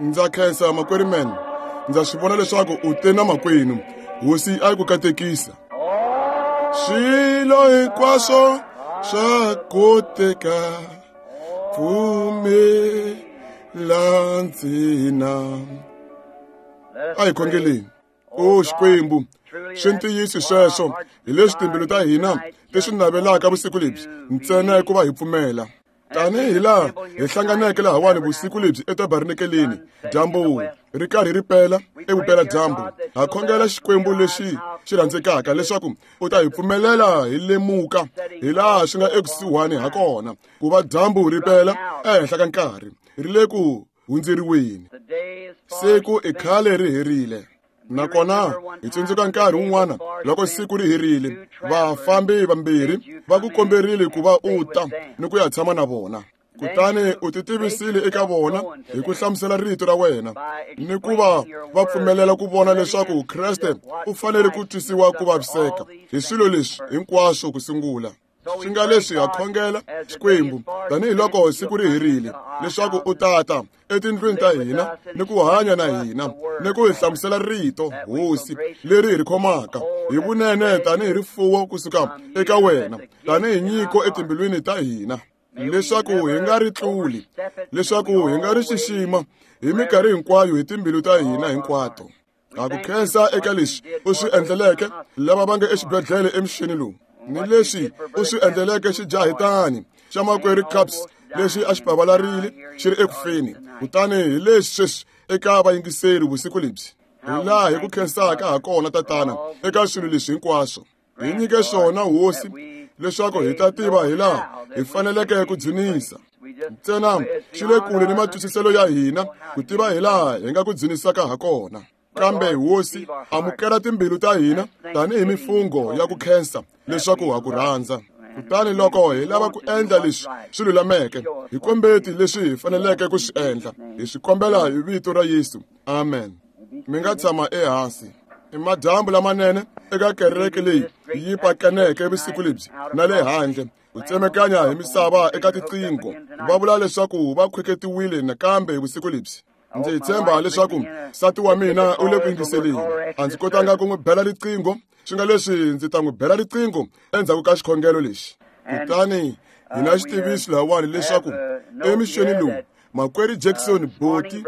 Ndza khensa makwerhu man. Ndza swi vona leswaku u te na makwenu. Hosi a yi ku katekisa. Swilo hinkwaswo swa koteka. Pfumela ntsena. A hi khongeleni. O Xikwembu, swi ntiyiso sweswo hi leswi timbilu ta hina ti swi navelaka vusiku lebyi ntsena hikuva hi pfumela. Tanihi laha hi hlanganeke lahawani vusiku lebyi etabarnekeleni, dyambu ri karhi ri pela evupela-dyambu, ha khongela Xikwembu lexi xi rhandzekaka leswaku u ta hi pfumelela hi lemuka hi laha swi nga ekusuhani ha kona ku va dyambu ri pela ehenhla ka nkarhi ri le ku hundzeriweni. Siku i khale ri herile. Nakona hi tsundzuka nkarhi wun'wana loko siku ri herile, vafambi vambirhi va ku komberile ku va u ta ni ku ya tshama na vona. Kutani u ti tivisile eka vona hi ku hlamusela rito ra wena ni ku va va pfumelela ku vona leswaku Kreste u fanele ku twisiwa ku vaviseka hi swilo leswi hinkwaswo ku sungula. Swi nga leswi ha khongela Xikwembu tanihiloko siku ri herile leswaku u tata etindlwini ta hina ni ku hanya na hina ni ku hi hlamusela rito Hosi leri hi ri khomaka hi vunene tanihi rifuwo kusuka eka wena tanihi nyiko etimbilwini ta hina leswaku hi nga ri tluli leswaku hi nga ri xixima hi minkarhi hinkwayo hi timbilu ta hina hinkwato. Ha ku khensa eka leswi u swi endleleke lava va nga exibedhlele emixeni lowu ni leswi u swi endleleke xijahitani xa makwerhu Capps lexi a xi pavalarile xi ri ekufeni. Kutani hi leswi sweswi eka vayingiseri vusiku lebyi, hi laha hi ku khensaka ha kona, Tatana, eka swilo leswi hinkwaswo. Hi nyike swona, Hosi, leswaku hi ta tiva hi laha hi faneleke ku dzunisa. Ntsena swi le kule ni matwisiselo ya hina ku tiva hi laha hi nga ku dzunisaka ha kona. Kambe Hosi, amukela timbilu ta hina tanihi mifungho ya ku khensa leswaku ha ku rhandza. Kutani loko hi lava ku endla leswi swi lulameke, hi kombeti leswi hi faneleke ku swi endla. Hi swi kombela hi vito ra Yesu. Amen. Mi nga tshama ehansi. I madyambu lamanene eka kereke leyi yi pakaneke vusiku lebyi na le handle ku tsemekanya hi misava eka tiqingho va vula leswaku va khweketiwile nakambe vusiku lebyi. Ndzi tshemba leswaku nsati wa mina u le ku yingiseleni. A ndzi kotanga ku n'wi bela riqingho, swi nga leswi ndzi ta n'wi bela riqingho endzhaku ka xikhongelo lexi. Kutani hi na xitiviso lahawani leswaku emixeni lowu Makwerhu Jackson boti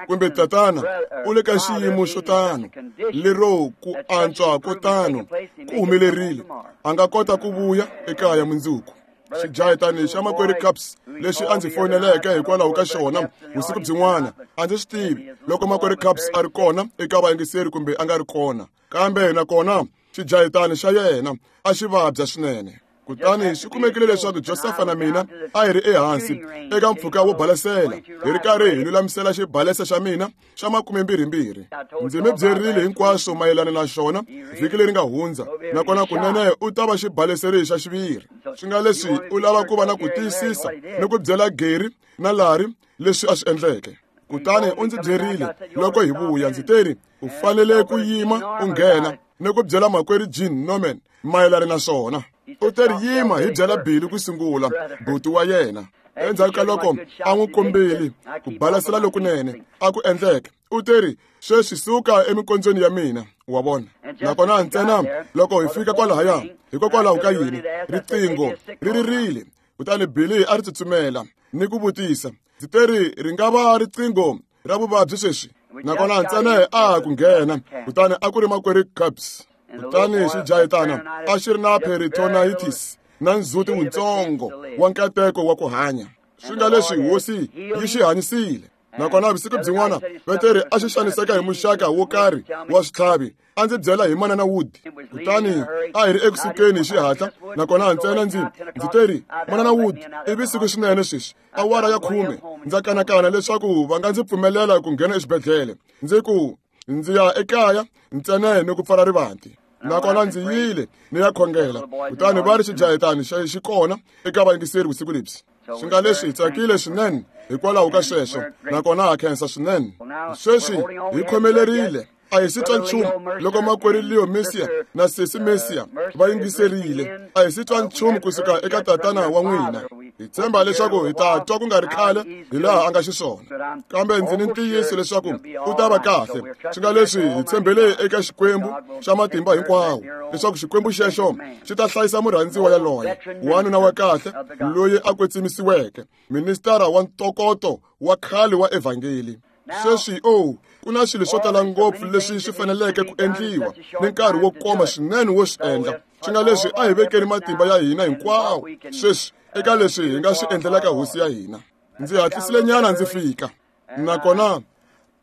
kumbe tatana u le ka xiyimo xo tano lero ku antswa ko tano ku humelerile a nga kota ku vuya ekaya mundzuku. Xijahitani xa makwerhu Capps lexi a ndzi foyineleke hikwalaho ka xona vusiku byin'wana, a ndzi swi tivi loko makwerhu Capps a ri kona eka vayingiseri kumbe a nga ri kona, kambe nakona xijahitani xa yena a xi vabya swinene. Kutani swi kumekile leswaku Josefa na mina a hi ri ehansi eka mpfhuka wo balesela, hi ri karhi hi lulamisela xibalesa xa mina xa makumembirhimbirhi. Ndzi mi byerile hinkwaswo mayelana na xona vhiki leri nga hundza, nakona kunene u ta va xibaleseri xa xiviri. Swi nga leswi u lava ku va na ku tiyisisa ni ku byela Gary na Larry leswi a swi endleke. Kutani u ndzi byerile loko hi vuya, ndzi teri, u fanele ku yima u nghena ni ku byela makwerhu Gene Norman mayelana na swona. U teri, yima hi byela Billy ku sungula, buti wa yena. Endzhaku ka loko a n'wi kombile ku balasela lokunene a ku endleke, u teri, sweswi suka emikondzweni ya mina, wa vona. Nakona ntsena loko hi fika kwalahaya, hikokwalaho ka yini riqingho ri ririle, kutani Billy a ri tsutsumela ni ku vutisa, ndzi teri ri nga va riqingho ra vuvabyi sweswi? Nakona ntsena a ku nghena, kutani a ku ri makwerhu Capps. Kutani xijahitana a xi ri na peritonitis na ndzhuti wuntsongo wa nkateko wa ku hanya. Swi nga leswi Hosi yi xi hanyisile. Nakona vusiku byin'wana Peteri a xi xaniseka hi muxaka wo karhi wa switlhavi, a ndzi byela hi Manana Wood. Kutani a hi ri ekusukeni hi xihatla, nakona ntsena ndzi ndzi teri, Manana Wood, i vusiku swinene sweswi, awara ya 10, ndza kanakana leswaku va nga ndzi pfumelela ku nghena exibedhlele. Ndzi ku, ndzi ya ekaya ntsena ni ku pfala rivanti. Nakona ndzi yile ni ya khongela, kutani va ri xijahitani xi kona eka vayingiseri vusiku lebyi. Swi nga leswi hi tsakile swinene hikwalaho ka sweswo, nakona ha khensa swinene. Sweswi hi khomelerile, a hi si twa nchumu loko makwerhu Leo Mercier na sesi Mercier va yingiserile. A hi si twa nchumu kusuka eka tatana wa n'wina. Hi tshemba leswaku hi ta twa ku nga ri khale hi laha a nga xiswona, kambe ndzi ni ntiyiso leswaku u ta va kahle. Swi nga leswi hi tshembele eka Xikwembu xa matimba hinkwawo leswaku Xikwembu xexo xi ta hlayisa murhandziwa yaloye, wanuna wa kahle loyi a kwetsimisiweke, ministara wa ntokoto wa khale wa evhangeli. Sweswi o ku na swilo swo tala ngopfu leswi swi faneleke ku endliwa ni nkarhi wo koma swinene wo swi endla. Swi nga leswi a hi vekeni matimba ya hina hinkwawo sweswi eka leswi hi nga swi endlelaka hosi ya hina. Ndzi hatlisile nyana ndzi fika, nakona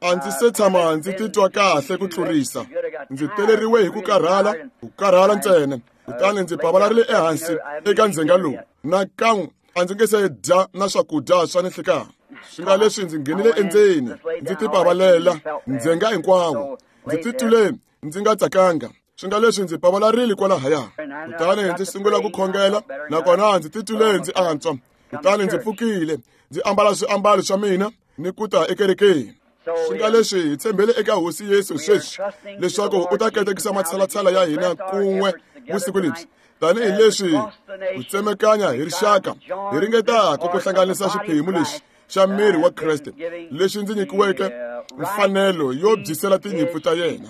a ndzi se tshama ndzi titwa kahle ku tlurisa. Ndzi teleriwe hi ku karhala ntsena, kutani ndzi pavalarile ehansi eka ndzhenga lowu. Nakan'we a ndzi nge se dya na swakudya swa ninhlikani. Swi nga leswi ndzi nghenile endzeni ndzi tipavalela ndzhenga hinkwawo. Ndzi titwile ndzi nga tsakanga. Swi nga leswi ndzi pavalarile kwalahaya, kutani ndzi sungula ku khongela, nakona ndzi titwile ndzi antswa. Kutani ndzi pfukile ndzi ambala swiambalo swa mina ni ku ta ekerekeni. Swi nga leswi hi tshembele eka Hosi Yesu sweswi leswaku u ta katekisa matshalatshala ya hina kun'we vusiku lebyi, tanihileswi ku tsemekanya hi rixaka hi ringetaka ku hlanganisa xiphemu lexi xa miri wa Kreste lexi ndzi nyikiweke mfanelo yo byisela tinyimpfu ta yena.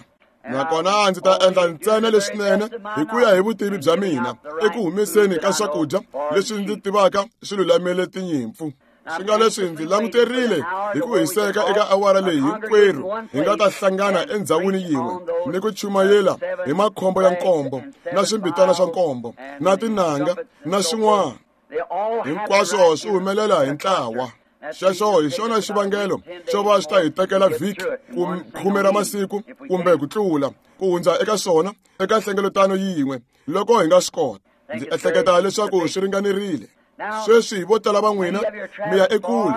Nakona ndzi ta endla ntsena leswinene hi ku ya hi vutivi bya mina eku humeseni ka swakudya leswi ndzi tivaka swi lulamele tinyimpfu. Swi nga leswi ndzi languterile hi ku hiseka eka awara leyi hinkwerhu hi nga ta hlangana endzhawini yin'we ni ku chumayela hi makhombo ya nkombo na swimbitana swa nkombo na tinanga na swin'wana. Hinkwaswo swi humelela hi ntlawa. Xexo hi xona xivangelo xo va swi ta hi tekela vhiki ku 10 ra masiku kumbe ku tlula ku hundza eka swona eka nhlengeletano yin'we loko hi nga swi kota. Ndzi ehleketa leswaku swi ringanerile. Sweswi vo tala va n'wina mi ya ekule.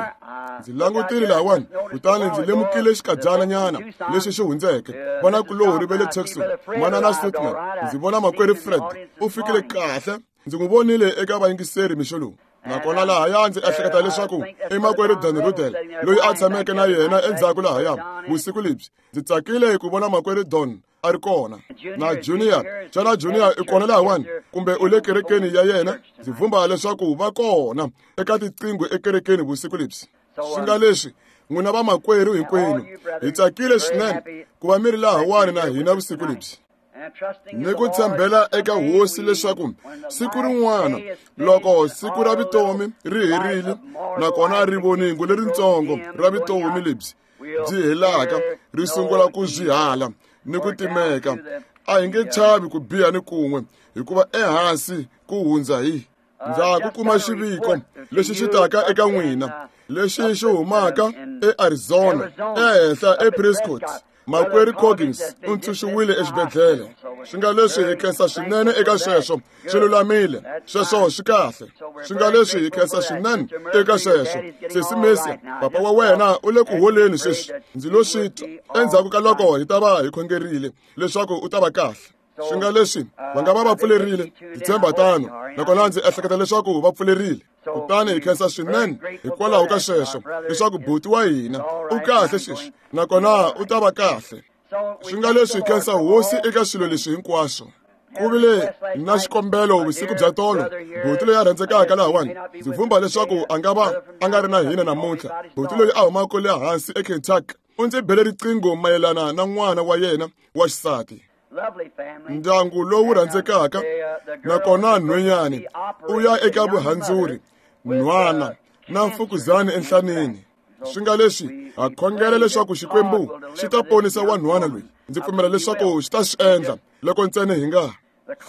Ndzi langutile lahawani, kutani ndzi lemukile xikadyana nyana lexi xi hundzeke. Vanakulorhi va le Tucson, Manana Sutman, ndzi vona makwerhu Fred u fikile kahle. Ndzi n'wi vonile eka vayingiseri mixo lowu. Nakona lahaya ndzi ehleketa leswaku i makwerhu Dan Rudel loyi a tshameke na yena endzhaku lahaya vusiku lebyi. Ndzi tsakile ku vona makwerhu Don a ri kona. Na Junior, xana Junior i kona lahawani kumbe u le kerekeni ya yena? Ndzi vhumba leswaku va kona eka tiqingho ekerekeni vusiku lebyi. Swi nga leswi n'wina vamakwerhu hinkwenu hi tsakile swinene ku va mi ri lahawani na hina vusiku lebyi, ni ku tshembela eka Hosi leswaku siku rin'wana loko siku ra vutomi ri herile nakona rivoningo leritsongo ra vutomi lebyi byi helaka ri sungula ku zwihala ni ku timeka, a hi nge chavi ku biha ni kun'we, hikuva ehansi ku hundza hi. Ndza ku kuma xiviko lexi xi taka eka n'wina lexi xi humaka eArizona ehenhla ePrescott. Makwerhu Coggins u ntshunxiwile exibedhlele. Swi nga leswi hi khensa swinene eka sweswo, swi lulamile, sweswo swi kahle. Swi nga leswi hi khensa swinene eka sweswo. Sesi Messi, papa wa wena u le ku holeni sweswi. Ndzi lo swi twa endzhaku ka loko hi ta va hi khongerile leswaku u ta va kahle. Swi nga leswi va nga va va pfulerile, ndzi tshemba tano, nakona ndzi ehleketa leswaku va pfulerile. Kutani hi khensa swinene hikwalaho ka sweswo leswaku buti wa hina u kahle sweswi nakona u ta va kahle. Swi nga leswi hi khensa Hosi eka swilo leswi hinkwaswo. Ku vile na xikombelo vusiku bya tolo, buti loyi a rhandzekaka lahawani, ndzi vhumba leswaku a nga va a nga ri na hina namuntlha. Buti loyi a humaka le hansi eKentucky u ndzi bele riqingho mayelana na n'wana wa yena wa xisati. Ndyangu lowu rhandzekaka, nakona nhwenyani u ya eka vuhandzuri, nhwana na mfukuzani enhlaneni. Swi nga leswi ha khongela leswaku Xikwembu xi ta ponisa wanhwana loyi. Ndzi pfumela leswaku xi ta swi endla loko ntsena hi nga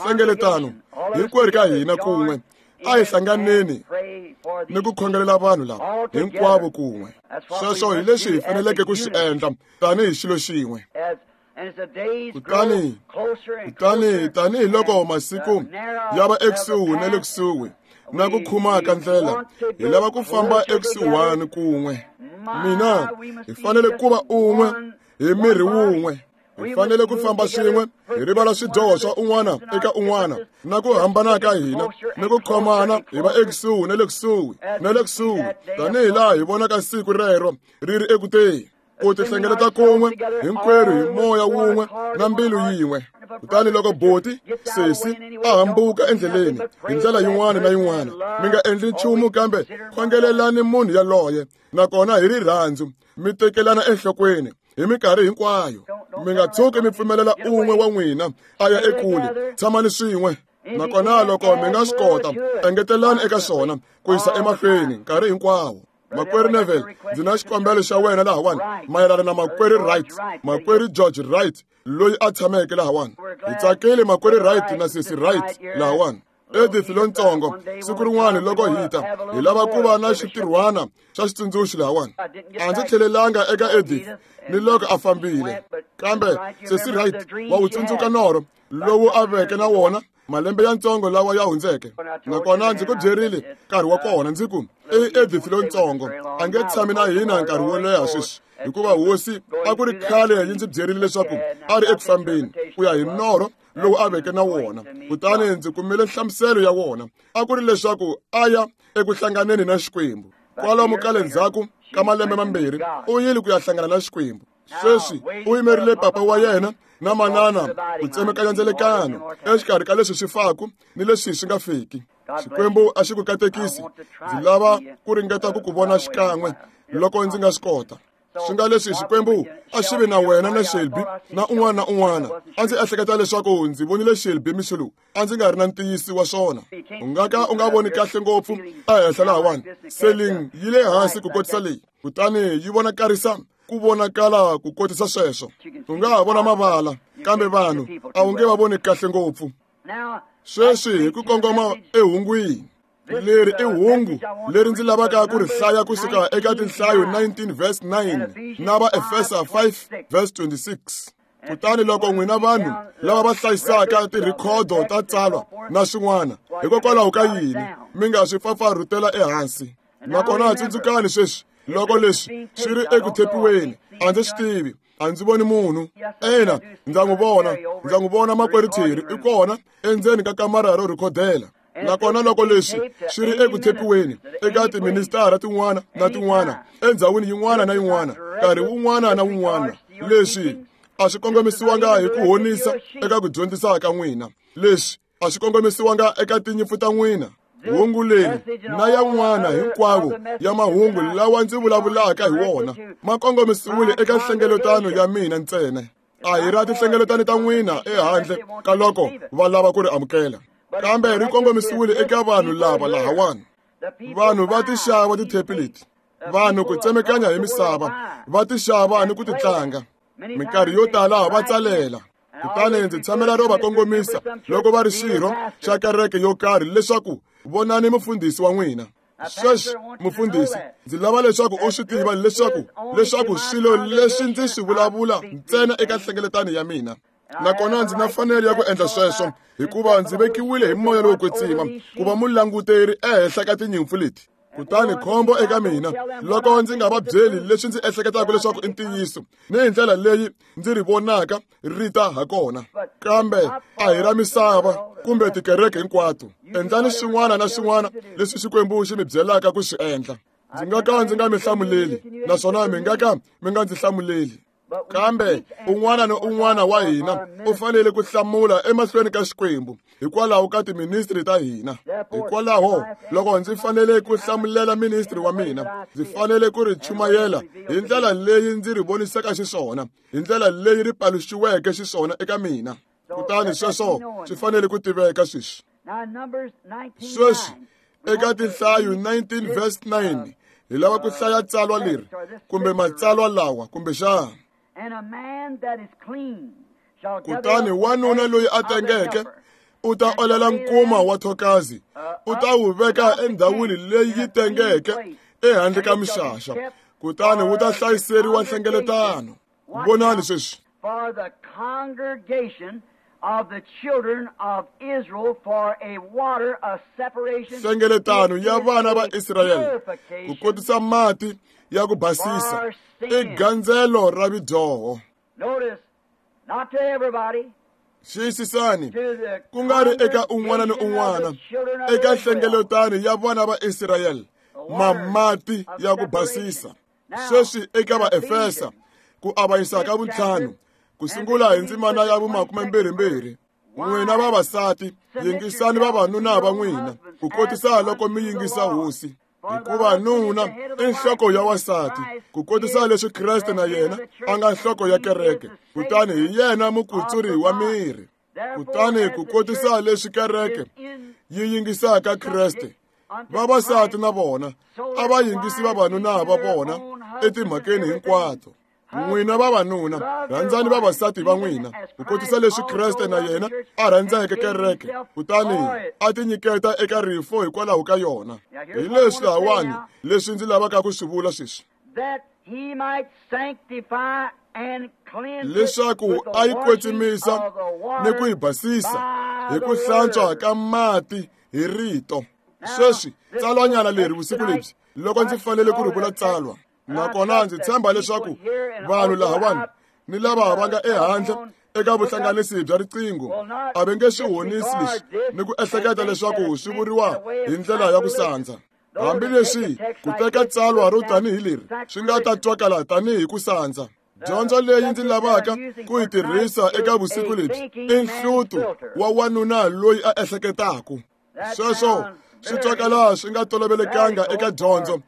hlengeletano hinkwerhu ka hina kun'we. A hi hlanganeni ni ku khongelela vanhu lava hinkwavo kun'we. Sweswo hi leswi hi faneleke ku swi endla tanihi xilo xin'we. Kutani tanihiloko masiku ya va ekusuhi na le kusuhi na ku khumaka ndlela, hi lava ku famba ekusuhani kun'we. Mina hi fanele ku va un'we hi miri wun'we. Hi fanele ku famba swin'we, hi rivala swidyoho swa un'wana eka un'wana na ku hambana ka hina ni ku khomana, hi va ekusuhi na le kusuhi na le kusuhi, tanihi laha hi vonaka siku rero ri ri ekuteni. Ku tihlengeleta kun'we hinkwerhu hi moya wun'we na mbilu yin'we. Kutani loko boti sesi a hambuka endleleni hi ndlela yin'wana na yin'wana, mi nga endli nchumu kambe khongelelani munhu yaloye, nakona hi rirhandzu mi tekelana enhlokweni hi minkarhi hinkwayo. Mi nga tshuki mi pfumelela un'we wa n'wina a ya ekule, tshamani swin'we. Nakona loko mi nga swi kota, engetelani eka swona ku yisa emahlweni nkarhi hinkwawo. Makwerhu Neville, ndzi na xikombelo xa wena lahawani mayelana na makwerhu Wright, makwerhu George Wright loyi a tshameke lahawani. Hi tsakile makwerhu Wright na sesi Wright lahawani. Edith lontsongo, siku rin'wana loko hi ta, hi lava ku va na xitirhwana xa xitsundzuxo lahawani. A ndzi tlhelelanga eka Edith ni loko a fambile, kambe sesi Wright wa wu tsundzuka norho lowu a veke na wona malembe ya ntsongo lawa ya hundzeke. Nakona ndzi ku byerile nkarhi wa kona ndzi ku i Edith lontsongo a nge tshami na hina nkarhi wo leha sweswi, hikuva hosi a ku ri khale yi ndzi byerile leswaku a ri eku fambeni ku ya hi norho lowu a veke na wona. Kutani ndzi kumile nhlamuselo ya wona, a ku ri leswaku a ya eku hlanganeni na Xikwembu. Kwalomu ka le ndzhaku ka malembe mambirhi u yile ku ya hlangana na Xikwembu. Sweswi u yimerile papa wa yena na manana ku tsemekanya ndzelekano exikarhi ka leswi swi faku ni leswi swi nga fiki. Xikwembu a xi ku katekisi. Ndzi lava ku ringeta ku ku vona xikan'we loko ndzi nga swi kota. Swi nga leswi Xikwembu a xi vi na wena na Shelby na un'wana na un'wana. A ndzi ehleketa leswaku ndzi vonile Shelby mixo lowu, a ndzi nga ri na ntiyiso wa swona. U nga ka u nga voni kahle ngopfu ehenhla lahawani. Seling yi le hansi ku kotisa leyi, kutani yi vonakarisa ku vonakala ku kotisa sweswo. U nga ha vona mavala, kambe vanhu a wu nge va voni kahle ngopfu. Sweswi hi ku kongoma ehungwini. Leri i hungu leri ndzi lavaka ku ri hlaya kusuka eka tinhlayo 19 verse 9 na Vaefesa 5 verse 26. Kutani loko n'wina vanhu lava va hlayisaka tirhikhodo ta tsalwa na swin'wana, hikokwalaho ka yini mi nga swi pfapfarhutela ehansi? Nakona tsundzukani sweswi, loko leswi swi ri eku thepiweni, a ndzi swi tivi, a ndzi voni munhu. Ina, ndza n'wi vona, ndza n'wi vona makwerhu Terry i kona endzeni ka kamara ro rhikhodela. Nakona loko leswi swi ri eku thepiweni eka tiministara tin'wana na tin'wana endzhawini yin'wana na yin'wana nkarhi wun'wana na wun'wana, leswi a swi kongomisiwanga hi ku honisa eka ku dyondzisa ka n'wina. Leswi a swi kongomisiwanga eka tinyimpfu ta n'wina. Hungu leri na yan'wana hinkwavo ya mahungu lawa ndzi vulavulaka hi wona ma kongomisiwile eka nhlengeletano ya mina ntsena. A hi ra tinhlengeletano ta n'wina ehandle ka loko va lava ku ri amukela, kambe ri kongomisiwile eka vanhu lava lahawani. Vanhu va ti xava tithepi leti, vanhu ku tsemekanya hi misava va ti xava ni ku ti tlanga. Minkarhi yo tala va tsalela. Kutani ndzi tshamela ro va kongomisa loko va ri xirho xa kereke yo karhi leswaku vonani mufundhisi wa n'wina. Sweswi mufundhisi, ndzi lava leswaku u swi tiva leswaku swilo leswi ndzi swi vulavula ntsena eka nhlengeletano ya mina. Nakona ndzi na fanelo ya ku endla sweswo hikuva ndzi vekiwile hi moya lowo kwetsima ku va mulanguteri ehenhla ka tinyimpfu leti. Kutani khombo eka mina loko ndzi nga va byeli leswi ndzi ehleketaka leswaku i ntiyiso ni hi ndlela leyi ndzi ri vonaka ri ta ha kona. Kambe a hi ra misava kumbe tikereke hinkwato. Endlani swin'wana na swin'wana leswi Xikwembu xi mi byelaka ku swi endla. Ndzi nga ka ndzi nga mi hlamuleli, naswona mi nga ka mi nga ndzi hlamuleli. Kambe un'wana ni un'wana wa hina u fanele ku hlamula emahlweni ka Xikwembu hikwalaho ka tiministri ta hina. Hikwalaho loko ndzi fanele ku hlamulela ministri wa mina, ndzi fanele ku ri chumayela hi ndlela leyi ndzi ri vonisaka xiswona, hi ndlela leyi ri paluxiweke xiswona eka mina. Kutani sweswo swi fanele ku tiveka sweswi. Sweswi eka tinhlayo 19 verse 9 hi lava ku hlaya tsalwa leri kumbe matsalwa lawa kumbexana. Kutani wanuna loyi a tengeke u ta olela nkuma wa thokazi, u ta wu veka endhawini leyi yi tengeke ehandle ka mixaxa, kutani wu ta hlayiseriwa nhlengeletano. Vonani sweswi. For the congregation of the children of Israel for a water of separation. Hlengeletano ya vana va Israyele ku kotisa mati ya ku basisa i gandzelo ra vidyoho. Notice, not to everybody. Xiyisisani, ku nga ri eka un'wana ni un'wana, eka hlengeletano ya vana va Israyele, mamati ya ku basisa. Sweswi eka Vaefesa Ku avanyisa ka vuntlhanu, ku sungula hi ndzimana ya vu-22. N'wina vavasati, yingisani vavanuna va n'wina, ku kotisa loko mi yingisa Hosi. Hikuva nuna i nhloko ya wansati, ku kotisa leswi Kreste na yena a nga nhloko ya kereke, kutani hi yena mukutsuri wa miri. Kutani ku kotisa leswi kereke yi yingisaka Kreste, vavasati na vona a va yingisi vavanuna va vona etimhakeni hinkwato. N'wina vavanuna, rhandzani vavasati va n'wina, ku kotisa leswi Kreste na yena a rhandzeke kereke, kutani a tinyiketa eka rifo hikwalaho ka yona. Hi leswi lahawani leswi ndzi lavaka ku swi vula sweswi. Leswaku a yi kwetsimisa ni ku yi basisa hi ku hlantswa ka mati hi rito. Sweswi tsalwanyana leri vusiku lebyi, loko ndzi fanele ku ri vula tsalwa, nakona ndzi tshemba leswaku vanhu lahawani ni lava va nga ehandle eka vuhlanganisi bya riqingho a va nge swi honisi leswi ni ku ehleketa leswaku swi vuriwa hi ndlela ya ku sandza. Hambileswi ku teka tsalwa ro tanihi leri swi nga ta twakala tanihi ku sandza, dyondzo leyi ndzi lavaka ku yi tirhisa eka vusiku lebyi i nhluto wa wanuna loyi a ehleketaka. Sweswo swi twakala swi nga tolovelekanga eka dyondzo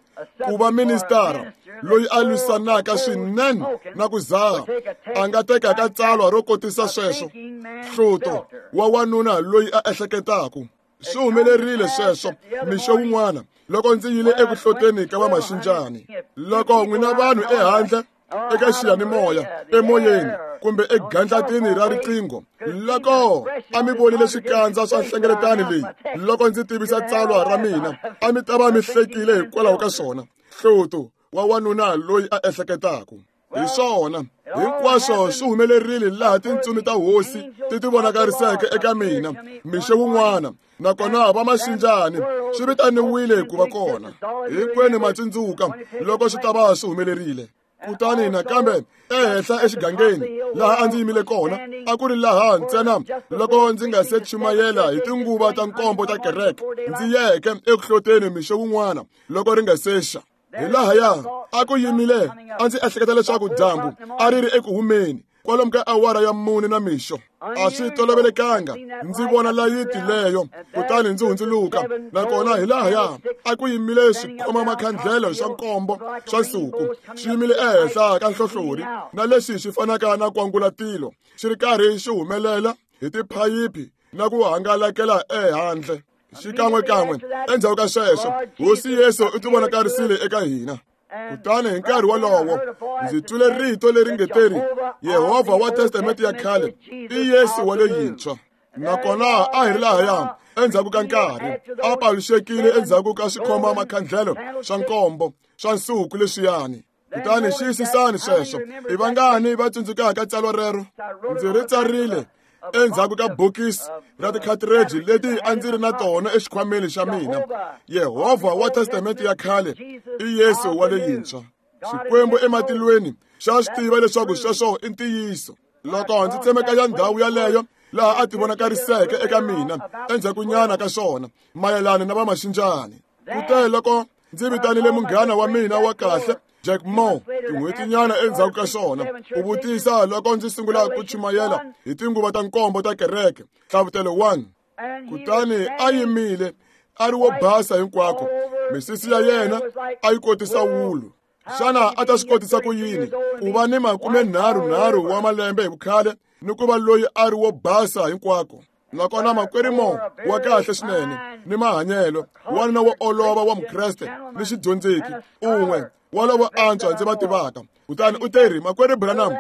ku va ministara loyi a lwisanaka swinene na ku zaha a nga tekaka tsalwa ro kotisa sweswo, nhluto wa wanuna loyi a ehleketaka. Swi humelerile sweswo mixo wun'wana loko ndzi yile eku hloteni ka vamaxinjani. Loko n'wina vanhu ehandle eka xiyanimoya, emoyeni kumbe egandlatini ra riqingho, loko a mi vonile swikandza swa nhlengeletano leyi loko ndzi tivisa tsalwa ra mina, a mi ta va mi hlekile hikwalaho ka swona. Hloto wa wanuna loyi a ehleketaka. Hi swona hinkwaswo swi humelerile laha tintsumi ta Hosi ti ti vonakariseke eka mina mixo wun'wana, nakona va maxinjani swi vitaniwile ku va kona. Hinkwenu ma tsundzuka loko swi ta va swi humelerile. Kutani nakambe ehenhla exigangeni laha a ndzi yimile kona, a ku ri laha ntsena loko ndzi nga se chumayela hi tinguva ta nkombo ta kereke, ndzi yeke eku hloteni mixo wun'wana loko ri nga se xa. Hi lahaya a ku yimile, a ndzi ehleketa leswaku dyambu a ri ri eku humeni kwalomu ka awara ya 4 na mixo. A swi tolovelekanga ndzi vona layiti leyo, kutani ndzi hundzuluka, nakona hi lahaya a ku yimile swikhoma makhandlelo swa nkombo swa nsuku swi yimile ehenhla ka nhlohlorhi, na leswi swi fanaka na kwangulatilo xi ri karhi xi humelela hi tiphayiphi na ku hangalakela ehandle. Xikan'wekan'we endzhaku ka sweswo, Hosi Yesu u tivonakarisile eka hina. Kutani hi nkarhi wolowo ndzi twile rito leri nge teri, Yehovha wa Testamente ya khale i Yesu wa leyintshwa. Nakona a hi ri lahaya endzhaku ka nkarhi, a paluxekile endzhaku ka swikhoma makhandlelo swa nkombo swa nsuku leswiyani. Kutani xiyisisani sweswo. I vangani va tsundzukaka tsalwa rero? Ndzi ri tsarile endzhaku ka bokisi ra tikhathireji leti a ndzi ri na tona exikhwameni xa mina. Yehovha wa Testamente ya khale i Yesu wa leyintshwa. Xikwembu ematilweni xa swi tiva leswaku sweswo i ntiyiso. Loko ndzi tsemekanya ndhawu yaleyo laha a tivonakariseke eka mina endzhakunyana ka swona mayelana na vamaxinjani. Kute loko ndzi vitanile munghana wa mina wa kahle Jack Moore tin'hwetinyana endzhaku ka swona, u vutisa loko ndzi sungula ku chumayela hi tinguva ta nkombo ta kereke, Nhlavutelo 1. Kutani a yimile a ri wo basa hinkwako, misisi ya yena a yi kotisa wulu. Xana a ta swi kotisa ku yini ku va ni 33 wa malembe hi vukhale ni ku va loyi a ri wo basa hinkwako? Nakona makwerhu Mo wa kahle swinene ni mahanyelo, wanuna wo olova wa Mukreste ni xidyondzeki, un'we wa lavo antswa ndzi va tivaka. Kutani u teri, makwerhu Branham,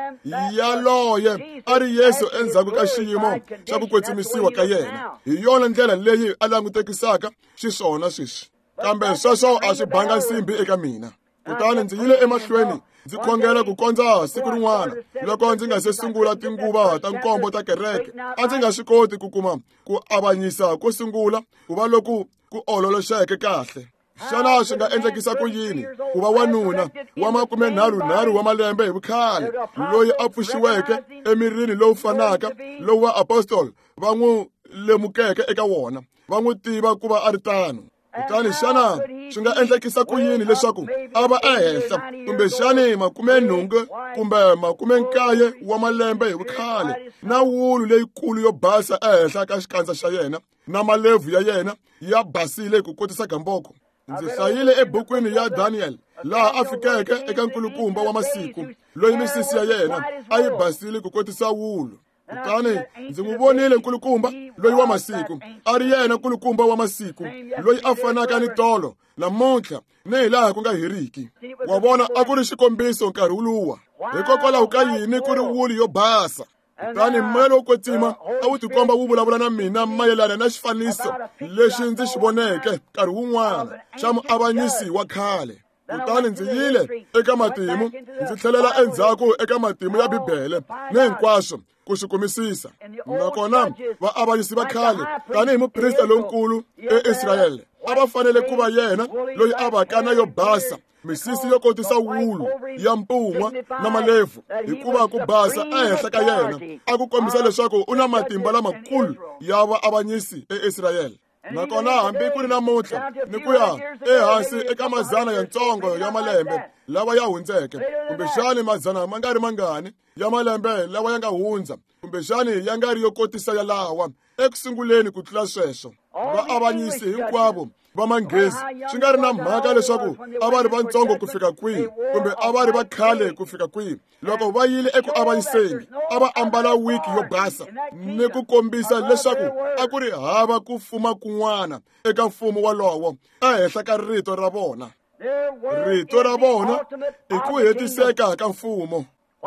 yaloye a ri Yesu endzhaku ka xiyimo xa ku kwetsimisiwa ka yena. Hi yona ndlela leyi a langutekisaka xiswona sweswi. Kambe sweswo a swi banga nsimbi eka mina. Kutani ndzi yile emahlweni ndzi khongela ku kondza siku rin'wana loko ndzi nga se sungula tinguva ta nkombo ta kereke, a ndzi nga swi koti ku kuma ku avanyisa ko sungula ku va loku ku ololoxeke kahle. Xana swi nga endlekisa ku yini ku va wanuna wa 33 wa malembe hi vukhale loyi a pfuxiweke emirini lowu fanaka lowu vaapostoli va n'wi lemukeke eka wona, va n'wi tiva ku va a ri tano? Kutani xana swi nga endlekisa ku yini leswaku a va ehenhla kumbexani 80 kumbe 90 wa malembe hi vukhale, na wulu leyikulu yo basa ehenhla ka xikandza xa yena, na malebvu ya yena ya basile ku kotisa gamboko? Ndzi hlayile ebukwini ya Daniel laha a fikeke eka nkulukumba wa masiku loyi misisi ya yena a yi basile ku kotisa wulu. Kutani ndzi n'wi vonile nkulukumba loyi wa masiku, a ri yena nkulukumba wa masiku loyi a fanaka ni tolo, namuntlha ni hi laha ku nga heriki. Wa vona, a ku ri xikombiso nkarhi wuluwa. Hikokwalaho ka yini ku ri wulu yo basa? Kutani moya lowo kwetsima a wu tikomba wu vulavula na mina mayelana na xifaniso lexi ndzi xi voneke nkarhi wun'wana xa muavanyisi wa khale. Kutani ndzi yile eka matimu, ndzi tlhelela endzhaku eka matimu ya Bibele ni hinkwaswo ku swi kumisisa. Nakona vaavanyisi va khale, tanihi muprista lonkulu eIsrayele, a va fanele ku va yena loyi a vaka na yo basa, misisi yo kotisa wulu ya mpun'wa na malebvu, hikuva ku basa ehenhla ka yena a ku kombisa leswaku u na matimba lamakulu ya vaavanyisi eIsrayele. Nakona hambi ku ri namuntlha ni ku ya ehansi eka mazana yantsongo ya malembe lawa ya hundzeke, kumbexani mazana ma nga ri mangani ya malembe lawa ya nga hundza, kumbexani ya nga ri yo kotisa yalawa eku sunguleni ku tlula sweswo, vaavanyisi hinkwavo va Manghezi, swi nga ri na mhaka leswaku a va ri vantsongo ku fika kwihi kumbe a va ri va khale ku fika kwihi, loko va yile eku avanyiseni a va ambala wiki yo basa ni ku kombisa leswaku a ku ri hava ku fuma kun'wana eka mfumo walowo ehenhla ka rito ra vona. Rito ra vona i ku hetiseka ka mfumo.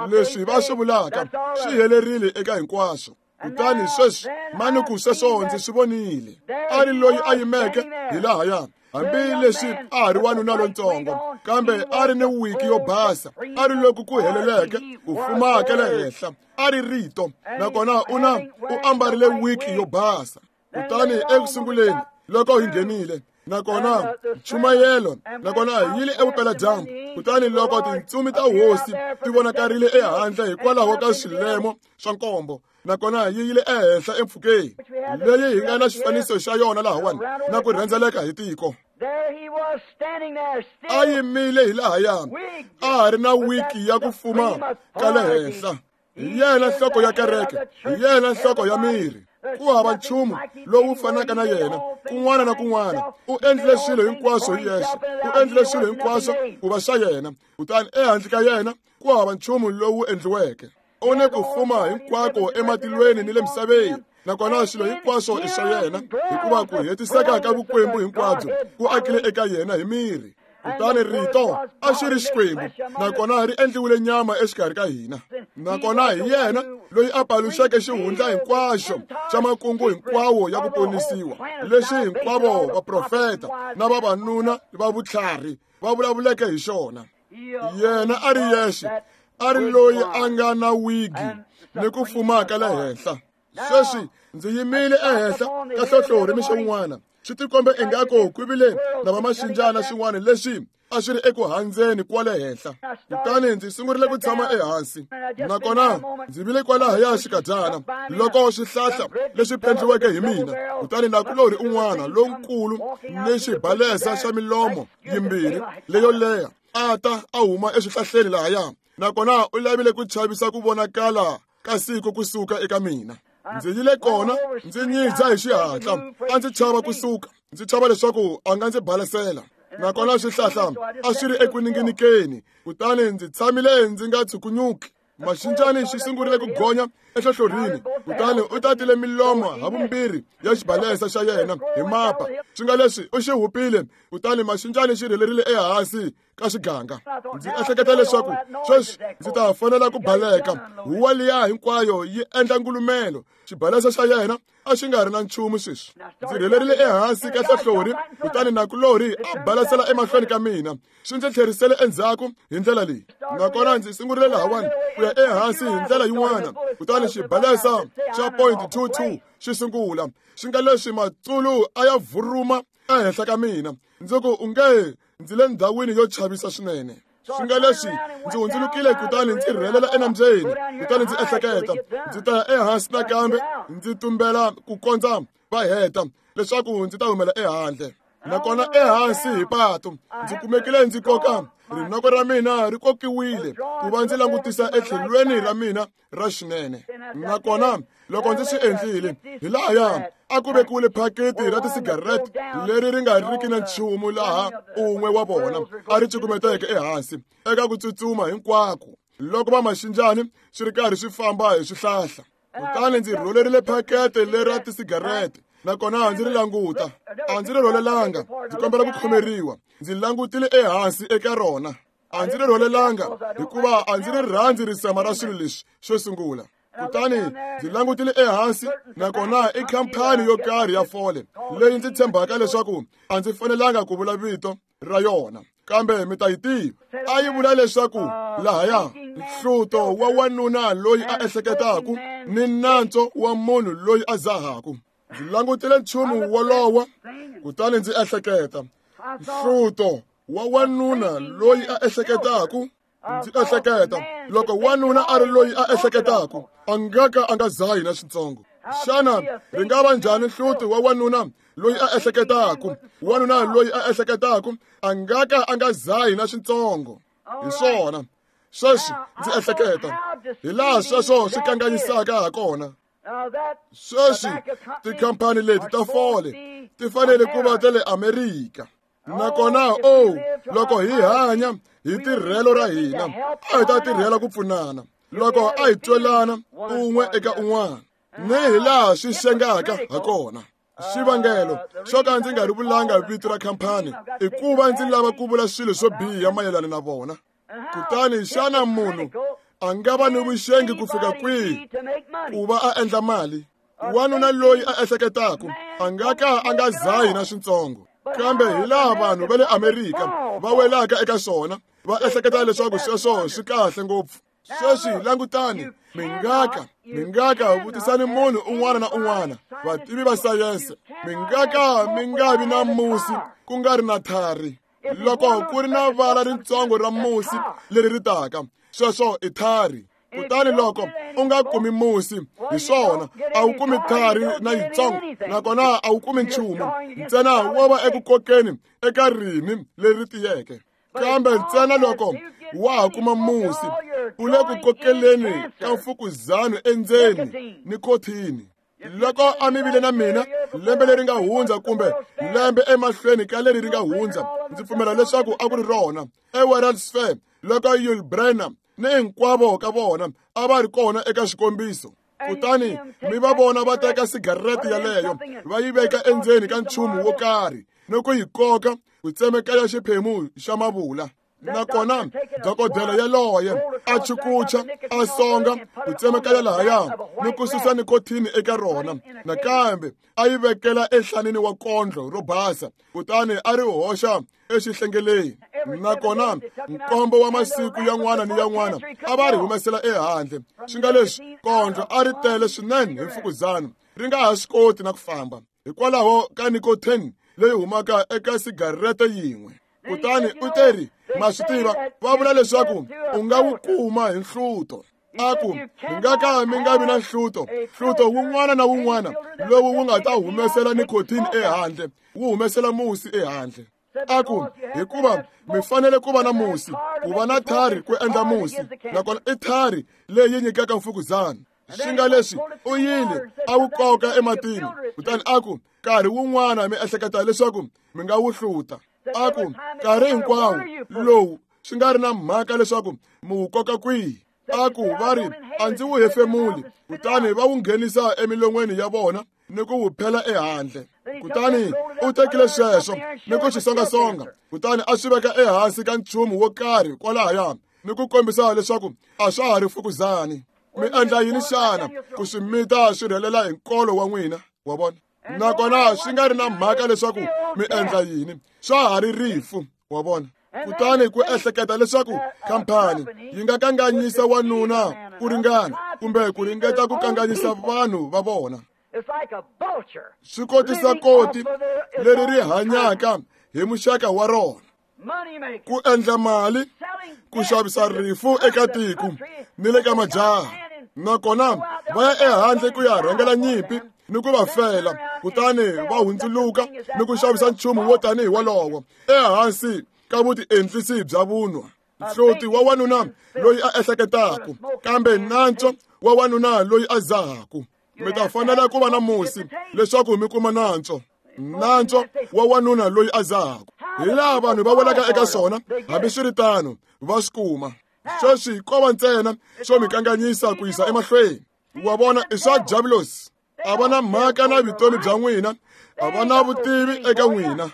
Leswi va swi vulaka swi helerile eka hinkwaswo. Kutani sweswi mani ku sweswo ndzi swi vonile, a ri loyi a yimeke hi lahaya, hambi leswi a ha ri wanuna lontsongo, kambe a ri ni wiki yo basa, a ri loku ku heleleke ku fuma ka le henhla, a ri rito, nakona u ambarile wiki yo basa. Kutani eku sunguleni loko hi nghenile, nakona nchumayelo, nakona hi yile evupeladyambu, kutani loko tintsumi ta hosi ti vonakarile ehandle hikwalaho ka swilemo swa nkombo, nakona yi yile ehenhla empfhukeni leyi hi nga na xifaniso xa yona lahawani, na ku rhendzeleka hi tiko. A yimile hi lahaya, a ha ri na wiki ya ku fuma ka le henhla. Hi yena nhloko ya kereke, hi yena nhloko ya miri. Ku hava nchumu lowu fanaka na yena kun'wana na kun'wana. U endlile swilo hinkwaswo hi yexe, u endlile swilo hinkwaswo ku va swa yena, kutani ehandle ka yena ku hava nchumu lowu endliweke. U ni ku fuma hinkwako ematilweni ni le misaveni, nakona swilo hinkwaswo i swa yena, hikuva ku hetiseka ka vukwembu hinkwabyo ku akile eka yena hi miri. Kutani rito a xi ri Xikwembu, nakona ri endliwile nyama exikarhi ka hina. Nakona hi yena loyi a paluxeke xihundla hinkwaxo xa makungu hinkwawo ya ku ponisiwa, lexi hinkwavo vaprofeta na vavanuna va vutlhari va vulavuleke hi xona. Yena a ri yexe, a ri loyi a nga na wigi ni ku fuma ka le henhla. Sweswi ndzi yimile ehenhla ka hlohlori mixo wun'wana, swi tikombe ingaku ku vile na vamaxinjana swin'wana leswi a swi ri eku handzeni kwale henhla. Kutani ndzi sungurile ku tshama ehansi, nakona ndzi vile kwalahaya xikadyana loko swihlahla leswi pendliweke hi mina. Kutani nakulorhi un'wana lonkulu ni xibalesa xa milomo yimbirhi leyo leha a ta a huma eswihlahleni lahaya, nakona u lavile ku chavisa ku vonakala ka siku kusuka eka mina. Ndzi yile kona ndzi nyidza hi xihatla, a ndzi chava kusuka, ndzi chava leswaku a nga ndzi balesela. Nakona swihlahla a swi ri eku ninginikeni, kutani ndzi tshamile ndzi nga tshukunyuki. Maxinjani xi sungurile ku gonya enhlohlorhini, kutani u tatile milomo havumbirhi ya xibalesa xa yena hi mapa. Swi nga leswi u xi hupile, kutani maxinjani xi rhelerile ehansi ka xiganga. Ndzi ehleketa leswaku sweswi ndzi ta fanela ku baleka. Huwa liya hinkwayo yi endla ngulumelo. Xibalesa xa yena a xi nga ri na nchumu sweswi. Ndzi rhelerile ehansi ka hlohlorhi, kutani nakulorhi a balasela emahlweni ka mina. Swi ndzi tlherisele endzhaku hi ndlela leyi, nakona ndzi sungurile lahawani ku ya ehansi hi ndlela yin'wana. Kutani xibalesa xa 0.22 xi sungula, swi nga leswi matsulu a ya vuruma ehenhla ka mina. Ndzi ku unge ndzi le ndhawini yo chavisa swinene. Swi nga leswi ndzi hundzulukile kutani ndzi rhelela enambyeni, kutani ndzi ehleketa ndzi ta ya ehansi nakambe ndzi tumbela ku kondza va heta leswaku ndzi ta humela ehandle. Nakona ehansi hi pato ndzi kumekile ndzi koka rinoko ra mina ri kokiwile ku va ndzi langutisa etlhelweni ra mina ra xinene. Nakona loko ndzi swi endlile, hi lahaya a ku vekiwile phaketi ra tisigarete leri ri nga riki na nchumu laha un'we wa vona a ri cukumeteke ehansi eka ku tsutsuma hinkwako loko va maxinjani swi ri karhi swi famba hi swihlahla. Kutani ndzi rholerile phakete leri ra tisigarete, nakona ndzi ri languta. A ndzi ri rholelanga, ndzi kombela ku khomeriwa. Ndzi langutile ehansi eka rona. A ndzi ri rholelanga hikuva a ndzi ri rhandzi risema ra swilo leswi xo sungula. Kutani ndzi langutile ehansi, nakona i khampani yo karhi ya fole leyi ndzi tshembaka leswaku a ndzi fanelanga ku vula vito ra yona, kambe mi ta yi tiva. A yi vula leswaku lahaya nhluto wa wanuna loyi a ehleketaku ni nantswo wa munhu loyi a zahaku. Ndzi langutile nchumu wolowo, kutani ndzi ehleketa, nhluto wa wanuna loyi a ehleketaku. Ndzi ehleketa, loko wanuna a ri loyi a ehleketaku, a nga ka a nga zahi na switsongo. Xana ri nga va njhani nhluto wa wanuna loyi a ehleketaku? Wanuna loyi a ehleketaku a nga ka a nga zahi na switsongo. Hi swona sweswi ndzi ehleketa hi laha sweswo swi kanganyisaka ha kona. Sweswi tikhampani leti ta fole ti fanele ku va ta le Amerika. Nakona loko hi hanya hi tirhelo ra hina, a hi ta tirhela ku pfunana loko a hi twelana un'we eka un'wana, ni hi laha swi xengaka ha kona. Xivangelo xo ka ndzi nga ri vulanga vito ra khampani i ku va ndzi lava ku vula swilo swo biha mayelana na vona. Kutani xana munhu a nga va ni vuxengi ku fika kwihi ku va a endla mali? Wanuna loyi a ehleketaku a nga ka a nga zahi na switsongo. Kambe hi laha vanhu va le Amerika va welaka eka swona, va ehleketa leswaku sweswo swi kahle ngopfu. Sweswi langutani, mi nga ka vutisani munhu un'wana na un'wana, vativi va sayense, mi nga ka mi nga vi na musi ku nga ri na thari. Loko ku ri na vala ritsongo ra musi leri ri taka, sweswo i thari. Kutani loko u nga kumi musi, hi swona a wu kumi thari na yitsongo, nakona a wu kumi nchumu, ntsena wo va eku kokeni eka rinhi leri tiyeke. Kambe ntsena loko wa ha kuma musi, u le ku kokeleni ka mfukuzano endzeni nikhothini. Loko a mi vile na mina lembe leri nga hundza kumbe lembe emahlweni ka leri ri nga hundza, ndzi pfumela leswaku a ku ri rona eWorld's Fair, loko Yul Brynner ni hinkwavo ka vona a va ri kona eka xikombiso. Kutani mi va vona va teka sigarete yaleyo va yi veka endzeni ka nchumu wo karhi ni ku yi koka ku tsemekanya xiphemu xa mavula. Nakona dokodela yaloye a chukucha a songa ku tsemekanya lahaya ni ku susa nikothini eka rona, nakambe a yi vekela enhlanini wa kondlo ro basa, kutani a ri hoxa exihlengeleni. Nakona nkombo wa masiku yan'wana ni yan'wana a va ri humesela ehandle, swi nga leswi kondlo a ri tele swinene hi mfukuzano, ri nga ha swi koti na ku famba hikwalaho ka nikotini leyi humaka eka sigarete yin'we. Kutani u teri, ma swi tiva, va vula leswaku u nga wu kuma hi nhluto. A ku, mi nga ka mi nga vi na nhluto, nhluto wun'wana na wun'wana lowu wu nga ta humesela nikotini ehandle, wu humesela musi ehandle. A ku, hikuva mi fanele ku va na musi, ku va na thari ku endla musi, nakona i thari leyi nyikaka mfukuzana. Swi nga leswi u yile a wu koka ematini, kutani a ku, nkarhi wun'wana mi ehleketa leswaku mi nga wu hluta. A ku, nkarhi hinkwawo lowu swi nga ri na mhaka leswaku mi wu koka kwihi. A ku, va ri, a ndzi wu hefemuli, kutani va wu nghenisa emilon'weni ya vona ni ku wu phela ehandle. Kutani u tekile sweswo ni ku swi songasonga, kutani a swi veka ehansi ka nchumu wo karhi kwalahaya ni ku kombisa leswaku a swa ha ri fukuzani. Mi endla yini xana ku swi mita swi rhelela hi nkolo wa n'wina? Wa vona? Nakona swi nga ri na mhaka leswaku mi endla yini, swa ha ri rifu. Wa vona? Kutani ku ehleketa leswaku khampani yi nga kanganyisa wanuna ku ringana kumbe ku ringeta ku kanganyisa vanhu va vona. Swi kotisa koti leri ri hanyaka hi muxaka wa rona, ku endla mali, ku xavisa rifu eka tiko ni le ka majaha, nakona va ya ehandle ku ya rhangela nyimpi ni ku va fela, kutani va hundzuluka ni ku xavisa nchumu wo tanihi wolowo ehansi ka vutiendlisi bya vunwa. Nhloti wa wanuna loyi a ehleketaka, kambe nantswo wa wanuna loyi a zahaku. Mi ta fanela ku va na musi leswaku mi kuma nantswo. Nantswo wa wanuna loyi a zahaku. Hi laha vanhu va welaka eka swona, hambiswiritano va swi kuma. Sweswi ko va ntsena swo mi kanganyisa ku yisa emahlweni. Wa vona, i swa diabulosi. A va na mhaka na vutomi bya n'wina, a va na vutivi eka n'wina.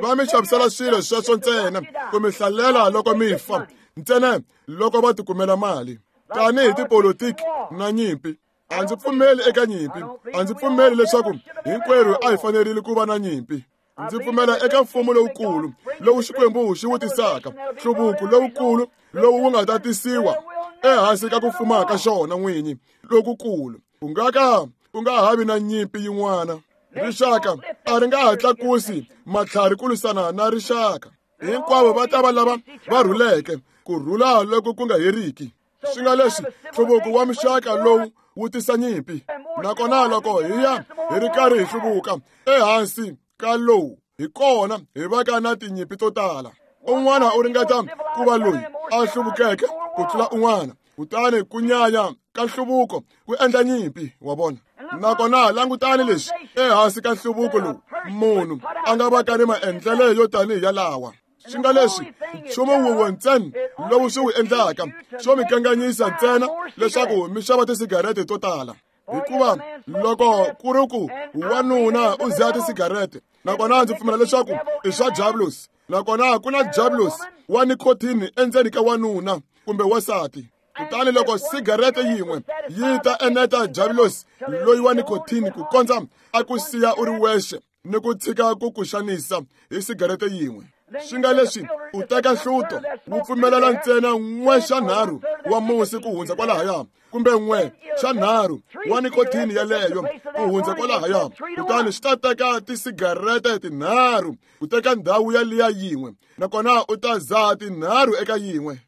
Va mi xavisela swilo sweswo ntsena ku mi hlalela loko mi fa, ntsena loko va tikumela mali. Tanihi tipolotiki na nyimpi, a ndzi pfumeli eka nyimpi. A ndzi pfumeli leswaku hinkwerhu a hi fanerile ku va na nyimpi. Ndzi pfumela eka mfumo lowukulu lowu Xikwembu xi wu tisaka, nhluvuko lowukulu lowu wu nga ta tisiwa ehansi ka ku fuma ka xona n'winyi lokukulu. Ku nga ka ku nga ha vi na nyimpi yin'wana. Rixaka a ri nga ha tlakusi matlhari ku lwisana na rixaka. Hinkwavo va ta va lava va rhuleke, ku rhula loko ku nga heriki. Swi nga leswi nhluvuko wa muxaka lowu wu tisa nyimpi. Nakona loko hi ya hi ri karhi hi hluvuka ehansi ka lowu, hi kona hi vaka na tinyimpi to tala. Un'wana u ringeta ku va loyi a hluvukeke ku tlula un'wana, kutani ku nyanya ka nhluvuko ku endla nyimpi, wa vona. Nakona langutani leswi ehansi ka nhluvuko lowu munhu a nga vaka ni maendlelo yo tanihi yalawa. Swi nga leswi nchumu wun'we ntsena lowu swi wu endlaka swo mi kanganyisa ntsena leswaku mi xava tisigarete to tala. Hikuva loko ku ri ku wanuna u dzaha tisigarete, nakona ndzi pfumela leswaku i swa diabulosi, nakona ku na diabulosi wa nikotini endzeni ka wanuna kumbe wansati. Kutani loko sigarete yin'we yi ta eneta diabulosi loyi wa nikotini ku kondza a ku siya u ri wexe ni ku tshika ku ku xanisa hi sigarete yin'we. Swi nga leswi u teka nhluto wu pfumelela ntsena 1/3 wa musi ku hundza kwalahaya, kumbe 1/3 wa nikotini yeleyo ku hundza kwalahaya, kutani swi ta teka tisigarete 3 ku teka ndhawu yaliya yin'we, nakona u ta zaha 3 eka yin'we.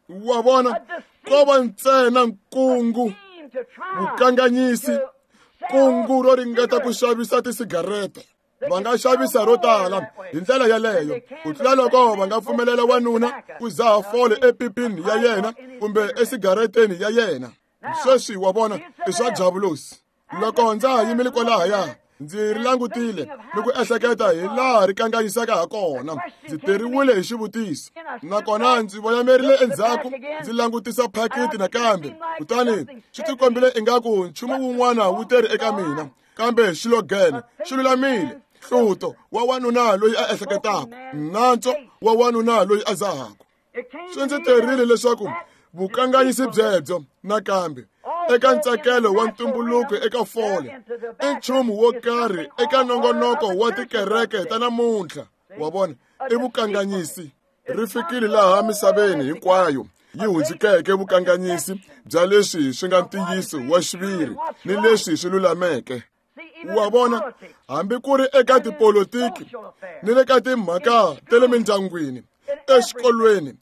Wa vona, ko va ntsena nkungu, vukanganyisi, kungu ro ringeta ku xavisa tisigarete. Va nga xavisa ro tala hi ndlela yeleyo ku tlula loko va nga pfumelela wanuna ku zaha fole epipini ya yena kumbe esigareteni ya yena. Sweswi wa vona, i swa diabulosi. Loko ndza ha yimile kwalahaya, ndzi ri langutile ni ku ehleketa hi laha ri kanganyisaka ha kona. Ndzi teriwile hi xivutiso, nakona ndzi voyamerile endzhaku ndzi langutisa phakiti nakambe, kutani swi tikombile ingaku nchumu wun'wana wu teri eka mina, kambe xilogene xi lulamile. Hluto wa wanuna loyi a ehleketaka, nantswo wa wanuna loyi a zahaka. Swi ndzi terile leswaku vukanganyisi byebyo nakambe eka ntsakelo wa ntumbuluko eka fole i nchumu wo karhi eka nongonoko wa tikereke ta namuntlha. Wa vona, i vukanganyisi. Ri fikile laha misaveni hinkwayo yi hundzukeke vukanganyisi bya leswi swi nga ntiyiso wa xiviri ni leswi swi lulameke. Wa vona, hambi ku ri eka tipolotiki ni le ka timhaka ta le mindyangwini, exikolweni,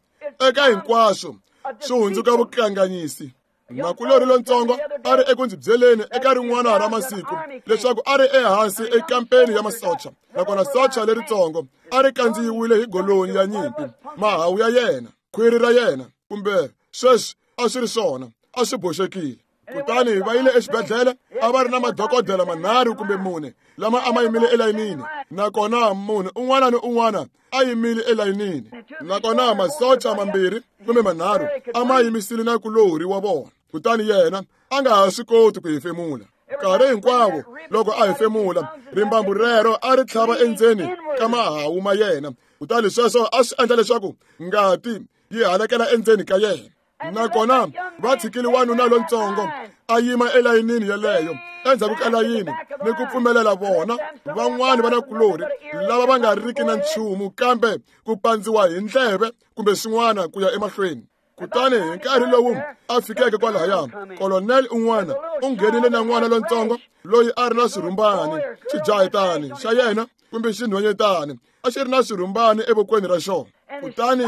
eka hinkwaswo swi hundzuka vukanganyisi. Makulorhi lontsongo a ri eku ndzi byeleni eka rin'wana ra masiku leswaku a ri ehansi ekampeni ya masocha, nakona socha leritsongo a ri kandziyiwile hi golonyi ya nyimpi, mahawu ya yena, khwiri ra yena, kumbe sweswi a swi ri swona, a swi boxekile. Kutani va yile exibedhlele, a va ri na madokodela 3 kumbe 4 lama a ma yimile elayinini, nakona munhu un'wana ni un'wana a yimile elayinini, nakona masocha 2 kumbe 3 a ma yimisile na kulorhi wa vona. Kutani yena a nga ha swi koti ku hefemula. Nkarhi hinkwawo loko a hefemula, rimbambu rero a ri tlhava endzeni ka mahawu ma yena, kutani sweswo a swi endla leswaku ngati yi halakela endzeni ka yena. Nakona va tshikile wanuna lontsongo a yima elayinini yeleyo endzhaku ka layini ni ku pfumelela vona van'wani va nakulorhi lava va nga riki na nchumu kambe ku pandziwa hi ndleve kumbe swin'wana ku ya emahlweni. Kutani hi nkarhi lowu a fikeke kwalahaya, kolonel un'wana u nghenile na n'wana lontsongo loyi a ri na swirhumbani, xijahetani xa yena kumbe xinhwanyetani a xi ri na swirhumbani evokweni ra xona. Kutani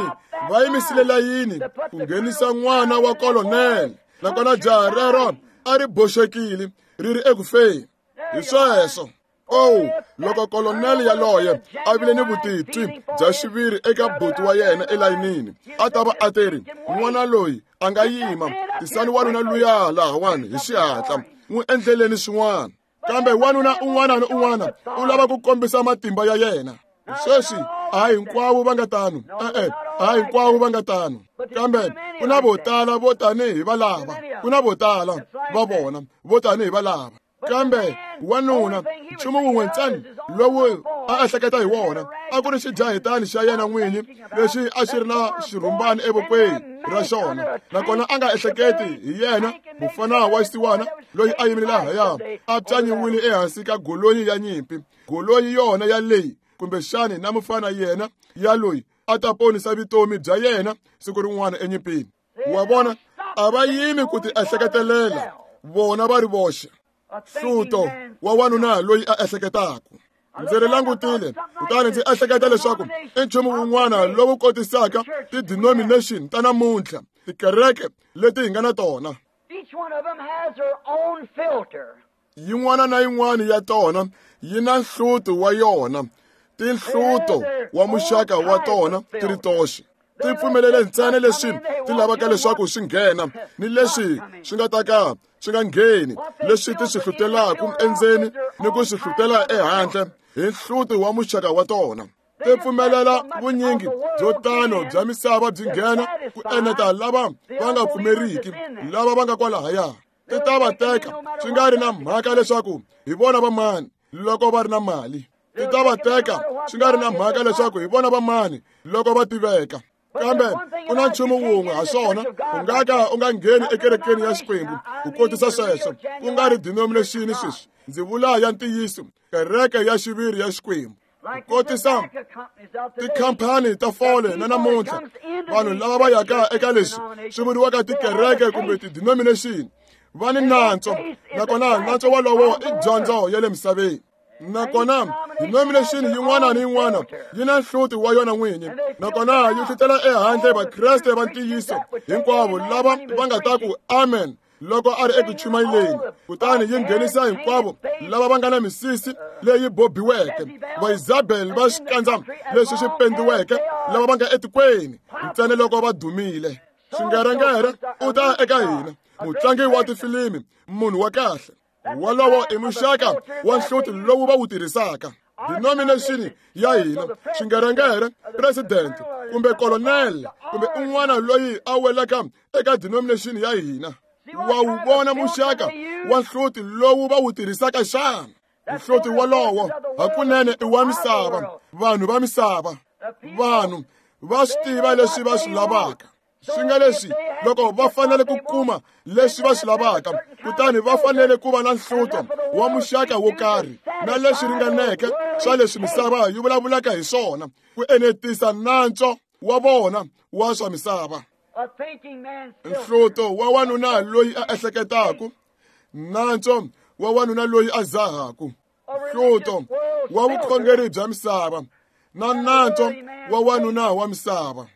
va yimisile layini ku nghenisa n'wana wa kolonel Nakona jaha rero a ri boxekile ri ri eku feni. Hi sweswo. Oh, loko koloneli yaloye a vile ni vutitwi bya xiviri eka buti wa yena elayinini, a ta va a teri, n'wana loyi a nga yima, tisani wanuna luya lahawani hi xihatla, n'wi endleleni swin'wana. Kambe wanuna un'wana ni un'wana u lava ku kombisa matimba ya yena. Sweswi a hinkwavo va nga tano, e-e, a hinkwavo va nga tano, kambe ku na vo tala vo tanihi valava, ku na vo tala va vona vo tanihi valava. Kambe wanuna nchumu wun'we ntsena lowu a ehleketa hi wona a ku ri xijahetani xa yena n'winyi lexi a xi ri na xirhumbani evokweni ra xona, nakona a nga ehleketi hi yena mufana wa xisiwana loyi a yimile lahaya a pyanyiwile ehansi ka golonyi ya nyimpi, golonyi yona ya leyi kumbexani na mufana yena ya loyi a ta ponisa vutomi bya yena siku rin'wana enyimpini. Wa vona, a va yimi ku ti ehleketelela vona va ri voxe. Hluto wa wanuna loyi a ehleketaka. Ndzi ri langutile kutani ndzi ehleketa leswaku i nchumu wun'wana lowu kotisaka ti-denomination ta namuntlha, tikereke leti hi nga na tona. Yin'wana na yin'wana ya tona yi na nhluto wa yona, tinhluto wa muxaka wa tona ti ri toxe. Ti pfumelele ntsena leswi ti lavaka leswaku swi nghena ni leswi swi nga ta ka swi nga ngheni, leswi ti swi hlutelaka endzeni ni ku swi hlutela ehandle hi nhluto wa muxaka wa tona. Ti pfumelela vunyingi byo tano bya misava byi nghena ku eneta lava va nga pfumeriki, lava va nga kwalahaya. Ti ta va teka swi nga ri na mhaka leswaku hi vona va mani loko va ri na mali. Ti ta va teka swi nga ri na mhaka leswaku hi vona va mani loko va tiveka. Kambe ku na nchumu wun'we ha swona, u nga ka u nga ngheni ekerekeni ya Xikwembu ku kotisa sweswo, ku nga ri denomination sweswi. Ndzi vula ya ntiyiso, kereke ya xiviri ya Xikwembu. Ku kotisa tikhampani ta fole na namuntlha, vanhu lava va yaka eka leswi swi vuriwaka tikereke kumbe ti-denomination va ni nantswo, nakona nantswo wolowo i dyondzo ya le misaveni. Nakona denomination yin'wana ni yin'wana yi na nhluti wa yona n'winyi, nakona yi hlutela ehandle Vakreste va ntiyiso hinkwavo lava va nga ta ku amen loko a ri eku chumayeleni, kutani yi nghenisa hinkwavo lava va nga na misisi leyi bobiweke, Vaisabel va xikandza leswi swi pendiweke, lava va nga etikweni ntsena loko va dumile. Xingerengere u ta eka hina, mutlangi wa tifilimi, munhu wa kahle. Wolowo i muxaka wa nhluti lowu va wu tirhisaka. Denomination ya hina, xingerengere, president kumbe colonel kumbe un'wana loyi a welaka eka denomination ya hina, wa wu vona muxaka wa nhluti lowu va wu tirhisaka xana? Nhluti wolowo hakunene i wa misava, vanhu va misava. Vanhu va swi tiva leswi va swi lavaka. Swi nga leswi loko va fanele ku kuma leswi va swi lavaka, kutani va fanele ku va na nhluto wa muxaka wo karhi na leswi ringaneke swa leswi misava yi vulavulaka hi swona ku enetisa nantswo wa vona wa swa misava. Nhluto wa wanuna loyi a ehleketaka, nantswo wa wanuna loyi a zahaku, nhluto wa vukhongeri bya misava na nantswo wa wanuna wa misava.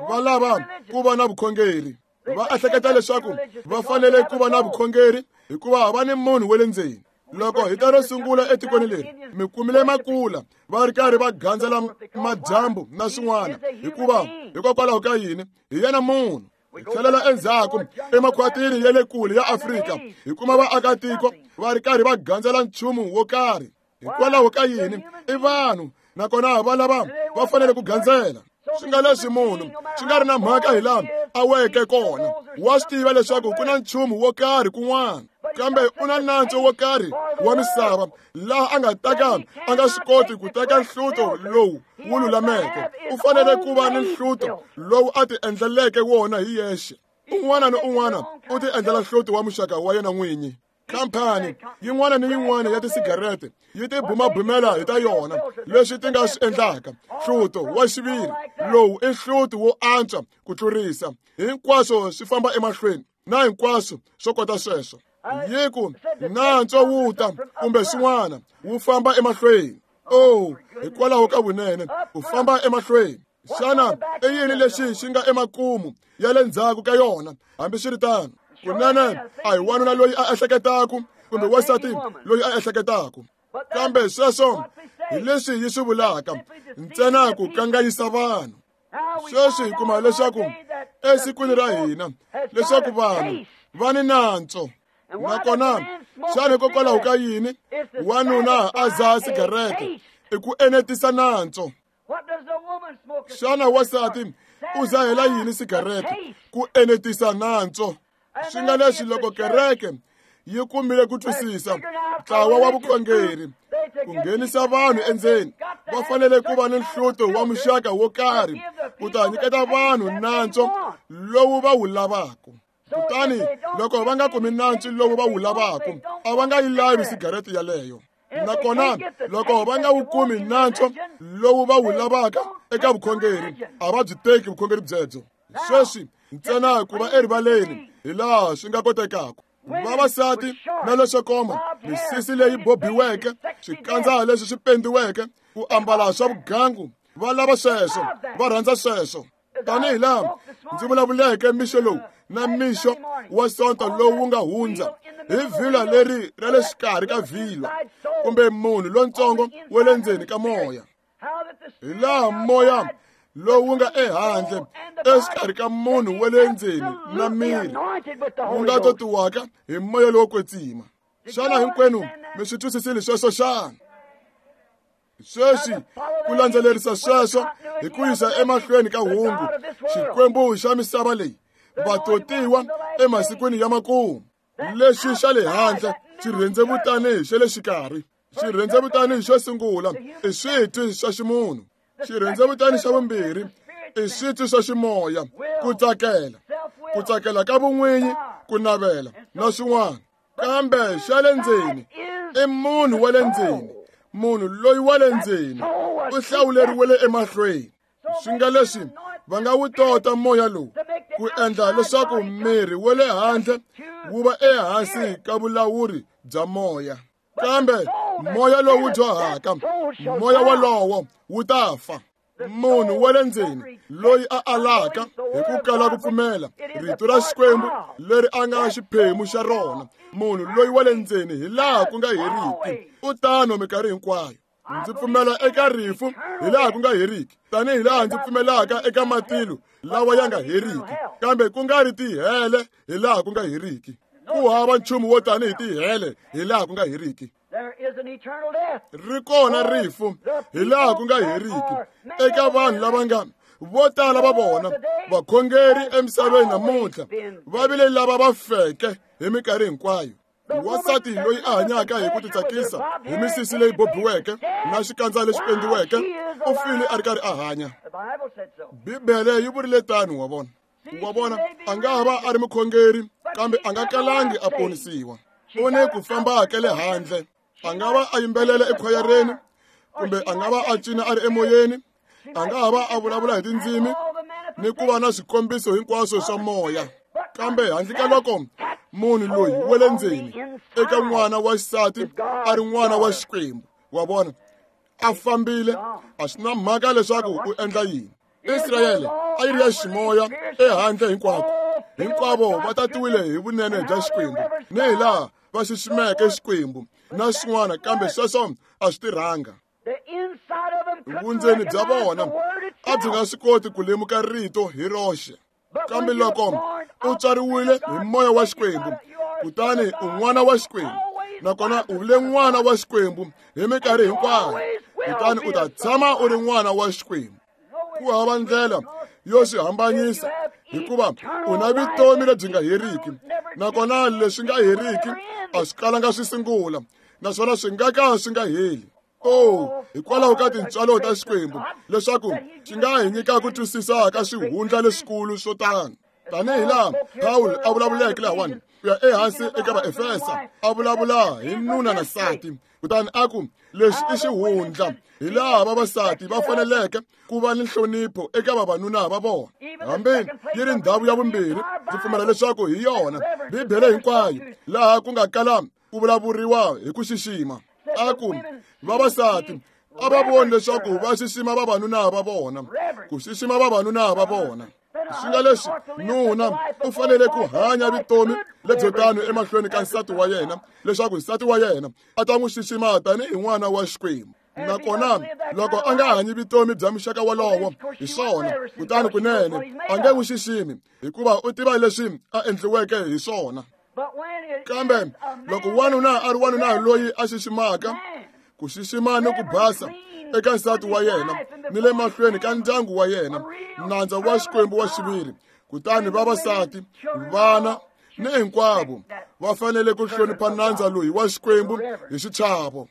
Va lava ku va na vukhongeri, va ehleketa leswaku va fanele ku va na vukhongeri hikuva va ni munhu wa le ndzeni. Loko hi ta ro sungula etikweni leri, mi kumile makula va ri karhi va gandzela madyambu na swin'wana, hikuva hikokwalaho ka yini? Hi yena munhu. Hi tlhelela endzhaku emakhwatini ya le kule ya Afrika, hi kuma vaakatiko va ri karhi va gandzela nchumu wo karhi. Hikwalaho ka yini? I vanhu, nakona va lava va fanele ku gandzela. Swi nga leswi munhu swi nga ri na mhaka hi laha a weke kona, wa swi tiva leswaku ku na nchumu wo karhi kun'wana, kambe u na nantswo wo karhi wa misava laha a nga ta ka a nga swi koti ku teka nhluto lowu wu lulameke. U fanele ku va ni nhluto lowu a ti endleleke wona hi yexe. Un'wana ni un'wana u ti endlela nhluto wa muxaka wa yena n'winyi. Khampani yin'wana ni yin'wana ya tisigarete yi tibumabumela hi ta yona leswi ti nga swi endlaka. Hluto wa xiviri lowu i hluto wo antswa ku tlurisa hinkwaswo swi famba emahlweni na hinkwaswo swo kota sweswo. Yi ku nantswo wu ta kumbe swin'wana wu famba emahlweni. Oh, hikwalaho ka vunene u famba emahlweni. Xana i yini lexi xi nga emakumu ya le ndzhaku ka yona? Hambiswiritano, Kunene a hi wanuna loyi a ehleketaku kumbe wansati loyi a ehleketaku, kambe sweswo hi leswi yi swi vulaka, ntsena ku kanganyisa vanhu. Sweswi hi kuma leswaku esikwini ra hina leswaku vanhu va ni nantswo. Nakona xana hikokwalaho ka yini wanuna a dzaha sigarete? I ku enetisa nantswo. Xana wansati u dzahela yini sigarete? Ku enetisa nantswo. Swi nga leswi loko kereke yi kumile ku twisisa ntlawa wa vukhongeri ku nghenisa vanhu endzeni, va fanele ku va ni nhluto wa muxaka wo karhi ku ta nyiketa vanhu nantswo lowu va wu lavaka. Kutani loko va nga kumi nantswo lowu va wu lavaka, a va nga yi lavi sigarete yaleyo. Nakona loko va nga wu kumi nantswo lowu va wu lavaka eka vukhongeri, a va byi teki vukhongeri byebyo. Sweswi ntsena ku va erivaleni hi laha swi nga kotekaka. Vavasati na leswo koma, misisi leyi bobiweke, swikandza leswi swi pendiweke, ku ambala swa vugangu, va lava sweswo, va rhandza sweswo. Tanihi laha ndzi vulavuleke mixo lowu na mixo wa Sonto lowu nga hundza hi vhilwa leri ra le xikarhi ka vhilwa, kumbe munhu lontsongo wa le ndzeni ka moya, hi laha moya lowu nga ehandle exikarhi ka munhu wa le ndzeni na miri wu nga totiwaka hi moya lowo kwetsima. Xana hinkwenu mi swi twisisile sweswo xana? Sweswi ku landzelerisa sweswo hi ku yisa emahlweni ka hungu Xikwembu xa misava leyi, vatotiwa emasikwini ya makumu. Lexi xa le handle xi rhendzevutani xa le xikarhi, xirhendzevutani xo sungula i switwi swa ximunhu, xirhendzevutani xa vumbirhi i switwi swa ximoya, ku tsakela, ku tsakela ka vun'winyi, ku navela na swin'wana. Kambe xa le ndzeni i munhu wa le ndzeni, munhu loyi wa le ndzeni u hlawuleriwele emahlweni. Swi nga leswi va nga wu tota moya lowu ku endla leswaku miri wa le handle wu va ehansi ka vulawuri bya moya. Kambe moya lowu dyohaka, moya wolowo wu ta fa. Munhu wa le ndzeni loyi a alaka hi ku kala ku pfumela rito ra Xikwembu leri a nga xiphemu xa rona, munhu loyi wa le ndzeni hi laha ku nga heriki u tano minkarhi hinkwayo. Ndzi pfumela eka rifu hi laha ku nga heriki, tanihi laha ndzi pfumelaka eka matilo lawa ya nga heriki, kambe ku nga ri tihele hi laha ku nga heriki. Ku hava nchumu wo tanihi tihele hi laha ku nga heriki. Ri kona rifu hi laha ku nga heriki eka vanhu lava nga vo tala va vona vakhongeri emisaveni namuntlha va vile lava va feke hi minkarhi hinkwayo. Wansati loyi a hanyaka hi ku titsakisa hi misisi leyi bobiweke na xikandza lexi pendiweke u file a ri karhi a hanya. Bibele yi vurile tano. Wa vona, wa vona, a nga ha va a ri mukhongeri, kambe a nga kalangi a ponisiwa. U ni ku famba ka le handle, a nga va a yimbelela ekhwayereni, kumbe a nga va a cina a ri emoyeni, a nga ha va a vulavula hi tindzimi ni ku va na swikombiso hinkwaswo swa moya, kambe handle ka loko munhu loyi wa le ndzeni eka n'wana wa xisati a ri n'wana wa Xikwembu, wa vona, a fambile, a swi na mhaka leswaku u endla yini. Israyele a yi ri ya ximoya ehandle hinkwako, hinkwavo va tatiwile hi vunene bya Xikwembu ni hi laha va xiximeke Xikwembu na swin'wana, kambe sweswo a swi tirhanga. Vundzeni bya vona a byi nga swi koti ku lemuka rito hi roxe. Kambe loko u tswariwile hi moya wa Xikwembu, kutani u n'wana wa Xikwembu, nakona u vile n'wana wa Xikwembu hi minkarhi hinkwayo, kutani u ta tshama u ri n'wana wa Xikwembu. Ku hava ndlela yo swi hambanyisa, hikuva u na vutomi lebyi nga heriki, nakona leswi nga heriki a swi kalanga swi sungula, naswona swi nga ka swi nga heli. Oh, hikwalaho ka tintswalo ta Xikwembu leswaku xi nga hi nyika ku twisisa ka swihundla leswikulu swo tano. Tanihi laha Pawulo a vulavuleke lahawani ku ya ehansi eka Vaefesa, a vulavula hi nuna na nsati, kutani a ku lexi i xihundla, hi laha vavasati va faneleke ku va ni nhlonipho eka vavanuna va vona. Hambi yi ri ndhawu ya vumbirhi, ndzi pfumela leswaku hi yona Bibele hinkwayo laha ku nga kala ku vulavuriwa hi ku xixima. A ku vavasati a va voni leswaku va xixima vavanuna va vona, ku xixima vavanuna va vona. Swi nga leswi nuna u fanele ku hanya vutomi lebyo tano emahlweni ka nsati wa yena leswaku nsati wa yena a ta n'wi xixima tanihi n'wana wa Xikwembu. Nakona loko a nga hanyi vutomi bya muxaka wolowo hi swona, kutani kunene a nge n'wi xiximi hikuva u tiva leswi a endliweke hi swona. Kambe loko wanuna a ri wanuna loyi a xiximaka, ku xixima ni ku basa eka nsati wa yena ni le mahlweni ka ndyangu wa yena, nandza wa Xikwembu wa xiviri, kutani vavasati, vana ni hinkwavo va fanele ku hlonipha nandza loyi wa Xikwembu hi xichavo.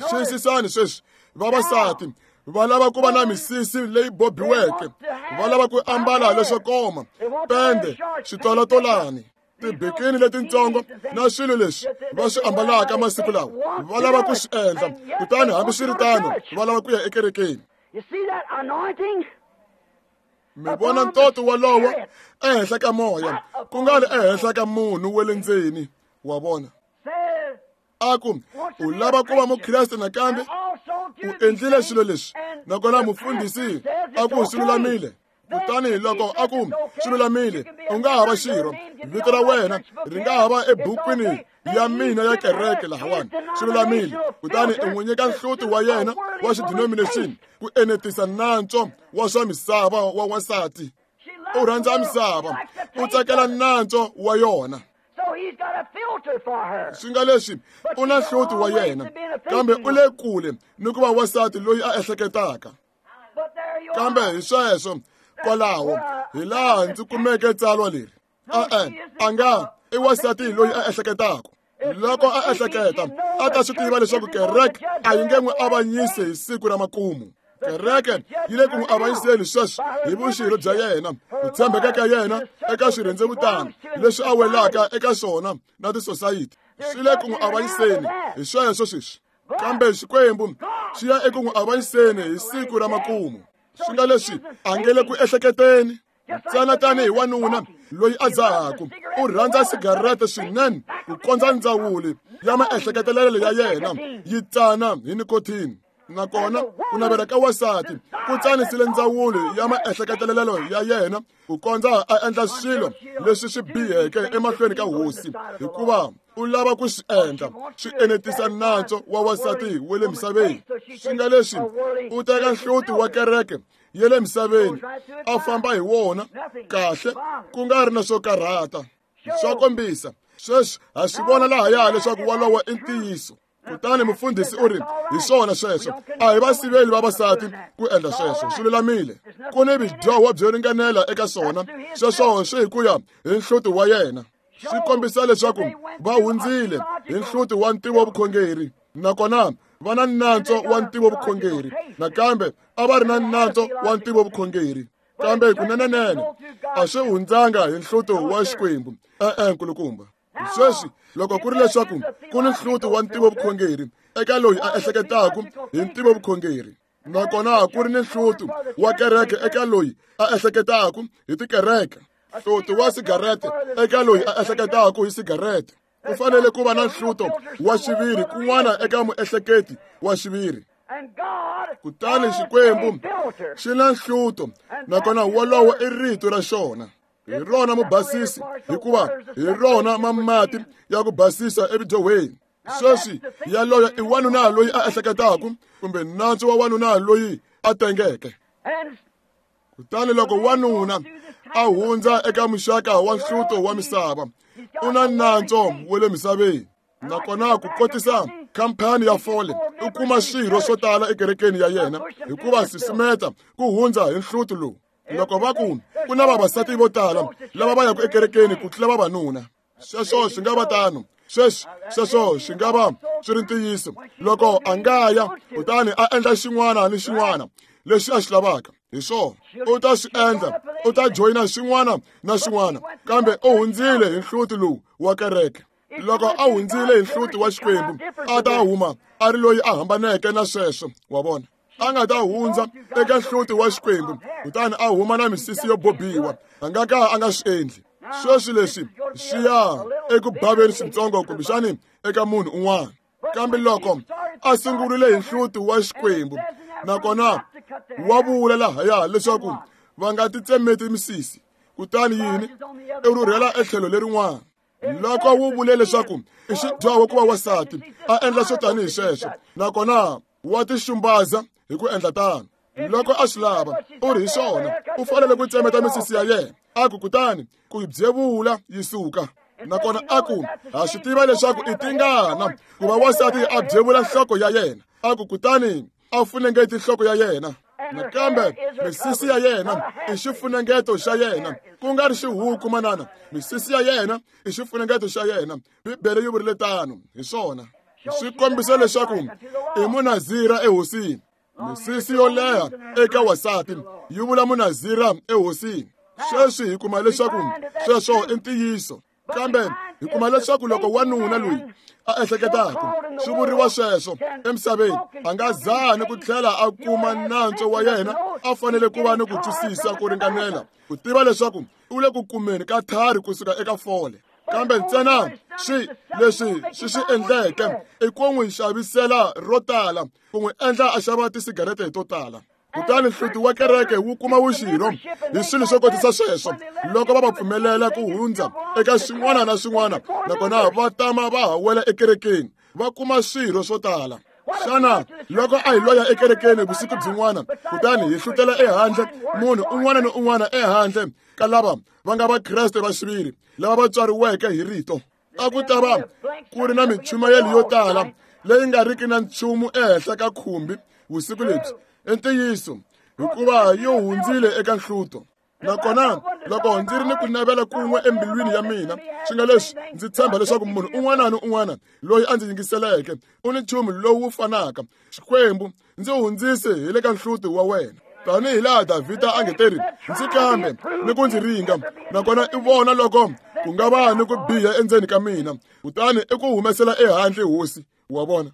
Xiyisisani sweswi, vavasati va lava ku va na misisi leyi bobiweke, va lava ku ambala leswo koma, pende, switolatolani, tibikini letintsongo na swilo leswi va swi ambalaka masiku lawa, va lava ku swi endla. Kutani hambiswiritano va lava ku ya ekerekeni. Mi vona ntoto wolowo ehenhla ka moya, ku nga ri ehenhla ka munhu wa le ndzeni, wa vona. A ku u lava ku va mukreste nakambe, u endlile swilo leswi, nakona mufundhisi a ku swi lulamile. Kutani loko a ku swi lulamile, u nga ha va xirho, vito ra wena ri nga ha va ebukwini ya mina ya kereke lahawani, swi lulamile. Kutani u n'wi nyika nhluti wa yena wa xidenomination ku enetisa nantswo wa swa misava wa wansati. U rhandza misava, u tsakela nantswo wa yona. Swi nga leswi u na nhluti wa yena, kambe u le kule ni ku va wansati loyi a ehleketaka. Kambe hi sweswo kwalaho hi laha ndzi kumeke tsalwa leri. E-e, a nga i wansati loyi a ehleketaka. Loko a ehleketa, a ta swi tiva leswaku kereke a yi nge n'wi avanyisi hi siku ra makumu. Kereke yi le ku n'wi avanyiseni sweswi hi vuxirho bya yena, ku tshembeka ka yena eka swirhendzevutana leswi a welaka eka swona na tisosayiti. Swi le ku n'wi avanyiseni hi sweswo sweswi. Kambe Xikwembu xi ya eku n'wi avanyiseni hi siku ra makumu. Swi nga leswi a nge le ku ehleketeni ntsena tanihi wanuna loyi a dzahaku, u rhandza sigarete swinene ku kondza ndzawuli ya maehleketelelo ya yena yi tsana hi nikotini. Nakona ku navela ka wansati ku tsanisile ndzawulo ya maehleketelelo ya yena ku kondza a endla swilo leswi swi biheke emahlweni ka hosi, hikuva u lava ku swi endla swi enetisa nantswo wa wansati wa le misaveni. Swi nga leswi u teka nhluti wa kereke ya le misaveni a famba hi wona kahle, ku nga ri na swo karhata. Swa kombisa sweswi ha swi vona lahaya leswaku wolowo i ntiyiso. Kutani mufundhisi u ri, hi swona sweswo, a hi vasiveli vavasati ku endla sweswo, swi lulamile. Ku ni vudyoho byo ringanela eka swona, sweswo swi hi ku ya hi nhluti wa yena. Swi kombisa leswaku va hundzile hi nhluti wa ntivovukhongeri, nakona va na nantswo wa ntivovukhongeri. Nakambe a va ri na nantswo wa ntivovukhongeri, kambe kunenenene a swi hundzanga hi nhluto wa Xikwembu. E-e, nkulukumba. Sweswi loko ku ri leswaku ku ni nhluto wa ntivovukhongeri eka loyi a ehleketaka hi ntivovukhongeri, nakona ku ri ni nhluto wa kereke eka loyi a ehleketaka hi tikereke, nhluto wa sigarete eka loyi a ehleketaka hi sigarete, ku fanele ku va na nhluto wa xiviri kun'wana eka muehleketi wa xiviri. Kutani Xikwembu xi na nhluto, nakona wolowo i rito ra xona. Hi rona mubasisi, hikuva hi rona mamati ya ku basisa evudyohweni. Sweswi yaloyo i wanuna loyi a ehleketaka, kumbe nantswo wa wanuna loyi a tengeke. Kutani loko wanuna a hundza eka muxaka wa nhluto wa misava, u na nantswo wa le misaveni. Nakona ku kotisa khampani ya fole, u kuma swirho swo tala ekerekeni ya yena hikuva susumeta ku hundza hi nhluto lowu. Loko va ku ku na vavasati vo tala lava va yaka ekerekeni ku tlula vavanuna, sweswo swi nga va tano. Sweswi sweswo swi nga va swi ri ntiyiso loko a nga ya kutani a endla xin'wana ni xin'wana lexi a xi lavaka. Hi swona u ta swi endla, u ta joyina xin'wana na xin'wana, kambe u hundzile hi nhluti lowu wa kereke. Loko a hundzile hi nhluti wa Xikwembu, a ta huma a ri loyi a hambaneke na sweswo, wa vona. A nga ta hundza eka nhluti wa Xikwembu kutani a huma na misisi yo bobiwa, a nga ka a nga swi endli. Sweswi leswi swi ya eku baveni swintsongo kumbexani eka munhu un'wana. Kambe loko a sungurile hi nhluti wa Xikwembu, nakona wa vula lahaya leswaku va nga titsemeti misisi, Kutani yini? I rhurhela etlhelo lerin'wana. Loko wu vule leswaku i xidyoho ku va wansati a endla swo tanihi sweswo, nakona wa tixumbaza hi ku endla tano. Loko a swi lava, u ri hi swona, u fanele ku tsemeta misisi ya yena. A ku kutani ku yi byevula yi suka. Nakona a ku ha swi tiva leswaku i tingana ku va wansati a byevula nhloko ya yena. A ku kutani a funengeti nhloko ya yena. Nakambe misisi ya yena i xifunengeto xa yena, ku nga ri xihuku manana. Misisi ya yena i xifunengeto xa yena. Bibele yi vurile tano, hi swona. Swi kombisa leswaku i munazira ehosini. Misisi yo leha eka wansati yi vula munazira ehosini. Sweswi hi kuma leswaku sweswo i ntiyiso. Kambe hi kuma leswaku loko wanuna loyi a ehleketaka swi vuriwa sweswo emisaveni, a nga zani ku tlhela a kuma nantswo wa yena, a fanele ku va ni ku twisisa ku ringanela ku tiva leswaku u le ku kumeni ka thari kusuka eka fole. Kambe ntsena swi leswi swi swi endleke i ku n'wi xavisela ro tala, ku n'wi endla a xava tisigarete to tala. Kutani nhluti wa kereke wu kuma vuxirho hi swilo swo kotisa sweswo loko va va pfumelela ku hundza eka swin'wana na swin'wana, nakona va tama va ha wela ekerekeni va kuma swirho swo tala. Xana loko a hi loya ekerekeni vusiku byin'wana, kutani hi hlutela ehandle munhu un'wana ni un'wana ehandle ka lava va nga Vakreste va xiviri lava va tswariweke hi rito, a ku ta va ku ri na minchumayelo yo tala leyi nga riki na nchumu ehenhla ka khumbi vusiku lebyi. I ntiyiso, hikuva yi hundzile eka nhluto. Nakona loko ndzi ri ni ku navela kun'we embilwini ya mina, swi nga leswi ndzi tshemba leswaku munhu un'wana ni un'wana loyi a ndzi yingiseleke u ni nchumu lowu fanaka. Xikwembu, ndzi hundzise hi le ka nhluto wa wena, tanihi laha Davhida a nge teri, ndzi kambe ni ku ndzi ringa, nakona i vona loko ku nga va ni ku biha endzeni ka mina, kutani i ku humesela ehandle hosi. Wa vona,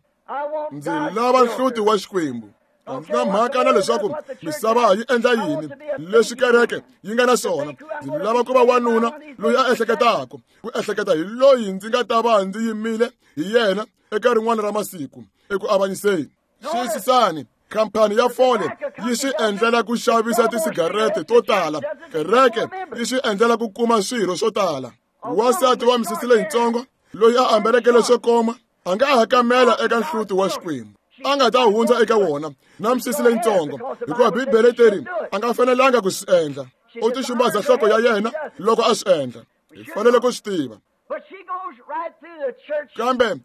ndzi lava nhluti wa Xikwembu. A ndzi na mhaka na leswaku misava yi endla yini, leswi kereke yi nga na swona. Ndzi lava ku va wanuna loyi a ehleketaka, ku ehleketa hi loyi ndzi nga ta va ndzi yimile hi yena eka rin'wana ra masiku eku avanyiseni. Xiyisisani, khampani ya fole yi swi endlela ku xavisa tisigarete to tala, kereke yi swi endlela ku kuma swirho swo tala. Wansati wa misisi leyitsongo loyi a ambaleke leswo koma a nga hakamela eka nhluti wa Xikwembu, a nga ta hundza eka wona na misisi leyitsongo, hikuva Bibele teri a nga fanelanga ku swi endla. U tixumbaza nhloko ya yena loko a swi endla. Hi fanele ku swi tiva. Kambe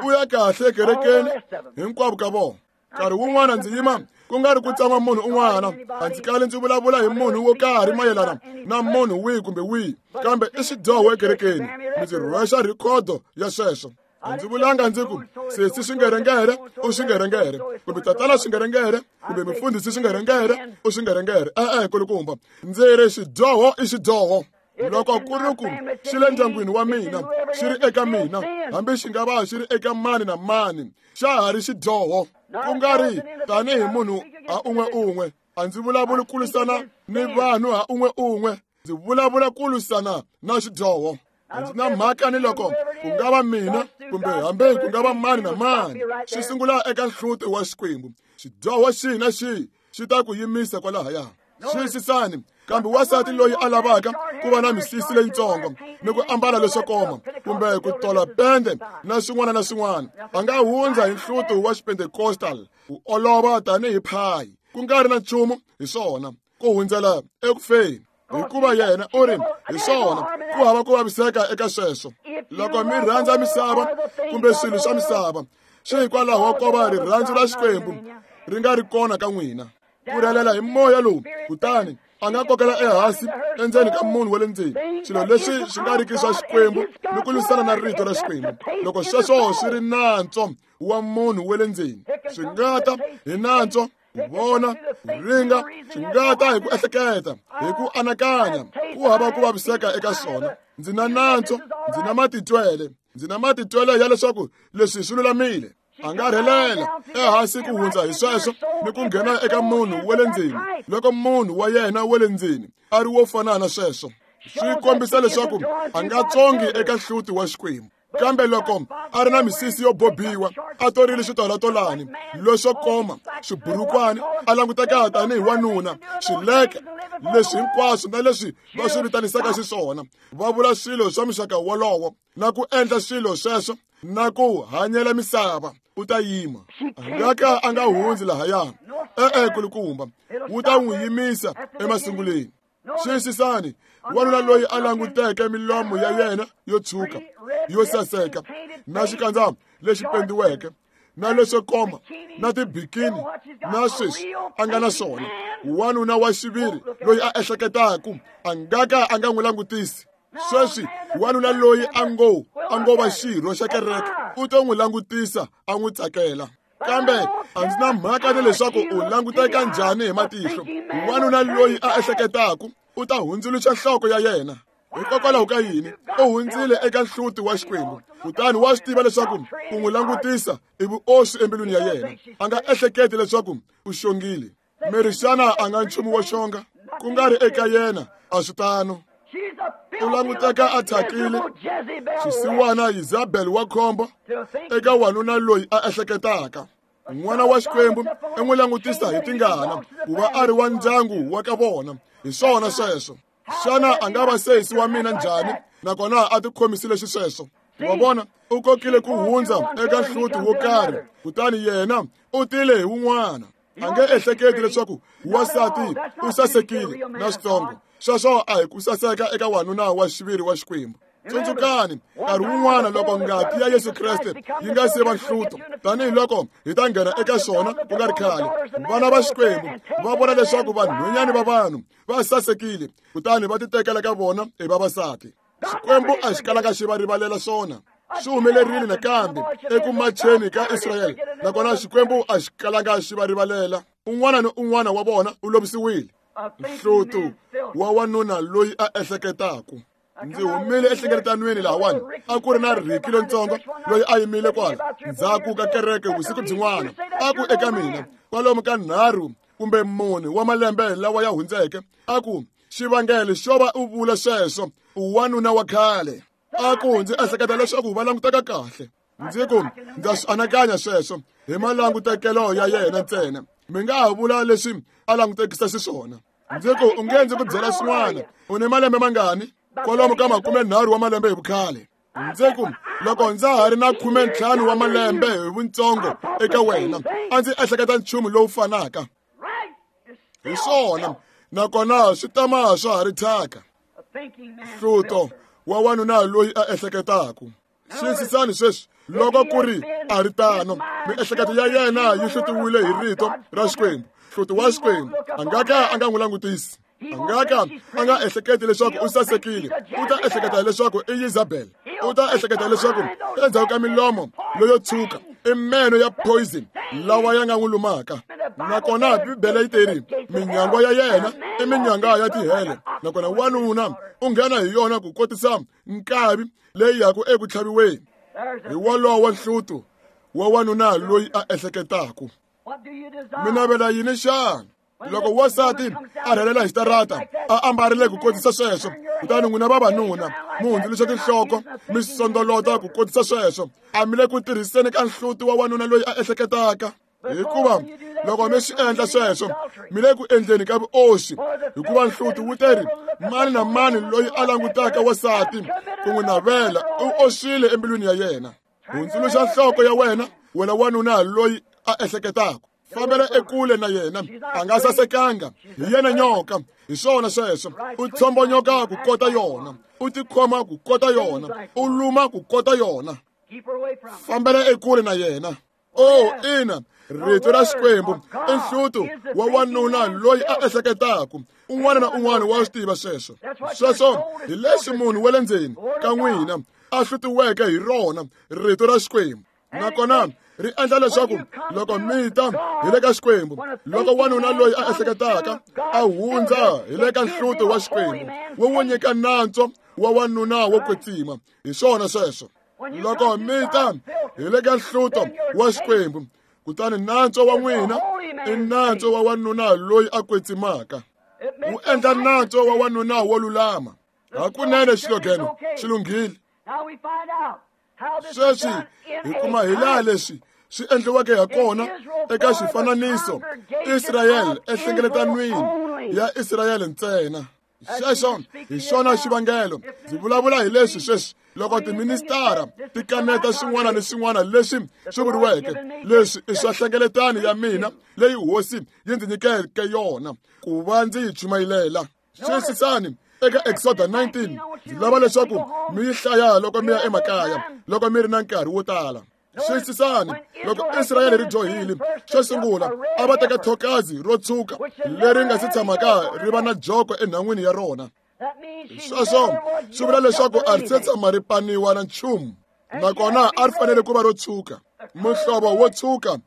u ya kahle ekerekeni hinkwavo ka vona. Nkarhi wun'wana ndzi yima ku nga ri ku tsan'wa munhu un'wana, a ndzi kali ndzi vulavula hi munhu wo karhi mayelana na munhu wihi kumbe wihi, kambe i xidyoho ekerekeni. Ndzi rhwexa rhikhodo ya sweswo. A ndzi vulanga ndzi ku sesi swingerengere u swingerengere, kumbe tatana swingerengere, kumbe mufundhisi swingerengere u swingerengere. E-e, kulukumba, ndzi ri xidyoho i xidyoho. Loko ku ri ku xi le ndyangwini wa mina, xi ri eka mina, hambi xi nga va xi ri eka mani na mani, xa ha ri xidyoho. Ku nga ri tanihi munhu ha un'we un'we, a ndzi vulavuli ku lwisana ni vanhu ha un'we un'we, ndzi vulavula ku lwisana na xidyoho. A ndzi na mhaka ni loko ku nga va mina kumbe hambi ku nga va mani na mani, xi sungula eka nhluti wa Xikwembu. Xidyoho xihi na xihi xi ta ku yimisa kwalahaya. Xiyisisani, kambe wansati loyi a lavaka ku va na misisi leyitsongo ni ku ambala leswo koma kumbe ku tola pende na swin'wana na swin'wana, a nga hundza hi nhluto wa Xipentecostal ku olova tanihi phayi, ku nga ri na nchumu hi swona, ku hundzela ekufeni. Hikuva yena u ri hi swona, ku hava ku vaviseka eka sweswo. Loko mi rhandza misava kumbe swilo swa misava, swi hikwalaho ko va rirhandzu ra Xikwembu ri nga ri kona ka n'wina. Ku rhelela hi moya lowu, kutani a nga kokela ehansi endzeni ka munhu wa le ndzeni swilo leswi swi nga riki swa Xikwembu ni ku lwisana na rito ra Xikwembu. Loko sweswo swi ri nantswo wa munhu wa le ndzeni, swi nga ta hi nantswo ku vona, ku ringa, swi nga ta hi ku ehleketa, hi ku anakanya, ku hava ku vaviseka eka swona. Ndzi na nantswo, ndzi na matitwele, ndzi na matitwele ya leswaku leswi swi lulamile. A nga rhelela ehansi ku hundza hi sweswo ni ku nghena eka munhu wa le ndzeni, loko munhu wa yena wa le ndzeni a ri wo fana na sweswo. Swi kombisa leswaku a nga tsongi eka nhluti wa Xikwembu. Kambe loko a ri na misisi yo bobiwa, a torile switolatolani leswo koma, swiburukwani, a languteka tanihi wanuna, swileke Leswi hinkwaswo na leswi va swi vitanisaka xiswona, va vula swilo swa muxaka wolowo na ku endla swilo sweswo na ku hanyela misava, u ta yima. A nga ka a nga hundzi lahaya. E-e, kulukumba, wu ta n'wi yimisa emasunguleni. Xiyisisani, wanuna loyi a languteke milomo ya yena yo tshuka, yo saseka, na xikandza lexi pendiweke, na leswo koma, na tibikini, na sweswi a nga na swona. Wanuna wa xiviri loyi a ehleketaku a nga ka a nga n'wi langutisi. Sweswi wanuna loyi a ngo va xirho xa kereke u to n'wi langutisa a n'wi tsakela. Kambe a ndzi na mhaka ni leswaku u languteka njhani hi matihlo. Wanuna loyi a ehleketaku u ta hundzuluxa nhloko ya yena. Hikokwalaho ka yini? U hundzile eka nhluti wa Xikwembu, kutani wa swi tiva leswaku ku n'wi langutisa i vuoswi embilwini ya yena. A nga ehleketi leswaku u xongile. Meri xana a nga nchumu wo xonga? Ku nga ri eka yena, a swi tano. U languteka a thyakile, xisiwana Isabel wa khombo eka wanuna loyi a ehleketaka. N'wana wa Xikwembu i n'wi langutisa hi tingana ku va a ri wa ndyangu wa ka vona. Hi swona sweswo. Xana a nga va sesi wa mina njhani nakona a tikhomisile xisweswo? Wa vona, u kokile ku hundza eka nhluti wo karhi, kutani yena u tile hi wun'wana. A nge ehleketi leswaku wansati u sasekile na switsongo. Sweswo a hi ku saseka eka wanuna wa xiviri wa Xikwembu. Tsundzukani, nkarhi wun'wana loko ngati ya Yesu Kreste yi nga se va nhluto, tanihiloko hi ta nghena eka swona ku nga ri khale, vana va Xikwembu va vona leswaku vanhwanyana va vanhu va sasekile, kutani va titekela ka vona hi vavasati. Xikwembu a xi kalanga xi va rivalela swona. Swi humelerile nakambe eku macheni ka Israyele, nakona Xikwembu a xi kalanga xi va rivalela. Un'wana ni un'wana wa vona u lovisiwile. Nhluto wa wanuna loyi a ehleketaku. Ndzi humile enhlengeletanweni lahawani, a ku ri na Ricky lontsongo loyi a yimile kwala ndzhaku ka kereke vusiku byin'wana. A ku eka mina kwalomu ka 3 kumbe 4 wa malembe lawa ya hundzeke, a ku, xivangelo xo va u vula sweswo, u wanuna wa khale. A ku, ndzi ehleketa leswaku va languteka kahle. Ndzi ku, ndza swi anakanya sweswo hi malangutekelo ya yena ntsena. Mi nga ha vula leswi a langutekisa xiswona. Ndzi ku, u nge ndzi ku byela swin'wana, u ni malembe mangani? Kwalomu ka 30 wa malembe hi vukhale. Ndzi ku, loko ndza ha ri na 15 wa malembe hi vuntsongo eka wena, a ndzi ehleketa nchumu lowu fanaka. Hi swona, nakona swi tama swa ha ri thyaka. Hluto wa wanuna loyi a ehleketaku. Xiyisisani sweswi, loko ku ri a ri tano, miehleketo ya yena yi hlutiwile hi rito ra Xikwembu. Hluti wa Xikwembu a nga ka a nga n'wi langutisi. A nga ka a nga ehleketi leswaku u sasekile. U ta ehleketa leswaku i Isabel. U ta ehleketa leswaku endzhaku ka milomo leyo tshuka i meno ya poison lawa ya nga n'wi lumaka. Nakona Bibele yi teri minyangwa ya yena i minyanga ya tihele, nakona wanuna u nghena hi yona ku kotisa nkavi leyi yaku eku tlhaviweni. Hi wolowo nhluto wa wanuna loyi a ehleketaku. Mi navela yini xana? Loko wansati a rhelela hi xitarata a ambarile ku kotisa sweswo, kutani n'wina vavanuna mi hundzuluxa tinhloko mi sondolota ku kotisa sweswo, a mi le ku tirhiseni ka nhluti wa wanuna loyi a ehleketaka. Hikuva loko mi swi endla sweswo, mi le ku endleni ka vuoswi. Hikuva nhluti wu teri, mani na mani loyi a langutaka wansati ku n'wi navela u oswile embilwini ya yena. Hundzuluxa nhloko ya wena, wena wanuna loyi a ehleketaka. Fambela ekule na yena, a nga sasekanga, hi yena nyoka. Hi swona sweswo, u tshombonyoka ku kota yona, u tikhoma ku kota yona, u luma ku kota yona. Fambela ekule na yena. Oh, ina, rito ra Xikwembu i nhluto wa wanuna loyi a ehleketaku. Un'wana na un'wana wa swi tiva sweswo. Sweswo hi leswi munhu wa le ndzeni ka n'wina a hlutiweke hi rona rito ra Xikwembu. Nakona ri endla leswaku loko mi ta hi le ka Xikwembu, loko wanuna loyi a ehleketaka a hundza hi le ka nhluto wa Xikwembu, wu n'wi nyika nantswo wa wanuna wo kwetsima. Hi swona sweswo. Loko mi ta hi le ka nhluto wa Xikwembu, kutani nantswo wa n'wina i nantswo wa wanuna loyi a kwetsimaka. Wu endla nantswo wa wanuna wo lulama. Hakunene xilogeno xi lunghile. Sweswi hi kuma hi laha leswi swi endliweke ha kona eka xifananiso Israyele enhlengeletanweni ya Israyele ntsena. Xexo hi xona xivangelo ndzi vulavula hi leswi sweswi. Loko tiministara ti kaneta swin'wana ni swin'wana leswi swi vuriweke, leswi i swa hlengeletano ya mina leyi hosi yi ndzi nyikeke yona ku va ndzi yi chumayilela. Xiyisisani eka Exoda 19, ndzi lava leswaku mi yi hlaya loko mi ya emakaya, loko mi ri na nkarhi wo tala. Xiyisisani, loko Israyele ri dyohile, xo sungula a va teka thokazi ro tshuka leri nga si tshamaka ri va na joko enhan'wini ya rona. Sweswo swi vula leswaku a ri se tshama ri paniwa na nchumu, nakona a ri fanele ku va ro tshuka. Muhlovo wo tshuka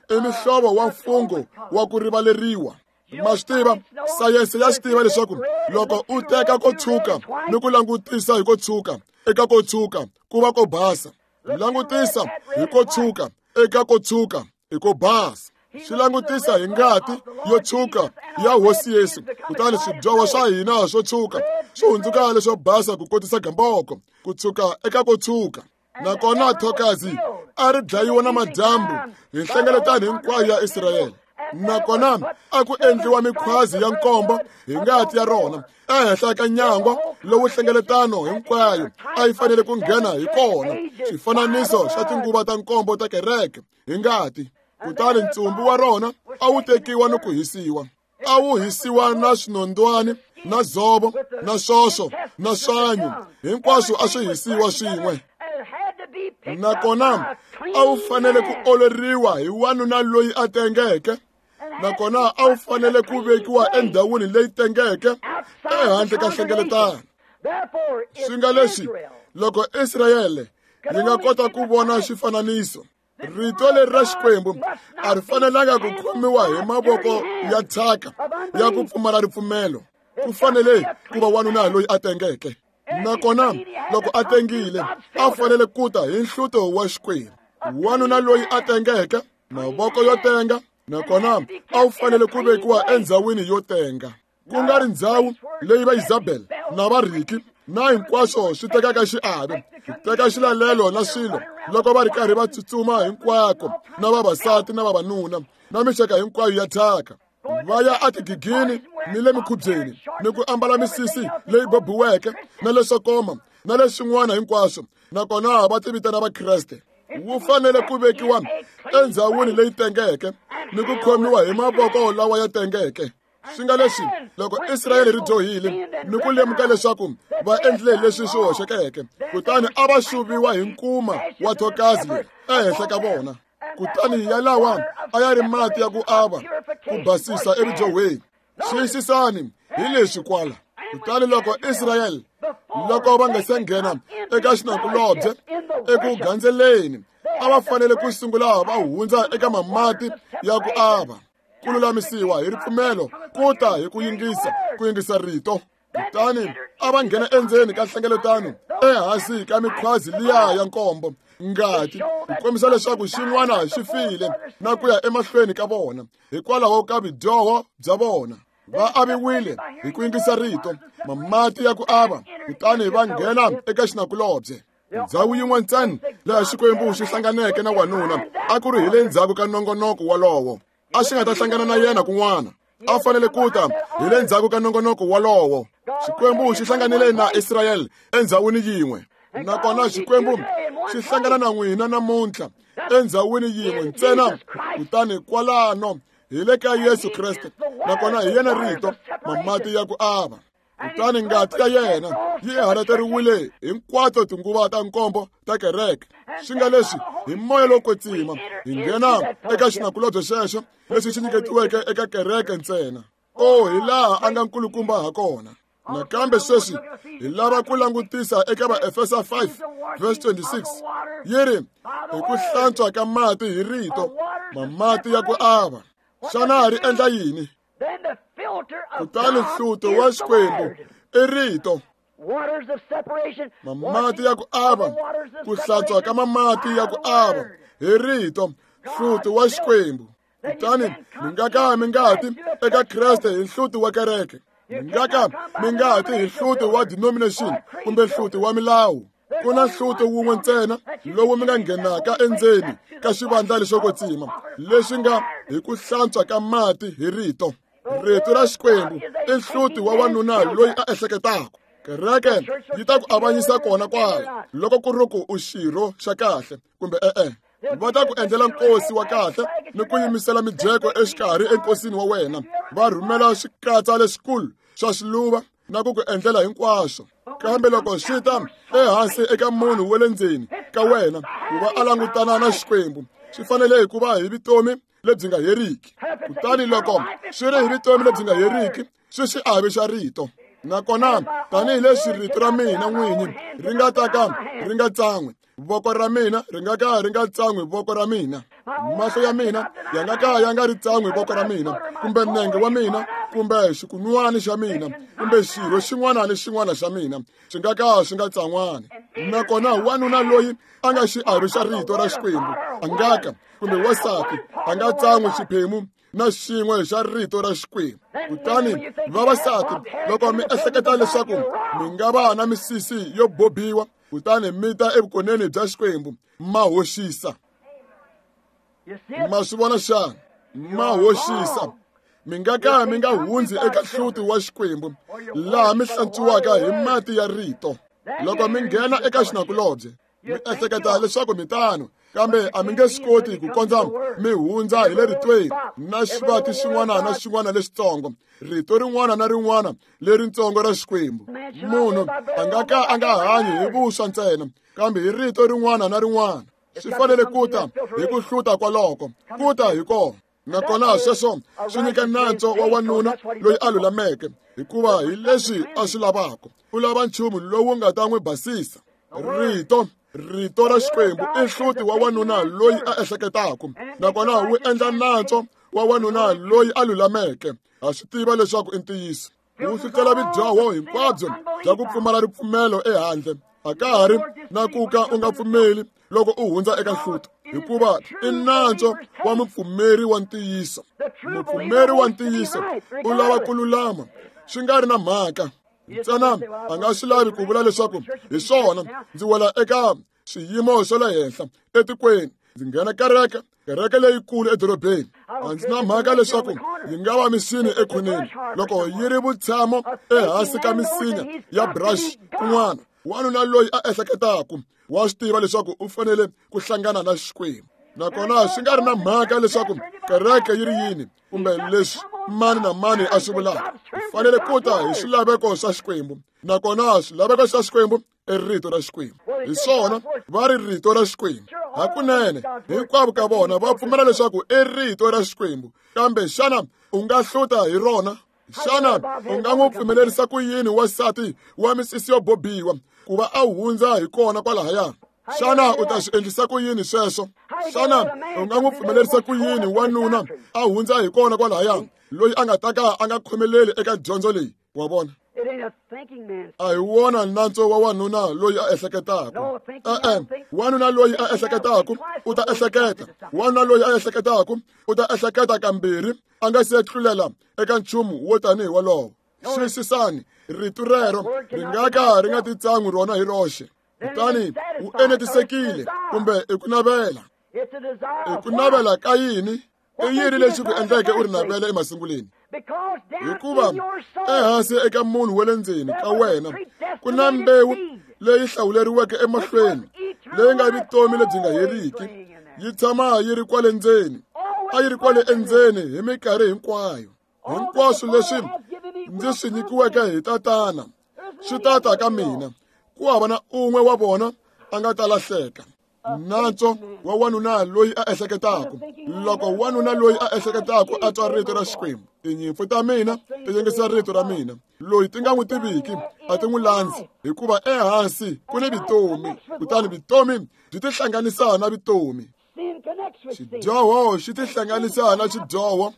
i muhlovo wa mfungho wa ku rivaleriwa. Ma swi tiva, sayense ya swi tiva leswaku loko u teka ko tshuka ni ku langutisa hi ko tshuka eka ko tshuka ku va ko basa. Langutisa hi ko tshuka eka ko tshuka hi ko basa. Swi langutisa hi ngati yo tshuka ya Hosi Yesu, kutani swidyoho swa hina swo tshuka swi hundzuka leswo basa ku kotisa gamboko, ku tshuka eka ko tshuka. Nakona thokazi a ri dlayiwa na madyambu hi nhlengeletano hinkwayo ya Israyele. Nakona a ku endliwa mikhwazi ya nkombo hi ngati ya rona ehenhla ka nyangwa lowu hlengeletano hinkwayo a yi fanele ku nghena hi kona, xifananiso xa tinguva ta nkombo ta kereke hi ngati. Kutani ntsumbu wa rona a wu tekiwa ni ku hisiwa. A wu hisiwa na swinondwani, na dzovo, na swoso, na swanyu, hinkwaswo a swi hisiwa swin'we. Nakona a wu fanele ku oleriwa hi wanuna loyi a tengeke, nakona a wu fanele ku vekiwa endhawini leyi tengeke ehandle ka hlengeletano. Swi nga leswi, loko Israyele yi nga kota ku vona xifananiso, rito leri ra Xikwembu a ri fanelanga ku khomiwa hi mavoko ya thyaka ya ku pfumala ripfumelo. Ku fanele ku va wanuna loyi a tengeke, nakona loko a tengile a fanele ku ta hi nhluto wa Xikwembu. Wanuna loyi a tengeke, mavoko yo tenga, nakona a wu fanele ku vekiwa endzhawini yo tenga, ku nga ri ndzhawu leyi va Isabel na va Ricky na hinkwaswo swi tekaka xiave, ku teka xilalelo na swilo loko va ri karhi va tsutsuma hinkwako na vavasati na vavanuna na mixaka hinkwayo ya thyaka, va ya etigigini ni le mikhubyeni ni ku ambala misisi leyi bobiweke na leswo koma na leswin'wana hinkwaswo, nakona va tivitana Vakreste. Wu fanele ku vekiwa endzhawini leyi tengeke ni ku khomiwa hi mavoko lawa ya tengeke. Swi nga leswi, loko Israyele ri dyohile ni ku lemuka leswaku va endlile leswi swi hoxekeke, kutani a va xuviwa hi nkuma wa thokazi leri ehenhla ka vona. Kutani yalawa a ya ri mati ya ku ava ku basisa eridyohweni. Xiyisisani hi leswi kwala. Kutani loko Israyele, loko va nga se nghena eka xinakulobye eku gandzeleni, a va fanele ku sungula va hundza eka mamati ya ku ava, ku lulamisiwa hi ripfumelo, ku ta hi ku yingisa, ku yingisa rito. Kutani a va nghena endzeni ka hlengeletano ehansi ka mikhwazi liya ya nkombo, ngati ku kombisa leswaku xin'wana xi file na ku ya emahlweni ka vona hikwalaho ka vudyoho bya vona. Va aviwile hi ku yingisa rito, mamati ya ku ava, kutani va nghena eka xinakulobye. Ndzhawu yin'we ntsena laha Xikwembu xi hlanganeke na wanuna a ku ri hi le ndzhaku ka nongonoko walowo. A xi nga ta hlangana na yena kun'wana. A fanele ku ta hi le ndzhaku ka nongonoko walowo. Xikwembu xi hlanganile na Israyele endzhawini yin'we, nakona Xikwembu xi hlangana na n'wina namuntlha endzhawini yin'we ntsena, kutani kwalano hi le ka Yesu Kreste, nakona hi yena rito, mamati ya ku ava. Kutani ngati ya yena yi halateriwile hinkwato tinguva ta nkombo ta kereke. Swi nga leswi, hi moya lowo kwetsima hi nghena eka xinakulobye xexo lexi xi nyiketiweke eka kereke ntsena. O, hi laha a nga nkulukumba ha kona. Nakambe sweswi hi lava ku langutisa eka Vaefesa 5 verse 26, yi ri, hi ku hlantswa ka mati hi rito, mamati ya ku ava. Xana ri endla yini? Kutani nhluto wa Xikwembu i rito. Mamati ya ku ava, ku hlantswa ka mamati ya ku ava hi rito, nhluto wa Xikwembu. Kutani mi nga ka mi nga ti eka Kreste hi nhluto wa kereke, mi nga ka mi nga ti hi nhluto wa denomination kumbe nhluto wa milawu. Ku na nhluto wun'we ntsena lowu mi nga nghenaka endzeni ka xivandla lexo kwetsima, leswi nga hi ku hlantswa ka mati hi rito. Rito ra Xikwembu i nhluti wa wanuna loyi a ehleketaka. Kereke yi ta ku avanyisa kona kwala loko ku ri ku u xirho xa kahle kumbe e-e. Va ta ku endlela nkosi wa kahle ni ku yimisela mijeko exikarhi enkosini wa wena. Va rhumela swikatsa leswikulu swa swiluva na ku ku endlela hinkwaswo. Kambe loko swi ta ehansi eka munhu wa le ndzeni ka wena ku va a langutana na Xikwembu, swi fanele hi ku va hi vutomi lebyi nga heriki. Kutani loko swi ri hi vutomi lebyi nga heriki, swi xiave xa rito. Nakona tanihileswi rito ra mina n'winyi ri nga ta ka ri nga tsan'wi, voko ra mina ri nga ka ri nga tsan'wi voko ra mina, mahlo ya mina ya nga ka ya nga ri tsan'wi voko ra mina, kumbe nenge wa mina, kumbe xikunwani xa mina, kumbe xirho xin'wana ni xin'wana xa mina swi nga ka swi nga tsan'wani. Nakona wanuna loyi a nga xiave xa rito ra Xikwembu a nga ka, kumbe wansati a nga tsan'wi xiphemu na xin'we xa rito ra Xikwembu. Kutani vavasati, loko mi ehleketa leswaku mi nga va na misisi yo bobiwa kutani mi ta evukoneni bya Xikwembu, ma hoxisa. Ma swi vona xana? Ma hoxisa. Mi nga ka mi nga hundzi eka hluti wa Xikwembu laha mi hlantswiwaka hi mati ya rito. Loko mi nghena eka xinakulobye, mi ehleketa leswaku mi tano, kambe a mi nge swi koti ku kondza mi hundza hi le ritweni na xivati xin'wana na xin'wana lexitsongo, rito rin'wana na rin'wana leritsongo ra Xikwembu. Munhu a nga ka a nga hanyi hi vuswa ntsena, kambe hi rito rin'wana na rin'wana. Swi fanele ku ta hi ku hluta kwaloko, ku ta hi kona. Nakona sweswo swi nyika nantswo wa wanuna loyi a lulameke, hikuva hi leswi a swi lavaka. U lava nchumu lowu nga ta n'wi basisa. Rito, rito ra Xikwembu i nhluti wa wanuna loyi a ehleketaka, nakona wu endla nantswo wa wanuna loyi a lulameke. Ha swi tiva leswaku i ntiyiso. Wu hlutela vidyoho hinkwabyo bya ku pfumala ripfumelo ehandle. A ka ha ri na ku ka u nga pfumeli loko u hundza eka nhluto, hikuva i nantswo wa mupfumeri wa ntiyiso. Mupfumeri wa ntiyiso u lava ku lulama, swi nga ri na mhaka. Ntsena a nga swi lavi ku vula leswaku hi swona ndzi wela eka swiyimo swa le henhla etikweni, ndzi nghena kereke, kereke leyikulu edorobeni. A ndzi na mhaka leswaku yi nga va misini ekhoneni loko yi ri vutshamo ehansi ka misinya ya brush kun'wana. Wanuna loyi a ehleketaka wa swi tiva leswaku u fanele ku hlangana na Xikwembu, nakona swi nga ri na mhaka leswaku kereke yi ri yini kumbe leswi mani na mani a swi vulaka. U fanele ku ta hi swilaveko swa Xikwembu, nakona swilaveko swa Xikwembu i rito ra Xikwembu. Hi swona va ri rito ra Xikwembu. Hakunene hinkwavo ka vona va pfumela leswaku i rito ra Xikwembu, kambe xana u nga hluta hi rona? Xana u nga n'wi pfumelerisa ku yini wansati wa misisi yo bobiwa ku va a hundza hi kona kwalahaya? Xana u ta swi endlisa ku yini sweswo? Xana u nga n'wi pfumelerisa ku yini wanuna a hundza hi kona kwalahaya loyi a nga ta ka a nga khomeleli eka dyondzo leyi? Wa vona? A hi wona nantswo wa wanuna loyi a ehleketaka. E-e, wanuna loyi a ehleketaka u ta ehleketa. Wanuna loyi a ehleketaka u ta ehleketa kambirhi a nga se tlulela eka nchumu wo tanihi wolowo. Xiyisisani, rito rero ri nga ka ri nga titsan'wi rona hi roxe. Kutani u enetisekile kumbe i ku navela. I ku navela ka yini? I yini lexi ku endleke u ri navela emasunguleni? Hikuva ehansi eka munhu wa le ndzeni ka wena ku na mbewu leyi hlawuleriweke emahlweni, leyi nga vutomi lebyi nga heriki. Yi tshama yi ri kwale ndzeni, a yi ri kwale endzeni hi minkarhi hinkwayo. Hinkwaswo leswi ndzi swi nyikiweke hi Tatana swi ta ta ka mina, ku hava na un'we wa vona a nga ta lahleka. Nantswo wa wanuna loyi a ehleketaka. Loko wanuna loyi a ehleketaka a twa rito ra Xikwembu, tinyimpfu ta mina ti yingisa rito ra mina. Loyi ti nga n'wi tiviki a ti n'wi landzi, hikuva ehansi ku ni vutomi, kutani vutomi byi tihlanganisa na vutomi. Xidyoho xi tihlanganisa na xidyoho,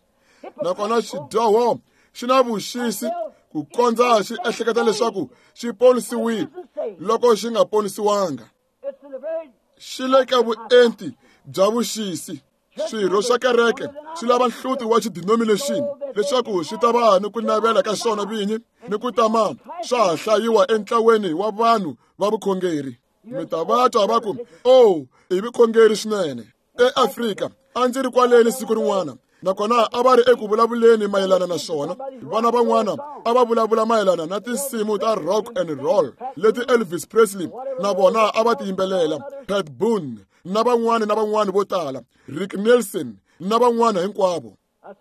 nakona xidyoho xi na vuxisi ku kondza xi ehleketa leswaku xi ponisiwile loko xi nga ponisiwanga. Xi le ka vuenti bya vuxisi. Swirho swa kereke swi lava nhluti wa xidenomination leswaku swi ta va ni ku navela ka swona vinyi ni ku tama swa ha hlayiwa entlaweni wa vanhu va vukhongeri. Mi ta va twa va ku, "Oh, i vukhongeri swinene." EAfrika a ndzi ri kwaleni siku rin'wana Nakona a va ri eku vulavuleni mayelana na swona. Vana van'wana a va vulavula mayelana na tinsimu ta rock and roll leti Elvis Presley na vona a va ti yimbelela, Pat Boone na van'wana na van'wana vo tala, Rick Nelson na van'wana hinkwavo.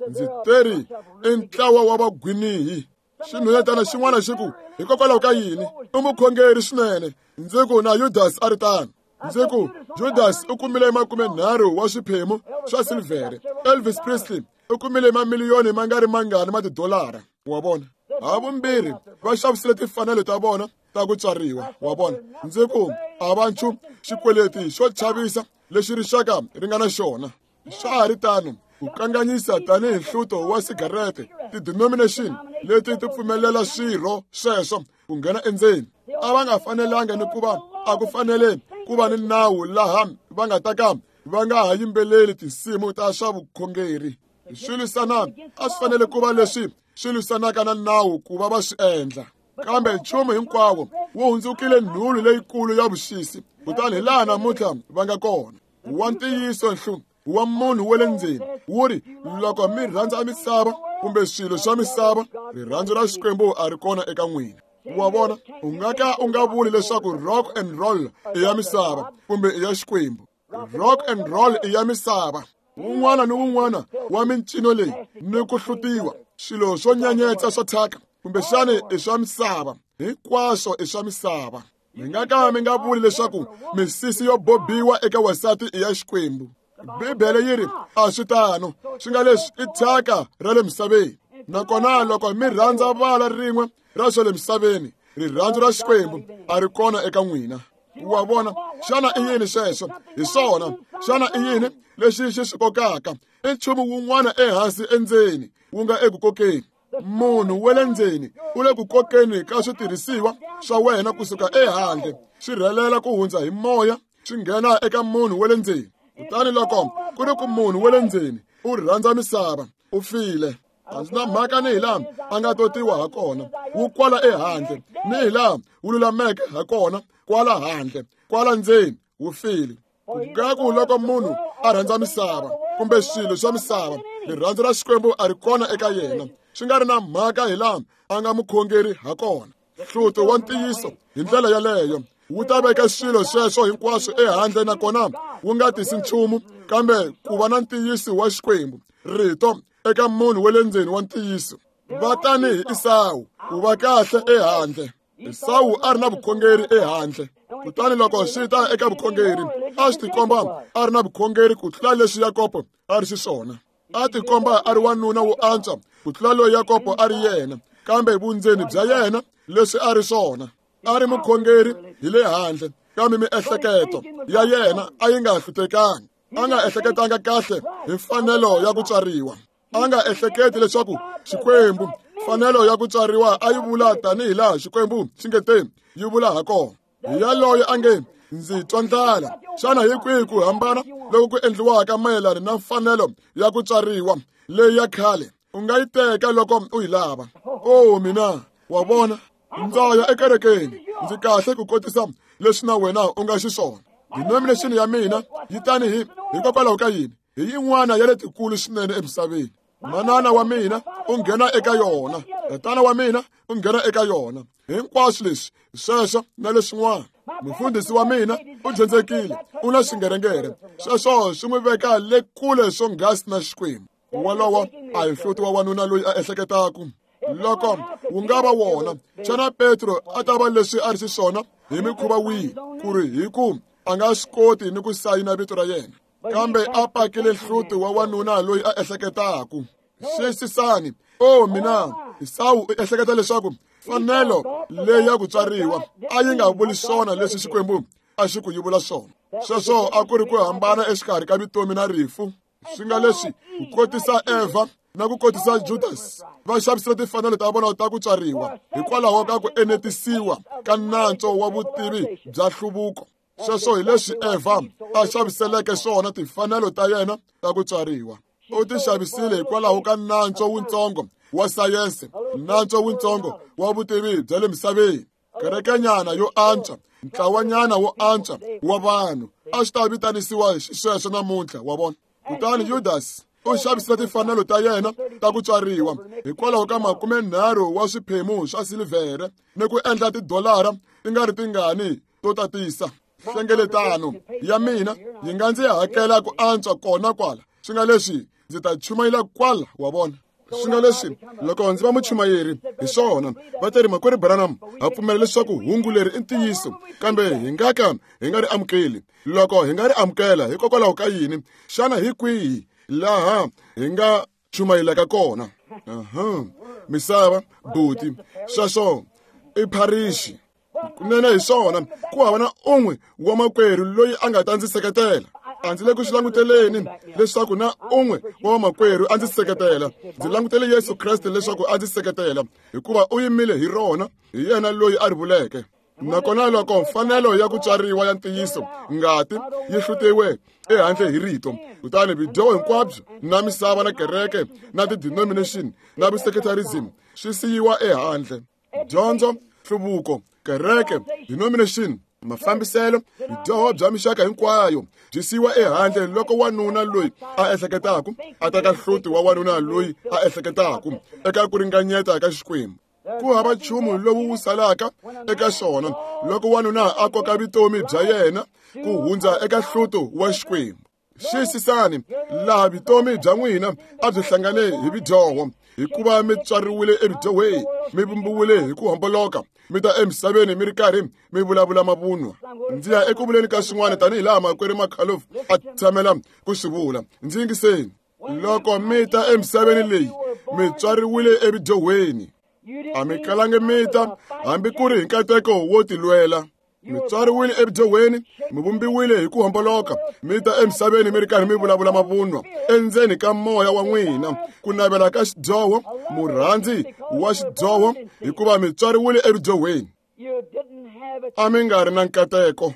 Ndzi teri i ntlawa wa vagwinihi. Xinhwanyetana xin'wana xi ku, hikokwalaho ka yini u mukhongeri swinene? Ndzi ku, na Yudasi a ri tano. Ndzi ku, Judasi u kumile 30 wa swiphemu swa silivhere. Elvis Presley u kumile mamiliyoni ma nga ri mangani ma tidolara. Wa vona? Havumbirhi va xavisile timfanelo ta vona ta ku tswariwa. Wa vona? Ndzi ku, a va nchumu xikweleti xo chavisa lexi rixaka ri nga na xona. Swa ha ri tano, ku kanganyisa tanihi nhluto wa sigarete, ti-denomination leti ti pfumelela swirho sweswo ku nghena endzeni. A va nga fanelanga ni ku va a ku fanele ku va ni nawu laha va nga ta ka va nga ha yimbeleli tinsimu ta swa vukhongeri. Swi lwisana a swi fanele ku va leswi swi lwisanaka na nawu ku va va swi endla. Kambe nchumu hinkwawo wu hundzukile nhulu leyikulu ya vuxisi, kutani hi laha namuntlha va nga kona. Wa ntiyiso nhlu wa munhu wa le ndzeni wu ri, loko mi rhandza misava kumbe swilo swa misava, rirhandzu ra Xikwembu a ri kona eka n'wina. Wa vona, u nga ka u nga vuli leswaku rock and roll i ya misava kumbe i ya Xikwembu. Rock and roll i ya misava. Wun'wana ni wun'wana wa mincino leyi ni ku hlutiwa swilo swo nyanyetsa swa thyaka kumbexani i swa misava, hinkwaswo i swa misava. Mi nga ka mi nga vuli leswaku misisi yo bobiwa eka wansati i ya Xikwembu. Bibele yi ri a swi tano, swi nga leswi i thyaka ra le misaveni. Nakona loko mi rhandza vala rin'we ra swa le misaveni, rirhandzu ra Xikwembu a ri kona eka n'wina. Wa vona, xana i yini sweswo? Hi swona, xana i yini lexi xi swi kokaka? I nchumu wun'wana ehansi endzeni wu nga eku kokeni. Munhu wa le ndzeni u le ku kokeni ka switirhisiwa swa wena kusuka ehandle, swi rhelela ku hundza hi moya swi nghena eka munhu wa le ndzeni. Kutani loko ku ri ku munhu wa le ndzeni u rhandza misava, u file. A ndzi na mhaka ni hi laha a nga totiwa ha kona, wu kwala ehandle, ni hi laha wu lulameke ha kona kwala handle, kwala ndzeni wu file. Ngaku loko munhu a rhandza misava kumbe swilo swa misava, rirhandzu ra Xikwembu a ri kona eka yena, swi nga ri na mhaka hi laha a nga mukhongeri ha kona. Hluto wa ntiyiso hi ndlela yaleyo wu ta veka swilo sweswo hinkwaswo ehandle, nakona wu nga tisi nchumu kambe ku va na ntiyiso wa Xikwembu, rito eka munhu wa le ndzeni wa ntiyiso. Va tanihi Esawu, ku va kahle ehandle. Esawu a ri na vukhongeri ehandle, kutani loko swi ta eka vukhongeri a swi tikomba a ri na vukhongeri ku tlula leswi Yakobo a ri xiswona. A tikomba a ri wanuna wo antswa ku tlula loyi Yakobo a ri yena, kambe vundzeni bya yena leswi a ri swona, a ri mukhongeri hi le handle, kambe miehleketo ya yena a yi nga hlutekanga. A nga ehleketanga kahle hi mfanelo ya ku tswariwa. A nga ehleketi leswaku Xikwembu mfanelo ya ku tswariwa a yi vula tanihi laha Xikwembu xi nge te yi vula ha kona. Hi yaloye a nge ndzi twa ndlala. Xana hi kwihi ku hambana loku ku endliwaka mayelana na mfanelo ya ku tswariwa leyi ya khale? U nga yi teka loko u yi lava. O mina, wa vona, ndza ya ekerekeni, ndzi kahle ku kotisa leswi na wena u nga xiswona. Denomination ya mina yi tanihi hikokwalaho ka yini? Hi yin'wana ya letikulu swinene emisaveni. Manana wa mina u nghena eka yona, tatana wa mina u nghena eka yona. Hinkwaswo leswi sweswo na leswin'wana. Mufundhisi wa mina u dyondzekile, u na xingerengere. Sweswo swi n'wi veka le kule swonghasi na Xikwembu. Wolowo a hi hluti wa wanuna loyi a ehleketaka. Loko wu nga va wona, xana Petro a ta va leswi a ri xiswona hi mikhuva wihi, ku ri hi ku a nga swi koti ni ku sayina vito ra yena? Kambe a pakile hluti wa wanuna loyi a ehleketaka. Xiyisisani, o mina, Esawu u ehleketa leswaku mfanelo leyi ya ku tswariwa a yi nga vuli swona leswi Xikwembu a xi ku yi vula swona. Sweswo a ku ri ku hambana exikarhi ka vutomi na rifu. Swi nga leswi ku kotisa Eva na ku kotisa Judas va xavisile timfanelo ta vona ta ku tswariwa hikwalaho ka ku enetisiwa ka nantswo wa vutivi bya nhluvuko. Sweswo hi leswi Eva a xaviseleke swona timfanelo ta yena ta ku tswariwa. U ti xavisile hikwalaho ka nantswo wutsongo wa sayense, nantswo wutsongo wa vutivi bya le misaveni. Kerekenyana yo antswa, ntlawanyana wo antswa wa vanhu a swi ta vitanisiwa xisweswo namuntlha, wa vona. Kutani Judas U xavisile timfanelo ta yena ta ku tswariwa hikwalaho ka 30 wa swiphemu swa silivhere ni ku endla tidolara ti nga ri tingani to tatisa. Nhlengeletano ya mina yi nga ndzi hakela ku antswa kona kwala, swi nga leswi ndzi ta chumayela kwala, wa vona. Swi nga leswi loko ndzi va muchumayeri hi swona va teri makwerhu Branham ha pfumela leswaku hungu leri i ntiyiso, kambe hi nga ka hi nga ri amukeli. Loko hi nga ri amukela hikokwalaho ka yini? Xana hi kwihi laha hi nga chumayelaka kona? Misava buti, sweswo i pharixi kunene hi swona. Ku hava na un'we wa makwerhu loyi a nga ta ndzi seketela. A ndzi le ku swi languteleni leswaku na un'we wa vamakwerhu a ndzi seketela. Ndzi langutele Yesu Kreste leswaku a ndzi seketela, hikuva u yimile hi rona, hi yena loyi a ri vuleke. Nakona loko mfanelo ya ku tswariwa ya ntiyiso ngati yi hlutiwe ehandle hi rito, kutani vudyoho hinkwabyo na misava na kereke na ti-denomination na vu-secularism swi siyiwa ehandle. Dyondzo, nhluvuko, kereke, denomination, mafambiselo, vudyoho bya mixaka hinkwayo byi siyiwa ehandle loko wanuna loyi a ehleketaka a teka hluti wa wanuna loyi a ehleketaka eka ku ringanyeta ka Xikwembu. Ku hava nchumu lowu wu salaka eka xona loko wanuna a koka vutomi bya yena ku hundza eka hluto wa Xikwembu. Xiyisisani laha vutomi bya n'wina a byi hlangane hi vudyoho, hikuva mi tswariwile evudyohweni, mi vumbiwile hi ku homboloka, mi ta emisaveni mi ri karhi mi vulavula mavunwa. Ndzi ya eku vuleni ka swin'wana tanihi laha makwerhu Makhalof a tshamela ku swi vula. Ndzi yingiseni. Loko mi ta emisaveni leyi, mi tswariwile evudyohweni. A mi kalangi mi ta hambi ku ri hi nkateko wo tilwela. Mi tswariwile evudyohweni, mi vumbiwile hi ku homboloka, mi ta emisaveni mi ri karhi mi vulavula mavunwa. Endzeni ka moya wa n'wina ku navela ka xidyoho, murhandzi wa xidyoho, hikuva mi tswariwile evudyohweni. A mi nga ri na nkateko,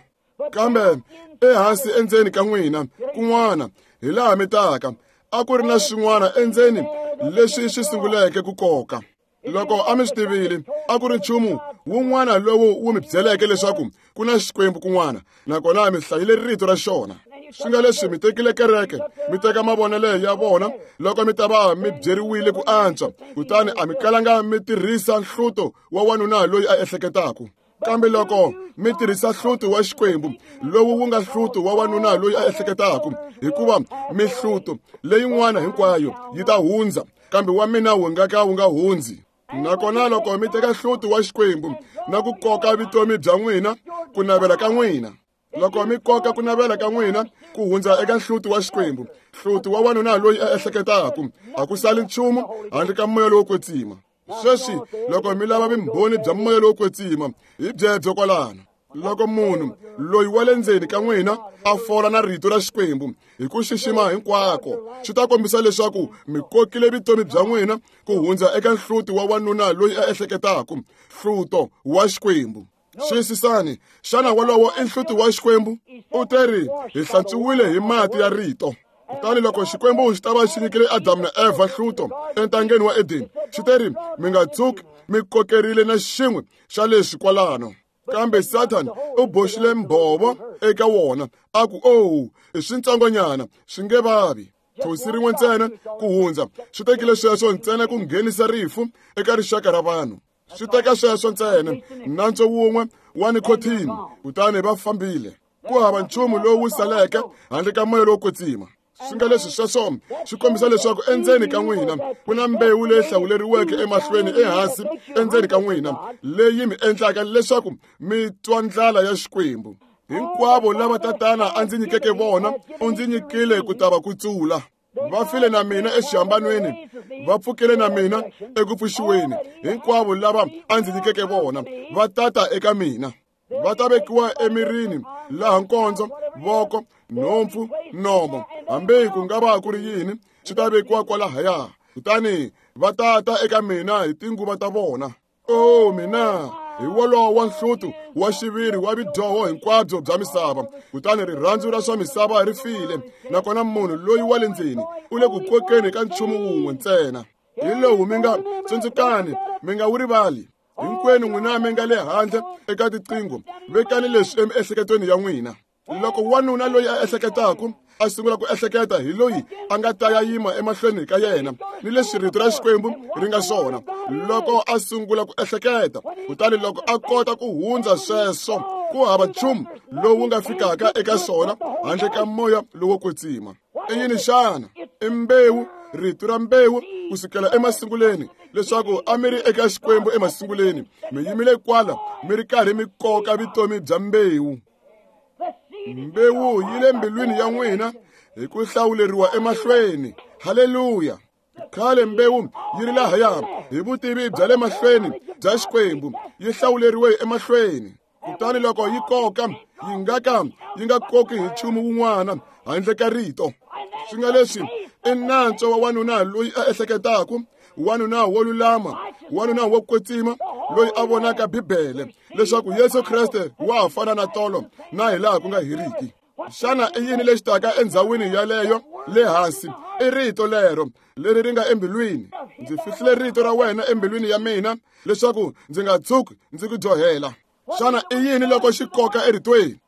kambe ehansi endzeni ka n'wina kun'wana hi laha mi taka a ku ri na swin'wana endzeni leswi swi sunguleke ku koka. Loko a mi swi tivile, a ku ri nchumu wun'wana lowu wu mi byeleke leswaku ku na Xikwembu kun'wana, nakona mi hlayile rito ra xona. Swi nga leswi mi tekile kereke, mi teka mavonelo ya vona loko mi ta va mi byeriwile ku antswa, kutani a mi kalanga mi tirhisa nhluto wa wanuna loyi a ehleketaka. Kambe loko mi tirhisa hluto wa Xikwembu lowu wu nga hluto wa wanuna loyi a ehleketaka, hikuva mihluto leyin'wana hinkwayo yi ta hundza, kambe wa mina wu nga ka wu nga hundzi. Nakona loko mi teka hluto wa Xikwembu na ku koka vutomi bya n'wina, ku navela ka n'wina, loko mi koka ku navela ka n'wina ku hundza eka hluto wa Xikwembu, hluto wa wanuna loyi a ehleketaka, a ku sali nchumu handle ka moya lowo kwetsima. Sweswi loko mi lava vumbhoni bya moya lowo kwetsima, hi byebyo kwalano. Loko munhu loyi wa le ndzeni ka n'wina a fola na rito ra Xikwembu hi ku xixima hinkwako, swi ta kombisa leswaku mi kokile vutomi bya n'wina ku hundza eka nhluti wa wanuna loyi a ehleketaka, hluto wa Xikwembu. Xiyisisani, xana wolowo i nhluti wa Xikwembu? U teri hi hlantswiwile hi mati ya rito. Kutani loko Xikwembu xi ta va xi nyikile Adamu na Eva hluto entangeni wa Edeni, xi teri mi nga tshuki mi kokerile na xin'we xa leswi kwalano. Kambe Satan u boxile mbhovo eka wona, a ku, "Oh, i swintsongonyana, swi nge vavi." Thosi rin'we ntsena ku hundza, swi tekile sweswo ntsena ku nghenisa rifu eka rixaka ra vanhu. Swi teka sweswo ntsena, nantswo wun'we wa nikhothini, kutani va fambile. Ku hava nchumu lowu saleke handle ka moya lowo kwetsima. Swi nga leswi sweswo swi kombisa leswaku endzeni ka n'wina ku na mbewu leyi hlawuleriweke emahlweni ehansi endzeni ka n'wina leyi mi endlaka leswaku mi twa ndlala ya Xikwembu. Hinkwavo lava Tatana a ndzi nyikeke vona, u ndzi nyikile ku ta va kutsula. Va file na mina exihambanweni, va pfukile na mina eku pfuxiweni. Hinkwavo lava a ndzi nyikeke vona va tata eka mina. Va ta vekiwa emirini laha nkondzo, voko, nhompfu, nomo, hambi ku nga va ku ri yini, swi ta vekiwa kwalahaya. Kutani va tata eka mina hi tinguva ta vona. Oh mina, hi wolowo wa nhluto wa xiviri wa vudyoho hinkwabyo bya misava. Kutani rirhandzu ra swa misava ri file, nakona munhu loyi wa le ndzeni u le ku kokeni ka nchumu wun'we ntsena. Hi lowu mi nga tsundzukani, mi nga wu rivali. Hinkwenu n'wina mi nga le handle eka tiqingho, vekani leswi emiehleketweni ya n'wina. Loko wanuna loyi a ehleketaka a sungula ku ehleketa hi loyi a nga ta ya yima emahlweni ka yena ni leswi rito ra Xikwembu ri nga swona. Loko a sungula ku ehleketa, kutani loko a kota ku hundza sweswo, ku hava nchumu lowu nga fikaka eka swona handle ka moya lowo kwetsima. I yini xana? I mbewu, rito ra mbewu kusukela emasunguleni, leswaku a mi ri eka Xikwembu emasunguleni, mi yimile kwala mi ri karhi mi koka vutomi bya mbewu. Mbewu yi le mbilwini ya n'wina hi ku hlawuleriwa emahlweni. Haleluya! Khale mbewu yi ri lahaya hi vutivi bya le mahlweni bya Xikwembu, yi hlawuleriwe emahlweni. Kutani loko yi koka, yi nga ka yi nga koki hi nchumu wun'wana handle ka rito. Swi nga leswi i nantswo wa wanuna loyi a ehleketaka, wanuna wo lulama, wanuna wo kwetsima, loyi a vonaka Bibele leswaku Yesu Kreste wa ha fana na tolo na hi laha ku nga heriki. Xana i yini lexi taka endzhawini yaleyo le hansi? I rito lero leri ri nga embilwini. Ndzi fihlile rito ra wena embilwini ya mina leswaku ndzi nga tshuki ndzi ku dyohela. Xana i yini loko xi koka eritweni?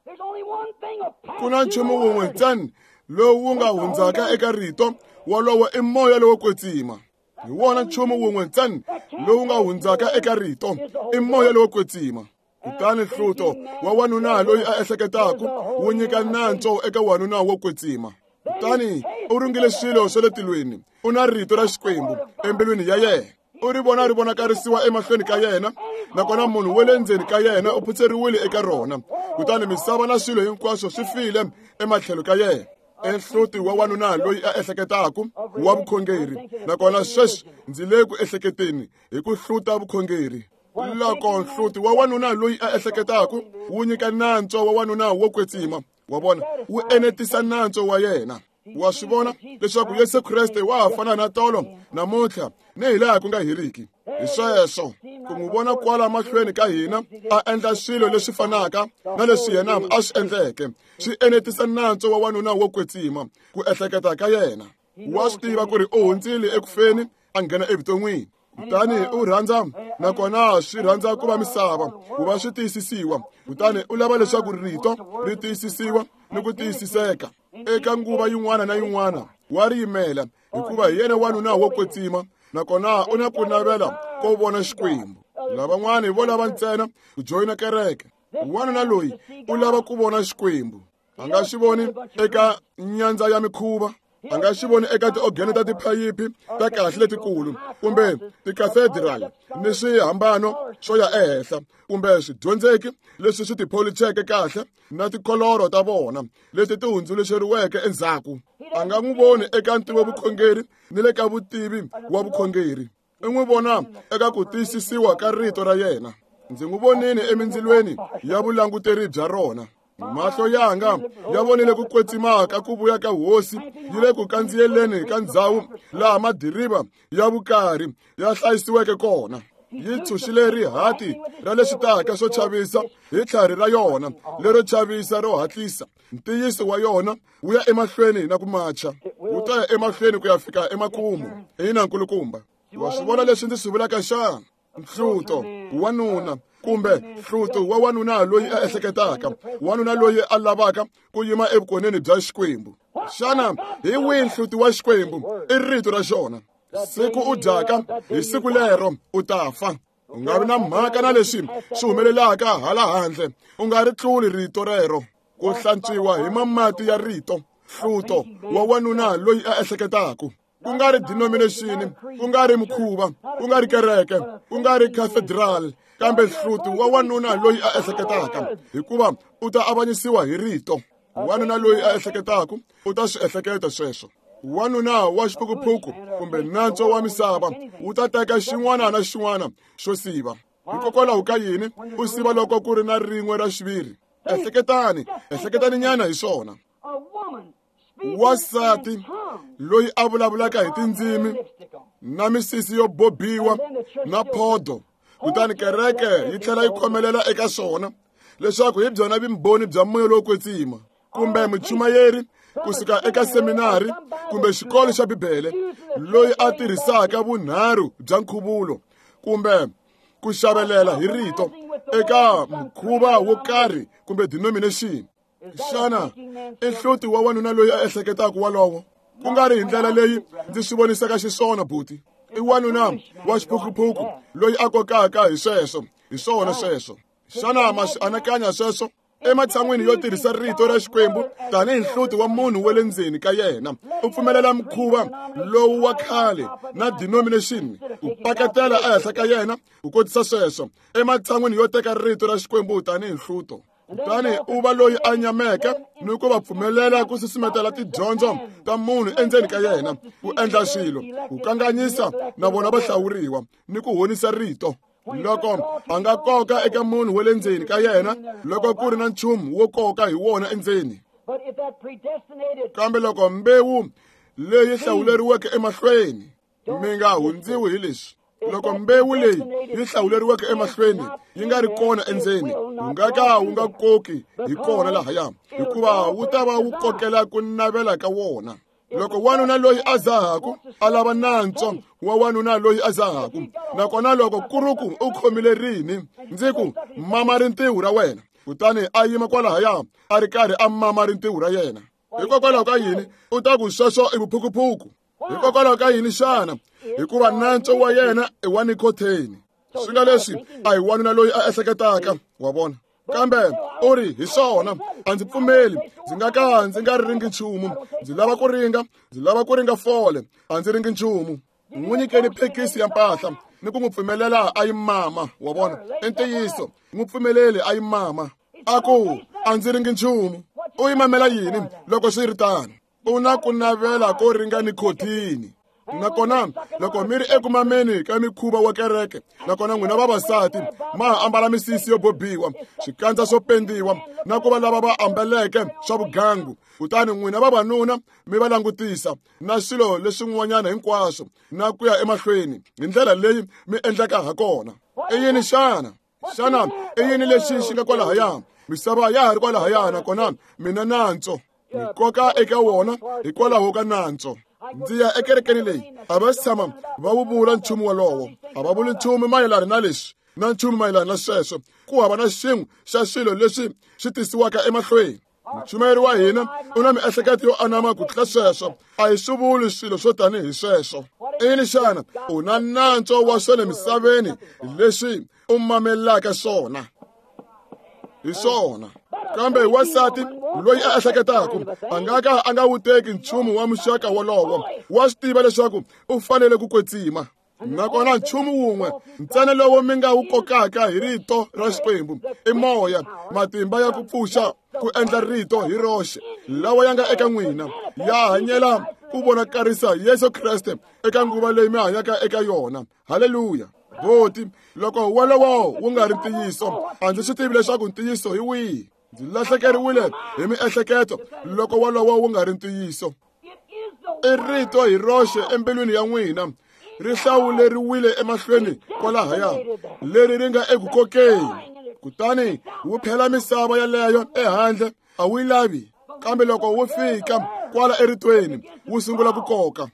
Ku na nchumu wun'we ntsena lowu wu nga hundzaka eka rito, wolowo i moya lowo kwetsima. Hi wona nchumu wun'we ntsena lowu nga hundzaka eka rito, i moya lowo kwetsima. Kutani hluto wa wanuna loyi a ehleketaka wu nyika nantswo eka wanuna wo kwetsima. Kutani u ringile swilo swa le tilweni, u na rito ra Xikwembu embilwini ya yena. U ri vona ri vonakarisiwa emahlweni ka yena, nakona munhu wa le ndzeni ka yena u phutseriwile eka rona. Kutani misava na swilo hinkwaswo swi file ematlhelo ka yena. I nhluti wa wanuna loyi a ehleketaka wa vukhongeri, nakona sweswi ndzi le ku ehleketeni hi ku hluta vukhongeri. Loko nhluti wa wanuna loyi a ehleketaka wu nyika nantswo wa wanuna wo kwetsima, wa vona, wu enetisa nantswo wa yena. Wa swi vona leswaku Yesu Kreste wa ha fana na tolo namuntlha ni hi laha ku nga heriki. Hi sweswo ku n'wi vona kwala mahlweni ka hina a endla swilo leswi fanaka na leswi yena a swi endleke, swi enetisa nantswo wa wanuna wo kwetsima ku ehleketa ka yena. Wa swi tiva ku ri u hundzile ekufeni a nghena evuton'wini. Kutani u rhandza, nakona swi rhandza ku va misava ku va swi tiyisisiwa. Kutani u lava leswaku rito ri tiyisisiwa ni ku tiyisiseka eka nguva yin'wana na yin'wana. Wa ri yimela hikuva hi yena wanuna wo kwetsima, nakona u na ku navela ko vona Xikwembu. Lavan'wani vo lava ntsena ku joyina kereke. Wanuna loyi u lava ku vona Xikwembu. A nga xi voni eka nyandza ya mikhuva, a nga xi voni eka tiogene ta tiphayiphi ta kahle letikulu kumbe tikathedrali ni swihambano swo ya ehenhla kumbe swidyondzeki leswi swi tipholicheke kahle na tikholoro ta vona leti ti hundzuluxeriweke endzhaku. A nga n'wi voni eka ntivo vukhongeri ni le ka vutivi wa vukhongeri. I n'wi vona eka ku tiyisisiwa ka rito ra yena. Ndzi n'wi vonile emindzilweni ya vulanguteri bya rona. Mahlo yanga ya vonile ku kwetsima ka ku vuya ka hosi yi le ku kandziyeleni ka ndzhawu laha madiriva ya vukarhi ya hlayisiweke kona. Yi tshunxile rihati ra leswi taka swo chavisa hi tlhari ra yona lero chavisa ro hatlisa. Ntiyiso wa yona wu ya emahlweni na ku macha, wu ta ya emahlweni ku ya fika emakumu. Ina, nkulukumba, wa swi vona leswi ndzi swi vulaka xana? Nhluto wanuna kumbe nhluto wa wanuna loyi a ehleketaka, wanuna loyi a lavaka ku yima evukoneni bya Xikwembu. Xana hi wihi nhluti wa Xikwembu? I rito ra xona. Siku u dyaka hi siku lero u ta fa. U nga vi na mhaka na leswi swi humelelaka hala handle, u nga ri tluli rito rero. Ku hlantswiwa hi mamati ya rito, hluto wa wanuna loyi a ehleketaka. Ku nga ri denomination, ku nga ri mukhuva, ku nga ri kereke, ku nga ri cathedral, kambe hluti wa wanuna loyi a ehleketaka, hikuva u ta avanyisiwa hi rito. Wanuna loyi a ehleketaka u ta swi ehleketa sweswo. Wanuna wa xiphukuphuku kumbe nantswo wa misava wu ta teka xin'wana na xin'wana xo siva. Hikokwalaho ka yini u siva loko ku ri na rin'we ra xiviri? Ehleketani, ehleketani nyana hi swona. Wansati loyi a vulavulaka hi tindzimi na misisi yo bobiwa na phodo, kutani kereke yi tlhela yi khomelela eka swona leswaku hi byona vumbhoni bya moya lowo kwetsima, kumbe muchumayeri kusuka eka seminari kumbe xikolo xa Bibele loyi a tirhisaka vunharhu bya nkhuvulo kumbe ku xavelela hi rito eka mukhuva wo karhi kumbe denomination. Xana i nhloti wa wanuna loyi a ehleketaka walowo? Ku nga ri hi ndlela leyi ndzi swi vonisaka xiswona, buti. I wanuna wa xiphukuphuku loyi a kokaka hi sweswo, hi swona sweswo. Xana ma swi anakanya sweswo? Ematshan'wini yo tirhisa rito ra Xikwembu tanihi nhloti wa munhu wa le ndzeni ka yena, u pfumelela mukhuva lowu wa khale na denomination ku paketela ehenhla ka yena ku kotisa sweswo, ematshan'wini yo teka rito ra Xikwembu tanihi nhluto. Kutani u va loyi a nyameke ni ku va pfumelela ku susumetela tidyondzo ta munhu endzeni ka yena, ku endla swilo, ku kanganyisa na vona va hlawuriwa ni ku honisa rito. Loko a nga koka eka munhu wa le ndzeni ka yena, loko ku ri na nchumu wo koka hi wona endzeni. Kambe loko mbewu leyi hlawuleriweke emahlweni, mi nga hundziwi hi leswi. Loko mbewu leyi yi hlawuleriweke emahlweni yi nga ri kona endzeni, wu nga ka wu nga koki hi kona lahaya, hikuva wu ta va wu kokela ku navela ka wona. Loko wanuna loyi a zahaku a lava nantswo wa wanuna loyi a zahaku, nakona loko kuruku u khomile rini, ndzi ku mama rintiho ra wena, kutani a yima kwalahaya a ri karhi a mama rintiho ra yena. Hikokwalaho ka yini u ta ku sweswo i vuphukuphuku? Hikokwalaho ka yini xana? Hikuva nantswo wa yena i wa nikhotheni. Swi nga leswi a hi wanuna loyi a ehleketaka, wa vona. Kambe u ri hi swona, a ndzi pfumeli, ndzi nga ka ndzi nga ringi nchumu, ndzi lava ku ringa, ndzi lava ku ringa fole, a ndzi ringi nchumu. N'wi nyikeni phekisi ya mpahla ni ku n'wi pfumelela a yi mama, wa vona. I ntiyiso, n'wi pfumeleli a yi mama. A ku a ndzi ringi nchumu. U yi mamela yini loko swi ri tano? U na ku navela ko ringa nikhothini. Nakona loko mi ri eku mameni ka mikhuva wa kereke, nakona n'wina vavasati ma ha ambala misisi yo bobiwa, swikandza swo pendiwa, na ku va lava va ambaleke swa vugangu, kutani n'wina vavanuna mi va langutisa na swilo leswin'wanyana hinkwaswo na ku ya emahlweni hi ndlela leyi mi endlaka ha kona. I yini xana? Xana i yini lexi xi nga kwalahaya? Misava ya ha ri kwalahaya, nakona mina nantswo mi koka eka wona hikwalaho ka nantswo. Ndzi ya ekerekeni leyi, a va si tshama va wu vula nchumu wolowo, a va vuli nchumu mayelana na leswi na nchumu mayelana na sweswo. Ku hava na xin'we xa swilo leswi swi tisiwaka emahlweni. Muchumayeri wa hina u na miehleketo yo anama ku tlula sweswo, a hi swi vuli swilo swo tanihi sweswo. I yini xana? U na nantswo wa swa le misaveni leswi u mamelaka swona. Hi swona. Kambe wansati loyi a ehleketaka a nga ka a nga wu teki nchumu wa muxaka wolowo, wa swi tiva leswaku u fanele ku kwetsima. Nakona nchumu wun'we ntsena lowu mi nga wu kokaka hi rito ra Xikwembu i moya, matimba ya ku pfuxa ku endla rito hi roxe lawa ya nga eka n'wina, ya hanyela ku vonakarisa Yesu Kreste eka nguva leyi mi hanyaka eka yona. Haleluya! Boti, loko wolowo wu nga ri ntiyiso, a ndzi swi tivi leswaku ntiyiso hi wihi. Ndzi lahlekeriwile hi miehleketo loko wolowo wu nga ri ntiyiso. I rito hi roxe embilwini ya n'wina, ri hlawuleriwile emahlweni kwalahaya, leri ri nga eku kokeni. Kutani wu phela misava yaleyo ehandle, a wu yi lavi. Kambe loko wu fika kwala eritweni, wu sungula ku koka.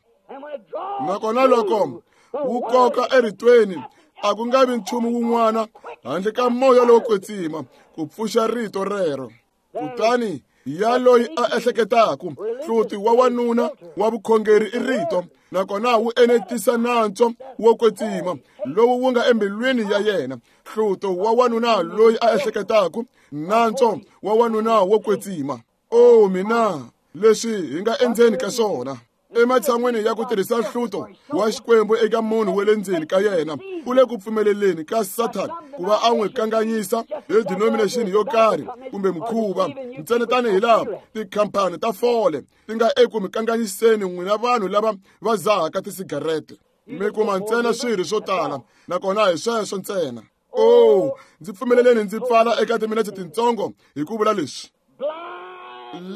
Nakona loko wu koka eritweni, a ku nga vi nchumu wun'wana handle ka moya lowo kwetsima ku pfuxa rito rero. Kutani ya loyi a ehleketaka, hluti wa wanuna wa vukhongeri i rito, nakona wu enetisa nantswo wo kwetsima lowu wu nga embilwini ya yena. Hluto wa wanuna loyi a ehleketaka, nantswo wa wanuna wo kwetsima. O mina, leswi hi nga endzeni ka swona. Ematshan'wini ya ku tirhisa nhluto wa Xikwembu eka munhu wa le ndzeni ka yena, u le ku pfumeleleni ka Sathana ku va a n'wi kanganyisa hi denomination yo karhi kumbe mukhuva, ntsena tanihi laha tikhampani ta fole ti nga eku mi kanganyiseni n'wina vanhu lava va zahaka tisigarete. Mi kuma ntsena swirho swo tala, nakona hi sweswo ntsena. Oh, ndzi pfumeleleni ndzi pfala eka timinetse tintsongo hi ku vula leswi.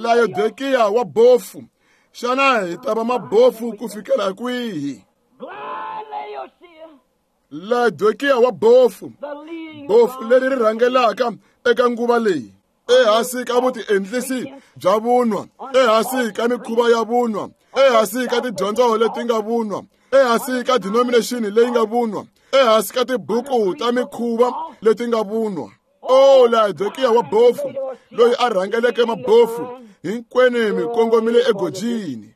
Laodikiya wa bofu, xana hi ta va mabofu ku fikela kwihi? Laodikiya wa bofu, bofu leri ri rhangelaka eka nguva leyi, ehansi ka vutiendlisi bya vunwa, ehansi ka mikhuva ya vunwa, ehansi ka tidyondzo leti nga vunwa, ehansi ka denomination leyi nga vunwa, ehansi ka tibuku ta mikhuva leti nga vunwa. O Laodikiya wa bofu, loyi a rhangeleke mabofu, hinkwenu mi kongomile egojini.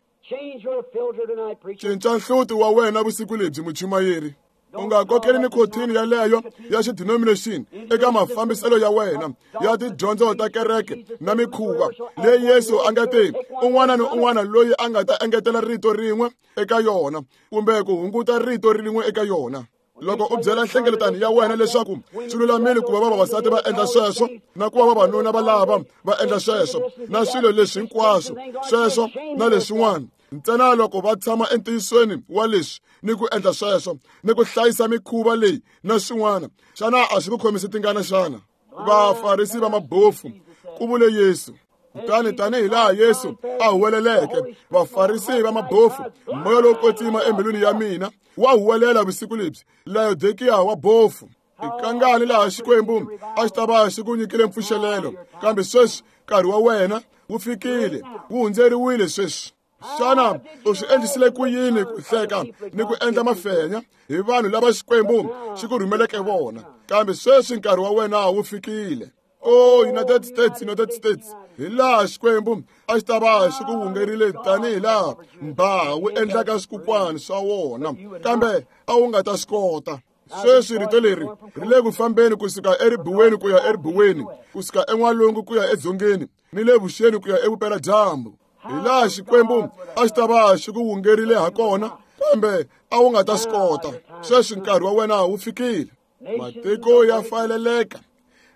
Cinca nhluti wa wena vusiku lebyi, muchumayeri. U nga kokeli nikotini yaleyo ya xidenomination eka mafambiselo ya wena ya tidyondzo ta kereke na mikhuva leyi Yesu a nga te un'wana ni un'wana loyi a nga ta engetela rito rin'we eka yona kumbe ku hunguta rito rin'we eka yona. Loko u byela nhlengeletano ya wena leswaku swi lulamile ku va vavasati va endla sweswo na ku va vavanuna va lava va endla sweswo na swilo leswi hinkwaswo sweswo na leswin'wana, ntsena loko va tshama entiyisweni wa leswi ni ku endla sweswo ni ku hlayisa mikhuva leyi na swin'wana, xana a swi ku khomisi tingana xana? Vafarisi va mabofu, ku vule Yesu. Kutani tanihi laha Yesu a huweleleke vafarisi va mabofu, moya lowo kwetsima embilwini ya mina wa huwelela vusiku lebyi, Laodikiya wa bofu. I kangani laha Xikwembu a xi ta va xi ku nyikile mpfuxelelo, kambe sweswi nkarhi wa wena wu fikile, wu hundzeriwile sweswi. Xana u swi endlisile ku yini ku hleka ni ku endla mafenya hi vanhu lava Xikwembu xi ku rhumeleke vona? Kambe sweswi nkarhi wa wena wu fikile. O United States, United States, hi laha Xikwembu a xi ta va xi ku wungerile tanihi laha mbhaha wu endlaka swikukwana swa wona, kambe a wu nga ta swi kota. Sweswi rito leri ri le ku fambeni kusuka eribuweni ku ya eribuweni, kusuka en'walungu ku ya edzongeni, ni le vuxeni ku ya evupeladyambu. Hi laha Xikwembu a xi ta va xi ku wungerile ha kona, kambe a wu nga ta swi kota. Sweswi nkarhi wa wena wu fikile. Matiko ya fayeleleka,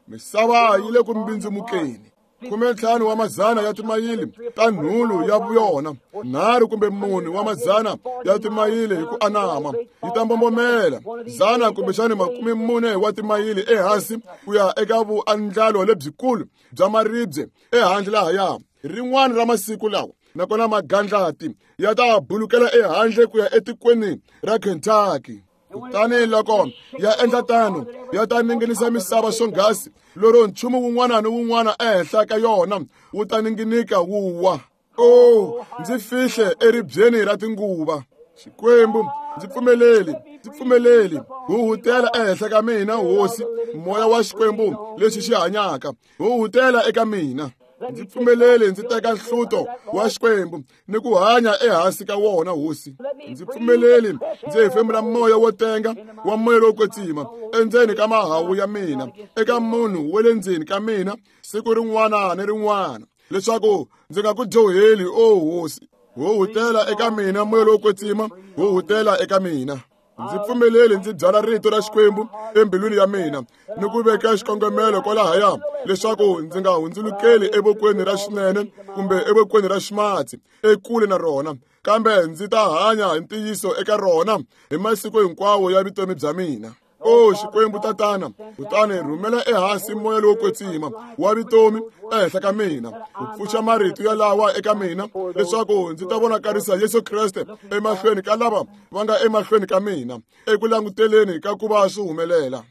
misava yi le ku mbindzimukeni. 15 wa madzana ya timayili ta nhulu ya yona, 3 kumbe 4 wa madzana ya timayili hi ku anama, yi ta mbombomela 100 kumbexani 40 wa timayili ehansi ku ya eka vuandlalo lebyikulu bya maribye ehandle lahaya. Rin'wana ra masiku lawa, nakona magandlati ya ta bulukela ehandle ku ya etikweni ra Kentucky. Kutani loko ya endla tano, ya ta ninginisa misava swonghasi lero nchumu wun'wana ni wun'wana ehenhla ka yona wu ta ninginika wu wa. O, ndzi fihle eribyeni ra tinguva. Xikwembu, ndzi pfumeleli, ndzi pfumeleli, huhutela ehenhla ka mina, Hosi, moya wa Xikwembu lexi xi hanyaka, huhutela eka mina. Ndzi pfumeleli ndzi teka nhluto wa Xikwembu ni ku hanya ehansi ka wona, Hosi. Ndzi pfumeleli ndzi hefemula moya wo tenga wa moya lowo kwetsima endzeni ka mahawu ya mina, eka munhu wa le ndzeni ka mina siku rin'wana ni rin'wana, leswaku ndzi nga ku dyoheli, o Hosi. Huhutela eka mina moya lowo kwetsima, huhutela eka mina. Ndzi pfumeleli ndzi byala rito ra Xikwembu embilwini ya mina ni ku veka xikongomelo kwalahaya, leswaku ndzi nga hundzulukeli evokweni ra xinene kumbe evokweni ra ximatsi ekule na rona, kambe ndzi ta hanya hi ntiyiso eka rona hi masiku hinkwawo ya vutomi bya mina. O Xikwembu Tatana, kutani rhumela ehansi moya lowo kwetsima wa vutomi ehenhla ka mina, ku pfuxa marito yalawa eka mina, leswaku ndzi ta vonakarisa Yesu Kreste emahlweni ka lava va nga emahlweni ka mina, eku languteleni ka ku va swi humelela.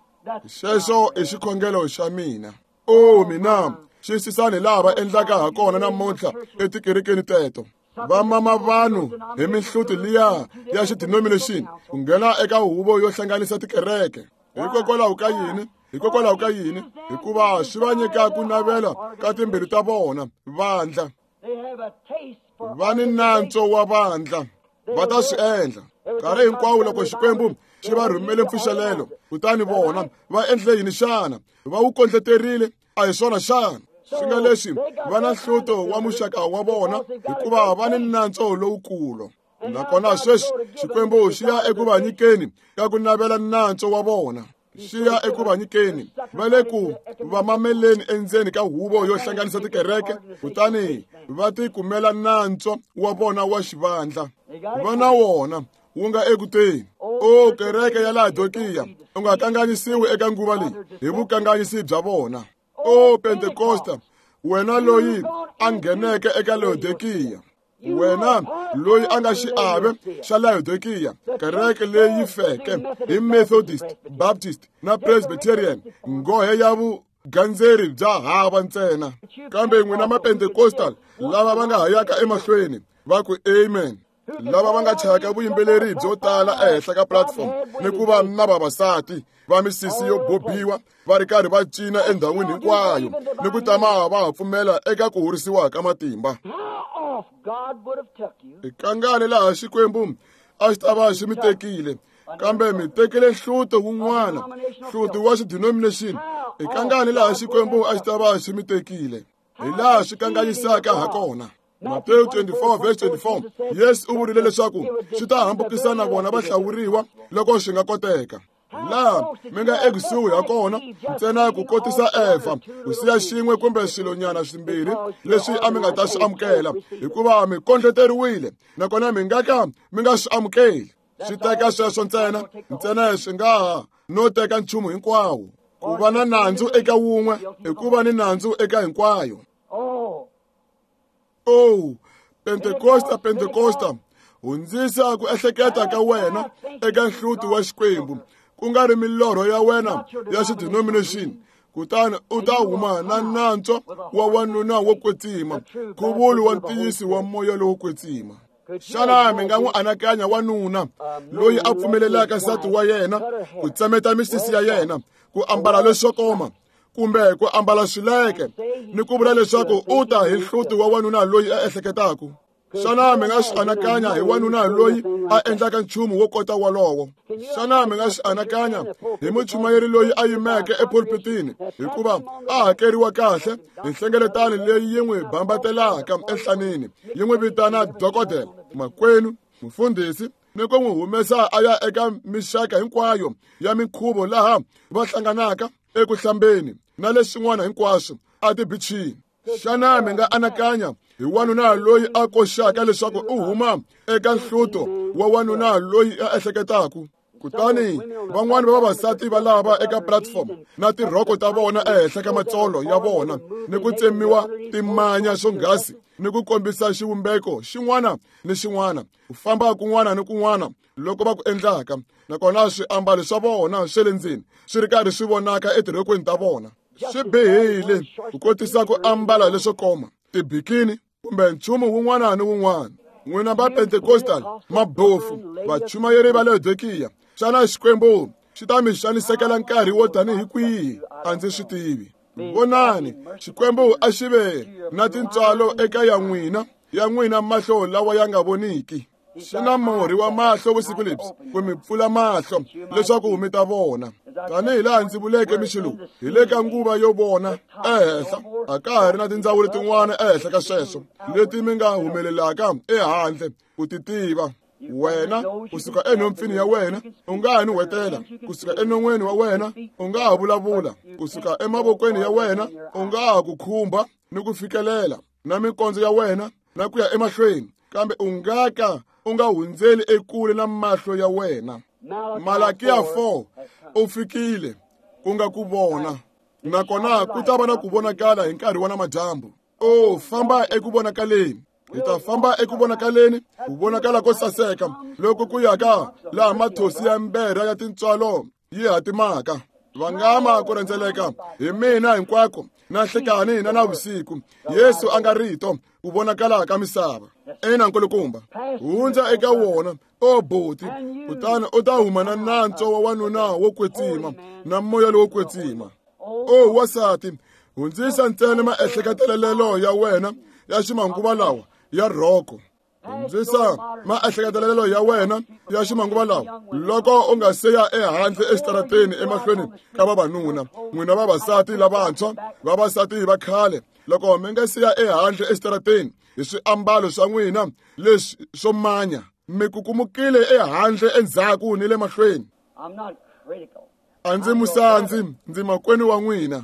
Xexo i xikhongelo xa mina. O mina, xiyisisani laha va endlaka ha kona namuntlha etikerekeni teto. Va mama vanhu hi mihluti liya ya xidenomination ku nghena eka huvo yo hlanganisa tikereke. Hikokwalaho ka yini? Hikokwalaho ka yini? Hikuva swi va nyika ku navela ka timbilu ta vona vandla. Va ni nantswo wa vandla, va ta swi endla nkarhi hinkwawo loko Xikwembu xi va rhumele mpfuxelelo. Kutani vona va endle yini xana? Va wu kondleterile, a hi swona xana? Swi nga leswi va na nhluto wa muxaka wa vona, hikuva va ni nantswo lowukulu. Nakona sweswi Xikwembu xi ya eku va nyikeni ka ku navela nantswo wa vona, xi ya eku va nyikeni, va le ku va mameleni endzeni ka huvo yo hlanganisa tikereke, kutani va tikumela nantswo wa vona wa xivandla. Va na wona wu nga eku teni. O kereke ya Laodikiya, u nga kanganyisiwi eka nguva leyi hi vukanganyisi bya vona. O Pentekosta, wena loyi a ngheneke eka Laodikiya, wena loyi a nga xiave xa Laodikiya, kereke leyi feke hi Methodist, Baptist na Presbyterian, nghohe ya vugandzeri bya hava ntsena, kambe n'wina Mapentecostal lava va nga ha yaka emahlweni va ku amen. Lava va nga chayaka vuyimbeleri byo tala ehenhla ka platform ni ku va na vavasati va misisi yo bobiwa va ri karhi va cina endhawini hinkwayo ni ku tama va ha pfumela eka ku horisiwa ka matimba. Kangani laha Xikwembu a xi ta va xi mi tekile, kambe mi tekile nhluto wun'wana, nhluto wa xidenomination. Kangani laha Xikwembu a xi ta va xi mi tekile, hi laha swi kanganyisaka ha kona. Matewu 24 verse 24, Yesu u vurile leswaku swi ta hambukisa na vona va hlawuriwa loko swi nga koteka. Laha mi nga ekusuhi ha kona ntsena ku kotisa Evha ku siya xin'we kumbe swilonyana swimbirhi leswi a mi nga ta swi amukela, hikuva mi kondleteriwile nakona mi nga ka mi nga swi amukeli. Swi teka sweswo ntsena, ntsena swi nga ha no teka nchumu hinkwawo. Ku va na nandzu eka wun'we i ku va ni nandzu eka hinkwayo. Oh, Pentekosta, Pentekosta, hundzisa ku ehleketa ka wena eka nhluti wa Xikwembu, ku nga ri milorho ya wena ya xidenomination, kutani u ta huma na nantswo wa wanuna wo kwetsima, nkhuvulo wa ntiyiso wa moya lowo kwetsima. Xana mi nga n'wi anakanya wanuna loyi a pfumelelaka nsati wa yena ku tsemeta misisi ya yena, ku ambala leswo koma kumbe ku ambala swileke, ni ku vula leswaku u ta hi nhluti wa wanuna loyi a ehleketaka? Xana mi nga swi anakanya hi wanuna loyi a endlaka nchumu wo kota wolowo? Xana mi nga swi anakanya hi muchumayeri loyi a yimeke epulpitini hikuva a hakeriwa kahle hi nhlengeletano leyi yi n'wi bambatelaka enhlanini, yi n'wi vitana dokodela, makwenu, mufundhisi, ni ku n'wi humesa a ya eka mixaka hinkwayo ya minkhuvo laha va hlanganaka eku hlambeni na leswin'wana hinkwaswo atibichini? Xana mi nga anakanya hi wanuna loyi a koxaka leswaku u huma eka nhluto wa wanuna loyi a ehleketaka? Kutani van'wani va vavasati va lava eka platform na tirhoko ta vona ehenhla ka matsolo ya vona ni ku tsemiwa timanya swonghasi ni ku kombisa xivumbeko xin'wana ni xin'wana, ku famba kun'wana ni kun'wana loko va ku endlaka, nakona swiambalo swa vona swa le ndzeni swi ri karhi swi vonaka etirhokweni ta vona. Swi bihile ku kotisa ku ambala leswo koma, tibikini kumbe nchumu wun'wana ni wun'wana. N'wina va Pentecostal, mabofu, vachumayeri va Laodikiya, xana Xikwembu xi ta mi xanisekela nkarhi wo tanihi kwihi? A ndzi swi tivi. Vonani, Xikwembu a xi ve na tintswalo eka ya n'wina mahlo lawa ya nga voniki. Xi na murhi wa mahlo vusiku lebyi ku mi pfula mahlo leswaku mi ta vona. Tanihi laha ndzi vuleke mixo lowu, hi le ka nguva yo vona ehenhla, a ka ha ri na tindzawulo tin'wana ehenhla ka sweswo leti mi nga humelelaka ehandle ku ti tiva. Wena kusuka enhompfini ya wena u nga ha nuhwetela, kusuka enon'weni wa wena u nga ha vulavula, kusuka emavokweni ya wena u nga ha ku khumba ni ku fikelela na mikondzo ya wena na ku ya emahlweni, kambe u nga ka u nga hundzeli ekule na mahlo ya wena. Malakiya 4 u fikile ku nga ku vona, nakona ku ta va na ku vonakala hi nkarhi wa namadyambu. O famba eku vonakaleni, hi ta famba eku vonakaleni, ku vonakala ko saseka loko ku ya ka laha mathosi ya mberha ya tintswalo yi hatimaka. Vangama ku rhendzeleka hi mina hinkwako na nhlekani na navusiku. Yesu a nga rito ku vonakala ka misava. Ina nkulukumba, hundza eka wona o boti, kutani u ta huma na nantswo wa wanuna wo kwetsima na moya lowo kwetsima. O wasati, hundzisa ntsena maehleketelelo ya wena ya ximanguva lawa ya rhoko. Hundzisa maehleketelelo ya wena ya ximanguva lawa loko u nga se ya ehandle exitarateni emahlweni ka vavanuna. N'wina vavasati lavantshwa, vavasati va khale, loko mi nga se ya ehandle exitarateni hi swiambalo swa n'wina leswi swo manya, mi kukumukile ehandle endzhaku ni le mahlweni. A ndzi musandzi, ndzi makwenu wa n'wina.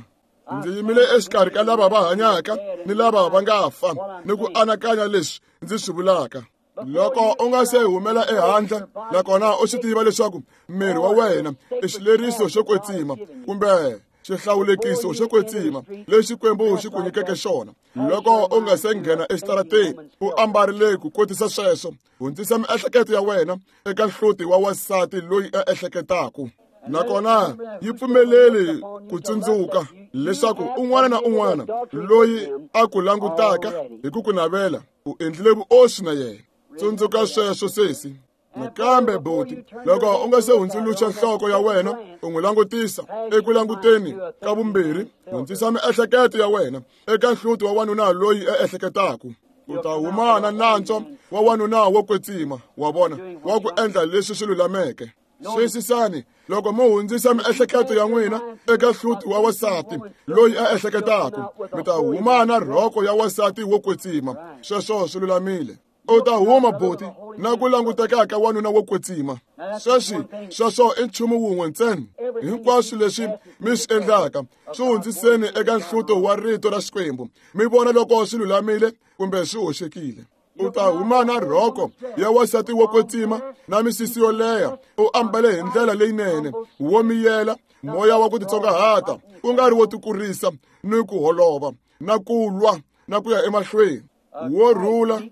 Ndzi yimile exikarhi ka lava va hanyaka ni lava va nga fa, ni ku anakanya leswi ndzi swi vulaka. Loko u nga se humela ehandle nakona u swi tiva leswaku miri wa wena i xileriso xo kwetsima kumbe xihlawulekiso xo kwetsima lexi Xikwembu xi ku nyikeke xona, loko u nga se nghena exitarateni u ambarile ku kotisa sweswo, hundzisa miehleketo ya wena eka nhluti wa wansati loyi a ehleketaka. Nakona yi pfumeleli ku tsundzuka leswaku un'wana na un'wana loyi a ku langutaka hi ku ku navela u endlile vuoswi na yena. Tsundzuka sweswo sesi. Nakambe buti, loko u nga se hundzuluxa nhloko ya wena u n'wi langutisa eku languteni ka vumbirhi, hundzisa miehleketo ya wena eka nhluti wa wanuna loyi a ehleketaka. U ta huma na nantswo wa wanuna wo kwetsima, wa vona, wa ku endla leswi swi lulameke. Xiyisisani, loko mo hundzisa miehleketo ya n'wina eka hluti wa wasati loyi a ehleketaka, mi ta huma na rhoko ya wasati wo kwetsima. Sweswo swi lulamile. U ta huma buti na ku languteka ka wanuna wo kwetsima. Sweswi sweswo i nchumu wun'we ntsena. Hinkwaswo leswi mi swi endlaka swi hundziseni eka nhluto wa rito ra Xikwembu, mi vona loko swi lulamile kumbe swi hoxekile. U ta huma na rhoko ya wasati wo kwetsima na misisi yo leha, u ambale hi ndlela leyinene, wo miyela, moya wa ku titsongahata, ku nga ri wo tikurisa ni ku holova na ku lwa na ku ya emahlweni, wo rhula,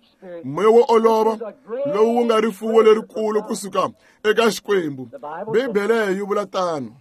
moya wo olova lowu wu nga rifuwo lerikulu kusuka eka Xikwembu. Bibele yi vula tano.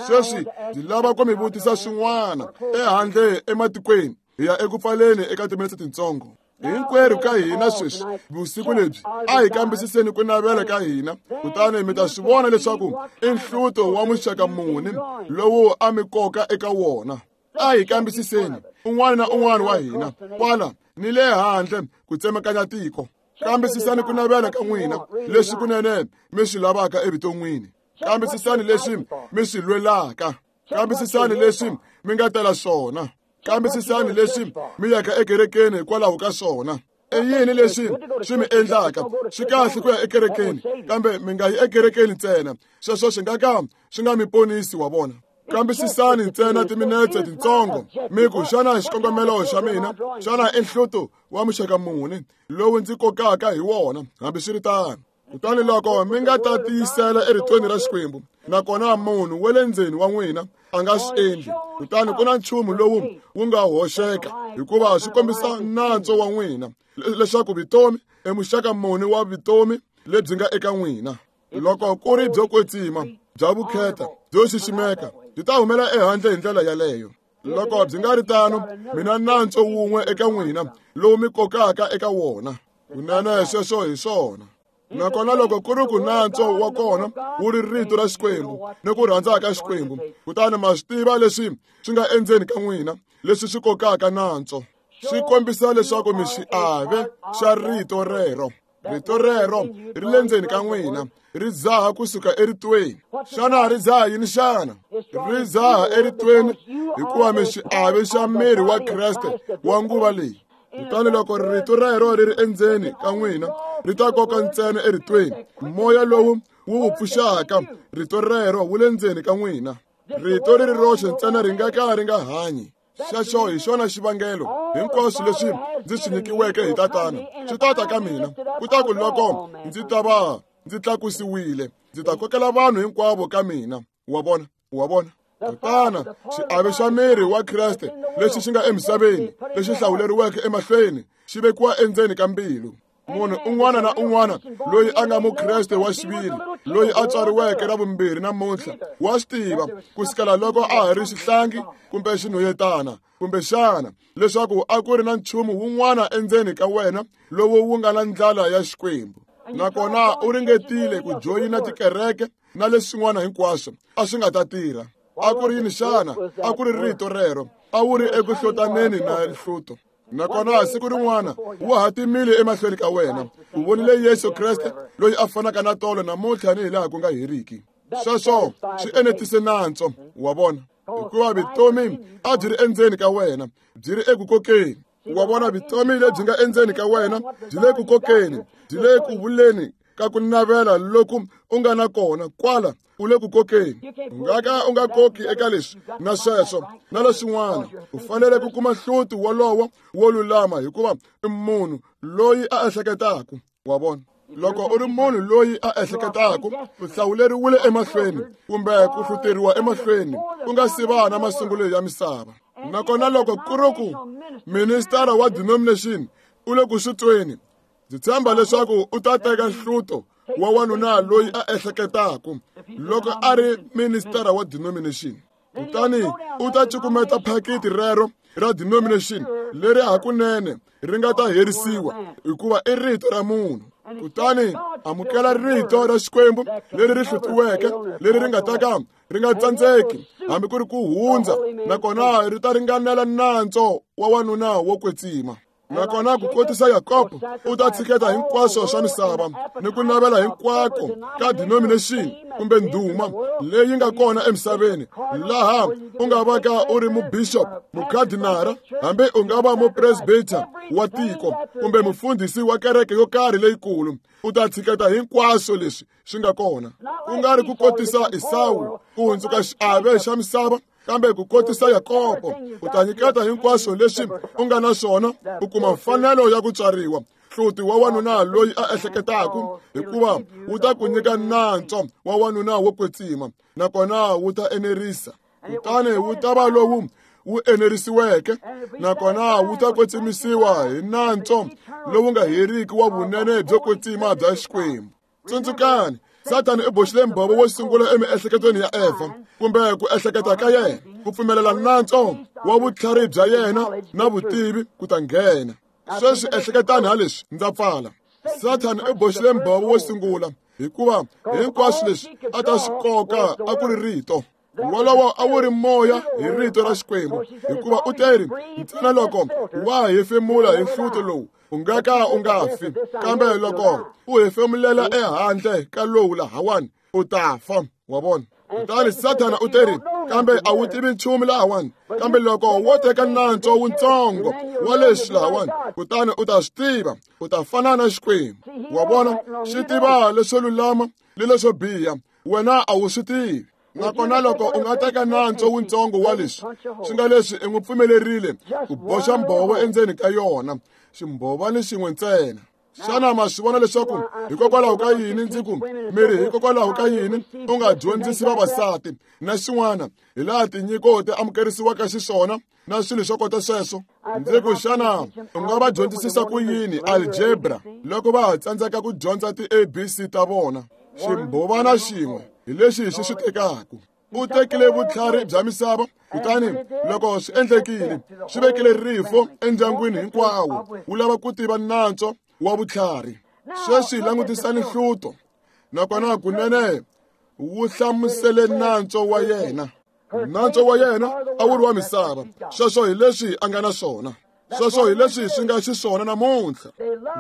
Sweswi ndzi lava ku mi vutisa swin'wana ehandle ematikweni, hi ya eku pfaleni eka timinetse tintsongo. Hinkwerhu ka hina sweswi vusiku lebyi a hi kambisiseni ku navela ka hina, kutani mi ta swi vona leswaku i nhluto wa muxaka muni lowu a mi koka eka wona. A hi kambisiseni un'wana na un'wana wa hina kwala ni le handle ku tsemakanya tiko. Kambisisani ku navela ka n'wina, leswi kunene mi swi lavaka evuton'wini. Kambisisani leswi mi swi lwelaka. Kambisisani leswi mi nga tela swona. Kambisisani leswi mi yaka ekerekeni hikwalaho ka swona. I yini leswi swi mi endlaka? Swi kahle ku ya ekerekeni, kambe mi nga yi ekerekeni ntsena. Sweswo swi nga ka swi nga mi ponisi, wa vona. Kambisisani ntsena timinetse tintsongo, mi ku, xana xikongomelo xa mina, xana i nhluto wa muxaka muni lowu ndzi kokaka hi wona? Hambiswiritano, kutani loko mi nga ta tiyisela eritweni ra Xikwembu, nakona munhu wa le ndzeni wa n'wina a nga swi endli, kutani ku na nchumu lowu wu nga hoxeka, hikuva swi kombisa nantswo wa n'wina leswaku vutomi i muxaka muni wa vutomi lebyi nga eka n'wina. Loko ku ri byo kwetsima, bya vukheta, byo xiximeka, byi ta humela ehandle hi ndlela yaleyo. Loko byi nga ri tano, mina nantswo wun'we eka n'wina lowu mi kokaka eka wona. Kunene sweswo hi swona. Nakona loko ku ri ku nantswo wa kona wu ri rito ra Xikwembu ni ku rhandza ka Xikwembu, kutani ma swi tiva leswi swi nga endzeni ka n'wina, leswi swi kokaka nantswo, swi kombisa leswaku mi xiave xa rito rero. Rito rero ri le ndzeni ka n'wina, ri dzaha kusuka eritweni. Xana ri dzaha yini xana? Ri dzaha eritweni hikuva mi xiave xa miri wa Kreste wa nguva leyi. Kutani loko rito rero ri ri endzeni ka n'wina, ri ta koka ntsena eritweni. Moya lowu wu wu pfuxaka rito rero wu le ndzeni ka n'wina. Rito ri ri roxe ntsena ri nga ka ri nga hanyi. Xexo hi xona xivangelo hinkwaswo leswi ndzi swi nyikiweke hi Tatana swi ta ta ka mina. Kutaku loko ndzi ta va ndzi tlakusiwile, ndzi ta kokela vanhu hinkwavo ka mina. Wa vona, wa vona. Tatana, xiave xa miri wa Kreste lexi xi nga emisaveni, lexi hlawuleriweke emahlweni, xi vekiwa endzeni ka mbilu. Munhu un'wana na un'wana loyi a nga mukreste wa xiviri, loyi a tswariweke ra vumbirhi namuntlha, wa swi tiva kusukela loko a ha ri xihlangi kumbe xinhwanyetana, kumbexana leswaku a ku ri na nchumu wun'wana endzeni ka wena lowu wu nga na ndlala ya Xikwembu. Nakona u ringetile ku joyina tikereke na leswin'wana hinkwaswo, a swi nga ta tirha. A ku ri yini xana? A ku ri rito rero. A wu ri eku hlotaneni na nhluto. Nakona siku rin'wana wu hatimile emahlweni ka wena. U vonile Yesu Kreste loyi a fanaka na tolo namuntlha ni hilaha ku nga heriki. Sweswo swi enetise nantswo, wa vona, hikuva vutomi a byi ri endzeni ka wena, byi ri eku kokeni. Wa vona, vutomi lebyi nga endzeni ka wena byi le ku kokeni, byi le ku vuleni ka ku navela loku u nga na kona kwala u le ku kokeni. U nga ka u nga koki eka leswi na sweswo na leswin'wana. U fanele ku kuma hluti wolowo wo lulama, hikuva i munhu loyi a ehleketaka. Wa vona, loko u ri munhu loyi a ehleketaka, u hlawuleriwile emahlweni kumbe ku hluteriwa emahlweni ku nga si va na masungulo ya misava. Nakona loko ku ri ku ministara wa denomination u le ku swi tweni, ndzi tshemba leswaku u ta teka nhluto wa wanuna loyi a ehleketaka loko a ri ministara wa denomination. Kutani u ta cukumeta phakiti rero ra denomination leri hakunene ri nga ta herisiwa, hikuva i rito ra munhu. Kutani amukela rito ra Xikwembu leri ri hlutiweke, leri ri nga ta ka ri nga tsandzeki hambi ku ri ku hundza, nakona ri ta ringanela nantswo wa wanuna wo kwetsima. Nakona ku kotisa Yakobo, u ta tshiketa hinkwaswo swa misava ni ku navela hinkwako ka denomination kumbe ndhuma leyi nga kona emisaveni, laha u nga va ka u ri mubishop, mukadinara, hambi u nga va mupresbiter wa tiko kumbe mufundhisi wa kereke yo karhi leyikulu, u ta tshiketa hinkwaswo leswi swi nga kona. Ku nga ri ku kotisa Esawu ku hundzuka xiave xa misava, kambe ku kotisa Yakobo, u ta nyiketa hinkwaswo leswi u nga na swona, u kuma mfanelo ya ku tswariwa hluti wa wanuna loyi a ehleketaku, hikuva wu ta ku nyika nantswo wa wanuna wo kwetsima, nakona wu ta enerisa. Kutani wu ta va lowu wu enerisiweke, nakona wu ta kwetsimisiwa hi nantswo lowu nga heriki wa vunene byo kwetsima bya Xikwembu. Tsundzukani, Sathana u boxile mbhovo wo sungula emiehleketweni ya Eva, kumbe ku ehleketa ka yena, ku pfumelela nantswo wa vutlhari bya yena na vutivi ku ta nghena. Sweswi ehleketani ha leswi, ndza pfala. Sathana u boxile mbhovo wo sungula, hikuva hinkwaswo leswi a ta swi koka a ku ri rito. Wolowo a wu ri moya hi rito ra Xikwembu, hikuva u teri, ntsena loko wa hefemula hi hluto lowu, u nga ka u nga fi, kambe loko u hefemulela ehandle ka lowu lahawani, u ta fa. Wa vona? Kutani Sathana u teri, kambe a wu tivi nchumu lahawani, kambe loko wo teka nantswo wutsongo wa leswi lahawani, kutani u ta swi tiva, u ta fana na Xikwembu. Wa vona? Xi tiva leswo lulama ni leswo biha, wena a wu swi tivi. Nakona loko u nga teka nantswo wutsongo wa leswi, swi nga leswi i n'wi pfumelerile ku boxa mbhovo endzeni ka yona, ximbhovani xin'we ntsena. Xana ma swi vona leswaku hikokwalaho ka yini ndzi ku miri, hikokwalaho ka yini u nga dyondzisi vavasati na xin'wana hi laha tinyiko ti amukerisiwaka xiswona na swilo swo kota sweswo? Ndzi ku, xana u nga va dyondzisisa ku yini algebra loko va ha tsandzeka ku dyondza ti-ABC ta vona? Ximbhovana xin'we hi lexi xi swi tekaka. U tekile vutlhari bya misava, kutani loko swi endlekile, swi vekile rifo endyangwini hinkwawo, wu lava ku tiva nantswo wa vutlhari. Sweswi langutisani hluto, nakona kunene wu hlamusele nantswo wa yena. Nantswo wa yena a wu ri wa misava. Sweswo hi leswi a nga na swona. Sweswo hi leswi swi nga xiswona namuntlha.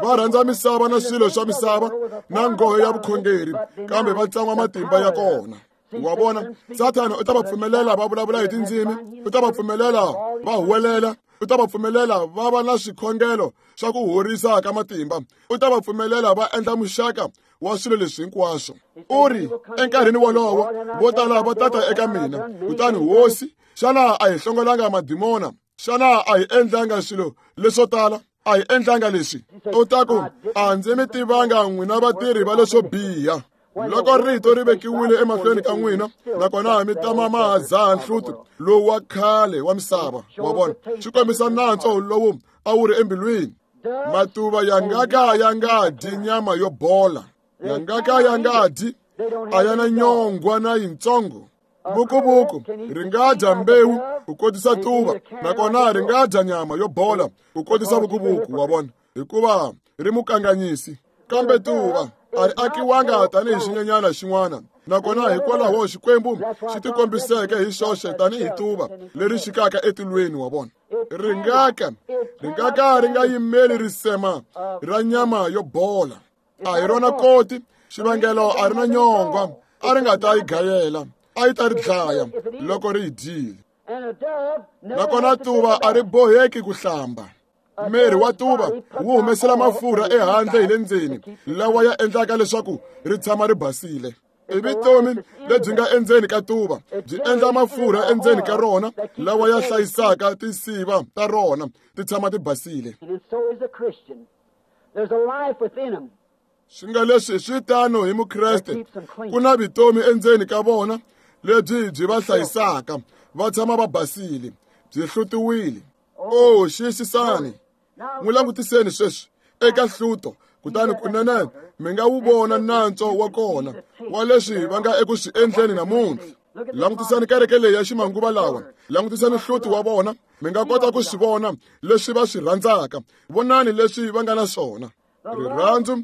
Va rhandza misava na swilo swa misava na nghohe ya vukhongeri, kambe va tsan'wa matimba ya kona. Wa vona, Sathana u ta va pfumelela va vulavula hi tindzimi, u ta va pfumelela va huwelela, u ta va pfumelela va va na swikhongelo swa ku horisa ka matimba, u ta va pfumelela va endla muxaka wa swilo leswi hinkwaswo. U ri, enkarhini wolowo vo tala va tata eka mina, kutani Hosi, xana a hi hlongolanga madimona? Xana a hi endlanga swilo leswo tala? A hi endlanga leswi? U ta ku, a ndzi mi tivanga n'wina vatirhi va leswo biha. Loko rito ri vekiwile emahlweni ka n'wina, nakona mi tama ma ha dzaha nhluto lowu wa khale wa misava. Wa vona, swi kombisa nantswo lowu a wu ri embilwini. Matuva ya nga ka ya nga dyi nyama yo bola, ya nga ka ya nga dyi, a ya na nyongwa na yitsongo. Vukuvuku ri nga dya mbewu ku kotisa tuva, nakona ri nga dya nyama yo bola ku kotisa vukuvuku. Wa vona, hikuva ri mukanganyisi. Kambe tuva a ri akiwanga tanihi xinyenyana xin'wana, nakona hikwalaho Xikwembu xi tikombiseke hi xoxe tanihi tuva leri xikaka etilweni. Wa vona, ri nga ka ri nga yimeli risema ra nyama yo bola. A hi rona koti, xivangelo a ri na nyongwa, a ri nga ta yi gayela, a yi ta ri dlaya loko ri yi dyile. Nakona tuva a ri boheki ku hlamba. Miri wa tuva wu humesela mafurha ehandle hi le ndzeni, lawa ya endlaka leswaku ri tshama ri basile. I vutomi lebyi nga endzeni ka tuva byi endla mafurha endzeni ka rona, lawa ya hlayisaka tinsiva ta rona ti tshama ti basile. Swi nga leswi swi tano hi Mukreste, ku na vutomi endzeni ka vona lebyi byi va hlayisaka va tshama va basile, byi hlutiwile. Oh, xiyisisani, n'wi langutiseni sweswi eka hluto, kutani kunene mi nga wu vona nantswo wa kona wa leswi va nga eku swi endleni namuntlha. Langutisani kereke leyi ya ximanguva lawa, langutisani hluti wa vona, mi nga kota ku swi vona leswi va swi rhandzaka. Vonani leswi va nga na swona. Rirhandzu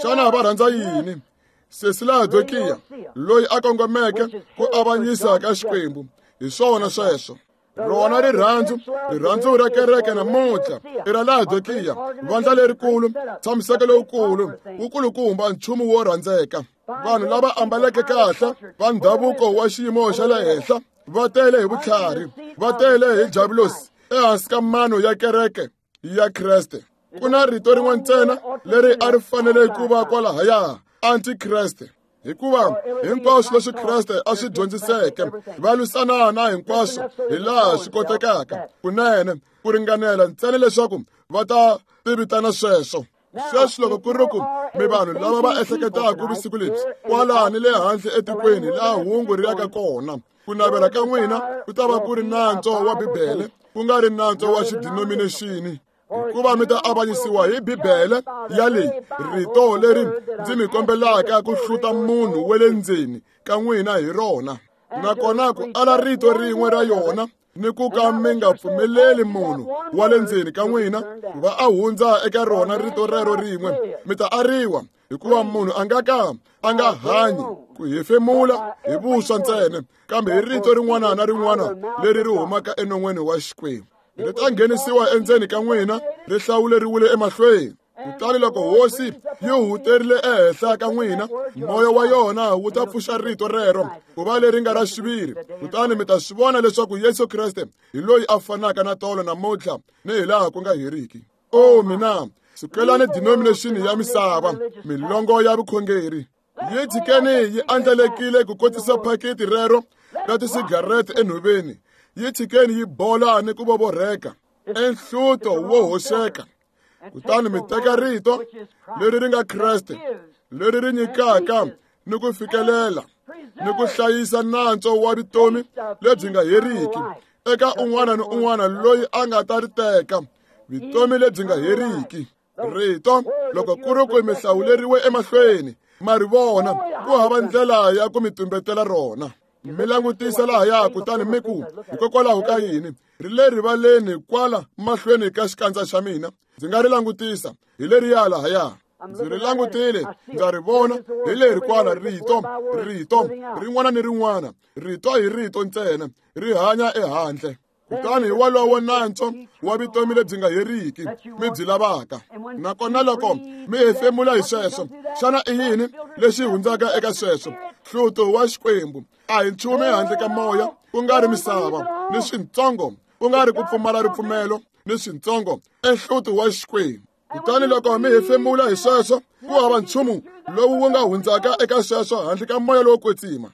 Xana va rhandza yini? Sesi Laodikiya, loyi a kongomeke ku avanyisa ka Xikwembu. Hi swona sweswo. Rona rirhandzu, rirhandzu ra kereke namuntlha i ra Laodikiya, vandla lerikulu, tshamiseko lowukulu, wukulukumba nchumu wo rhandzeka. Vanhu lava ambaleke kahle va ndhavuko wa xiyimo xa le henhla va tele hi vutlhari, va tele hi javulosi ehansi ka mano ya kereke ya Kreste. Ku na rito rin'we ntsena leri a ri fanele ku va kwalahaya, antikreste. Hikuva hinkwaswo leswi Kreste a swi dyondziseke va lwisana na hinkwaswo hi laha swi kotekaka kunene ku ringanela ntsena leswaku va ta tivitana sweswo. Sweswi loko ku ri ku mi vanhu lava va ehleketaka vusiku lebyi kwalaha ni le handle etikweni laha hungu ri yaka kona, ku navela ka n'wina ku ta va ku ri nantswo wa Bibele, ku nga ri nantswo wa xidinominexini. Hikuva mi ta avanyisiwa hi Bibele ya leyi, rito leri ndzi mi kombelaka ku hluta munhu wa le ndzeni ka n'wina hi rona. Nakona ku ala rito rin'we ra yona ni ku ka mi nga pfumeleli munhu wa le ndzeni ka n'wina ku va a hundza eka rona rito rero rin'we, mi ta ariwa. Hikuva munhu a nga ka a nga hanyi ku hefemula hi vuswa ntsena, kambe hi rito rin'wana na rin'wana leri ri humaka enon'weni wa Xikwembu. Ri ta nghenisiwa endzeni ka n'wina, ri hlawuleriwile emahlweni. Kutani loko hosi yi huterile ehenhla ka n'wina, moya wa yona wu ta pfuxa rito rero ku va leri nga ra xiviri. Kutani mi ta swi vona leswaku Yesu Kreste hi loyi a fanaka na tolo namuntlha ni hi laha ku nga heriki. O mina, sukelani denomination ya misava, milongo ya vukhongeri. Yi tshikeni yi andlalekile ku kotisa phakiti rero ra tisigarete enhoveni. Yi tshikeni yi bola ni ku vovorheka enhluto wo hoxeka. Kutani mi teka rito leri ri nga Kreste, leri ri nyikaka ni ku fikelela ni ku hlayisa nantswo wa vutomi lebyi nga heriki eka un'wana ni un'wana loyi a nga ta ri teka, vutomi lebyi nga heriki. Rito loko ku ri ku mi hlawuleriwe emahlweni, ma ri vona, ku hava ndlela ya ku mi tumbetela rona. Mi langutisa lahaya kutani mi ku, hikokwalaho ka yini ri le rivaleni kwala mahlweni ka xikandza xa mina? Ndzi nga ri langutisa, hi leriya lahaya. Ndzi ri langutile, ndza ri vona, hi leri kwala rito, rito rin'wana ni rin'wana, rito hi rito ntsena, ri hanya ehandle. Kutani hi wolowo nantswo wa vutomi lebyi nga heriki mi byi lavaka. Nakona loko mi hefemula hi sweswo, xana i yini lexi hundzaka eka sweswo? Hluto wa Xikwembu a hi nchumu ehandle ka moya, ku nga ri misava, ni swintsongo, ku nga ri ku pfumala ripfumelo, ni swintsongo, enhluto wa Xikwembu. Kutani loko mi hefemula hi sweswo, ku hava nchumu lowu wu nga hundzaka eka sweswo handle ka moya lowo kwetsima.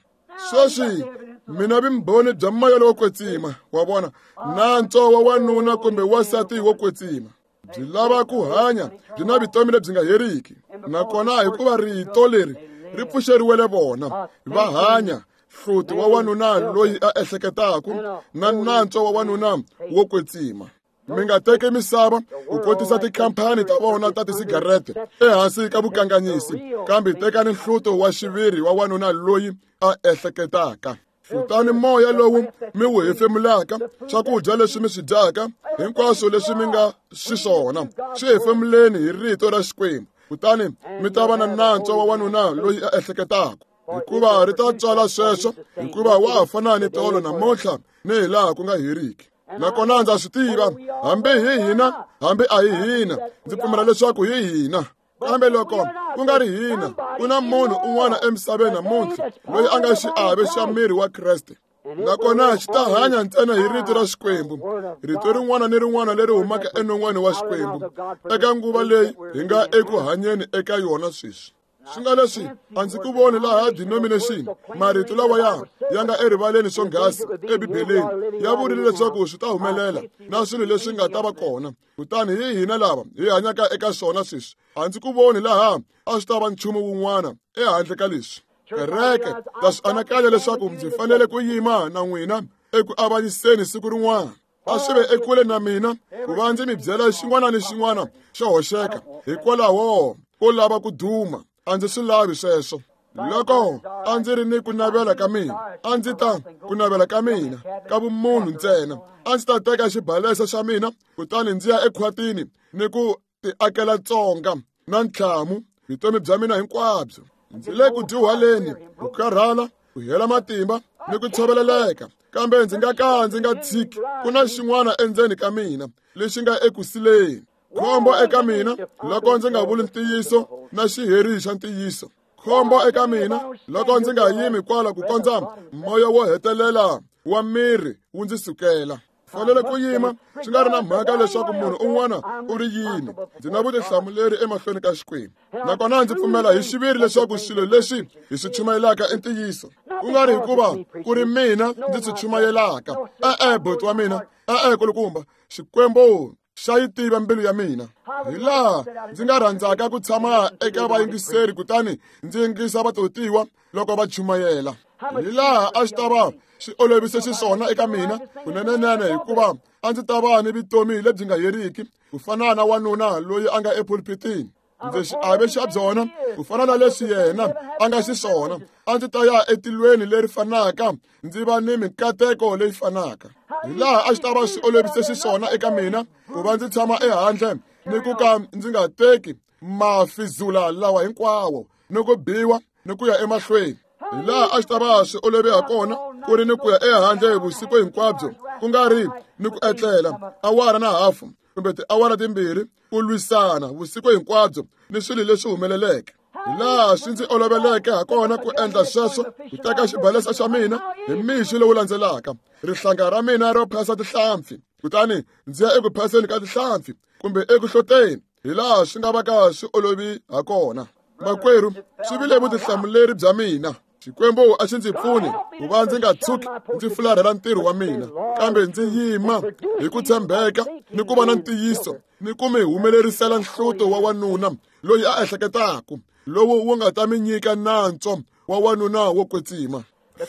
Sweswi mina vumbhoni bya moya lowo kwetsima, wa vona, nantswo wa wanuna kumbe wansati wo kwetsima byi lava ku hanya byi na vutomi lebyi nga heriki. Nakona hikuva rito leri ri pfuxeriwele vona, va hanya hluti wa wanuna loyi a ehleketaka na nantswo wa wanuna wo kwetsima. Mi nga teki misava ku kotisa tikhampani ta vona ta tisigarete ehansi ka vukanganyisi, kambe tekani nhluto wa xiviri wa wanuna loyi a ehleketaka. Hlutani moya lowu mi wu hefemulaka, swakudya leswi mi swi dyaka, hinkwaswo leswi mi nga xiswona, swi hefemuleni hi rito ra Xikwembu, kutani mi ta va na nantswo wa wanuna loyi a ehleketaka. Hikuva ri ta tswala sweswo, hikuva wa ha fana ni tolo namuntlha ni hi laha ku nga heriki. Nakona ndza swi tiva, hambi hi hina, hambi a hi hina, ndzi pfumela leswaku hi hina. Kambe loko ku nga ri hina, ku na munhu un'wana emisaveni namuntlha loyi a nga xiave xa miri wa Kreste. Nakona xi ta hanya ntsena hi rito ra Xikwembu, rito rin'wana ni rin'wana leri humaka enon'weni wa Xikwembu eka nguva leyi hi nga eku hanyeni eka yona sweswi. Swi nga leswi a ndzi ku voni laha denomination, marito lawa ya nga erivaleni swonghasi eBibeleni, ya vurile leswaku swi ta humelela na swilo leswi nga ta va kona. Kutani hi hina lava hi hanyaka eka swona sweswi. A ndzi ku voni laha a swi ta va nchumu wun'wana ehandle ka leswi. Kereke, ndza swi anakanya leswaku ndzi fanele ku yima na n'wina eku avanyiseni siku rin'wana. A swi ve ekule na mina ku va ndzi mi byela xin'wana ni xin'wana xo hoxeka hikwalaho ko lava ku duma. A ndzi swi lavi sweswo. Loko a ndzi ri ni ku navela ka mina, a ndzi ta ku navela ka mina ka vumunhu ntsena, a ndzi ta teka xibalesa xa mina kutani ndzi ya ekhwatini ni ku tiakela tsonga na ntlhamu Vutomi bya mina hinkwabyo. Ndzi le ku dyuhaleni, ku karhala, ku hela matimba ni ku tshoveleleka, kambe ndzi nga ka ndzi nga tshiki. Ku na xin'wana endzeni ka mina lexi nga ekusileni. Khombo eka mina loko ndzi nga vuli ntiyiso na xiheri xa ntiyiso. Khombo eka mina loko ndzi nga yimi kwala ku kondza moya wo hetelela wa miri wu ndzi sukela. Fanele ku yima swi nga ri na mhaka leswaku munhu un'wana u ri yini. Ndzi na vutihlamuleri emahlweni ka Xikwembu. Nakona ndzi pfumela hi xiviri leswaku swilo leswi hi swi chumayelaka i ntiyiso, ku nga ri hikuva ku ri mina ndzi swi chumayelaka. E-e, buti wa mina, e-e, kulukumba, Xikwembu xa yi tiva mbilu ya mina. Hi laha ndzi nga rhandzaka ku tshama eka vayingiseri kutani ndzi yingisa vatotiwa loko va chumayela. Hi laha a xi ta va swi olovise xiswona eka mina kunenenene, hikuva a ndzi ta va ni vutomi lebyi nga heriki ku fana na wanuna loyi a nga epulpitini. Ndzi xiave xa byona ku fana na leswi yena a nga xiswona. A ndzi ta ya etilweni leri fanaka, ndzi va ni mikateko leyi fanaka. Hi laha a xi ta va swi olovise xiswona eka mina ku va ndzi tshama ehandle ni ku ka ndzi nga teki mafizula lawa hinkwawo ni ku biwa ni ku ya emahlweni. Hi laha a xi ta va swi olove ha kona ku ri ni ku ya ehandle vusiku hinkwabyo, ku nga ri ni ku etlela awara na hafu kumbe tiawara timbirhi, ku lwisana vusiku hinkwabyo ni swilo leswi humeleleke. Hi laha swi ndzi oloveleke ha kona ku endla sweswo, ku teka xibalesa xa mina hi mixo lowu landzelaka, rihlanga ra mina ro phasa tihlampfi, kutani ndzi ya eku phaseni ka tihlampfi kumbe eku hloteni, hi laha swi nga va ka swi olovi ha kona. Makwerhu, swi vile vutihlamuleri bya mina. Xikwembu a xi ndzi pfuni ku va ndzi nga tshuki ndzi fularhela ntirho wa mina, kambe ndzi yima hi ku tshembeka ni ku va na ntiyiso ni ku mi humelerisela nhluto wa wanuna loyi a ehleketaka, lowu wu nga ta mi nyika nantswo wa wanuna wo kwetsima.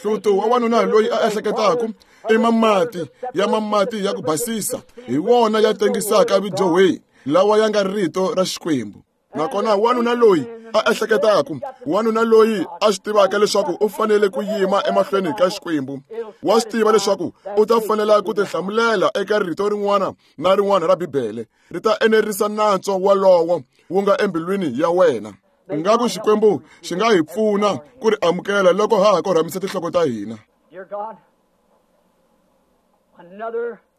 Hluto wa wanuna loyi a ehleketaka i mamati ya mamati ya ku basisa, hi wona ya tengisaka vidyohweni lawa ya nga rito ra Xikwembu. Nakona wanuna loyi a ehleketaka, wanuna loyi a swi tivaka leswaku u fanele ku yima emahlweni ka Xikwembu, wa swi tiva leswaku u ta fanela ku tihlamulela eka rito rin'wana na rin'wana ra Bibele, ri ta enerisa nantswo walowo wu nga embilwini ya wena. Ingaku Xikwembu xi nga hi pfuna ku ri amukela loko ha ha korhamisa tinhloko ta hina.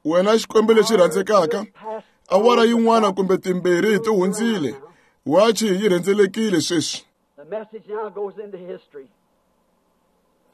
Wena Xikwembu lexi rhandzekaka, awara yin'wana kumbe timbirhi ti hundzile, wachi yi rhendzelekile sweswi.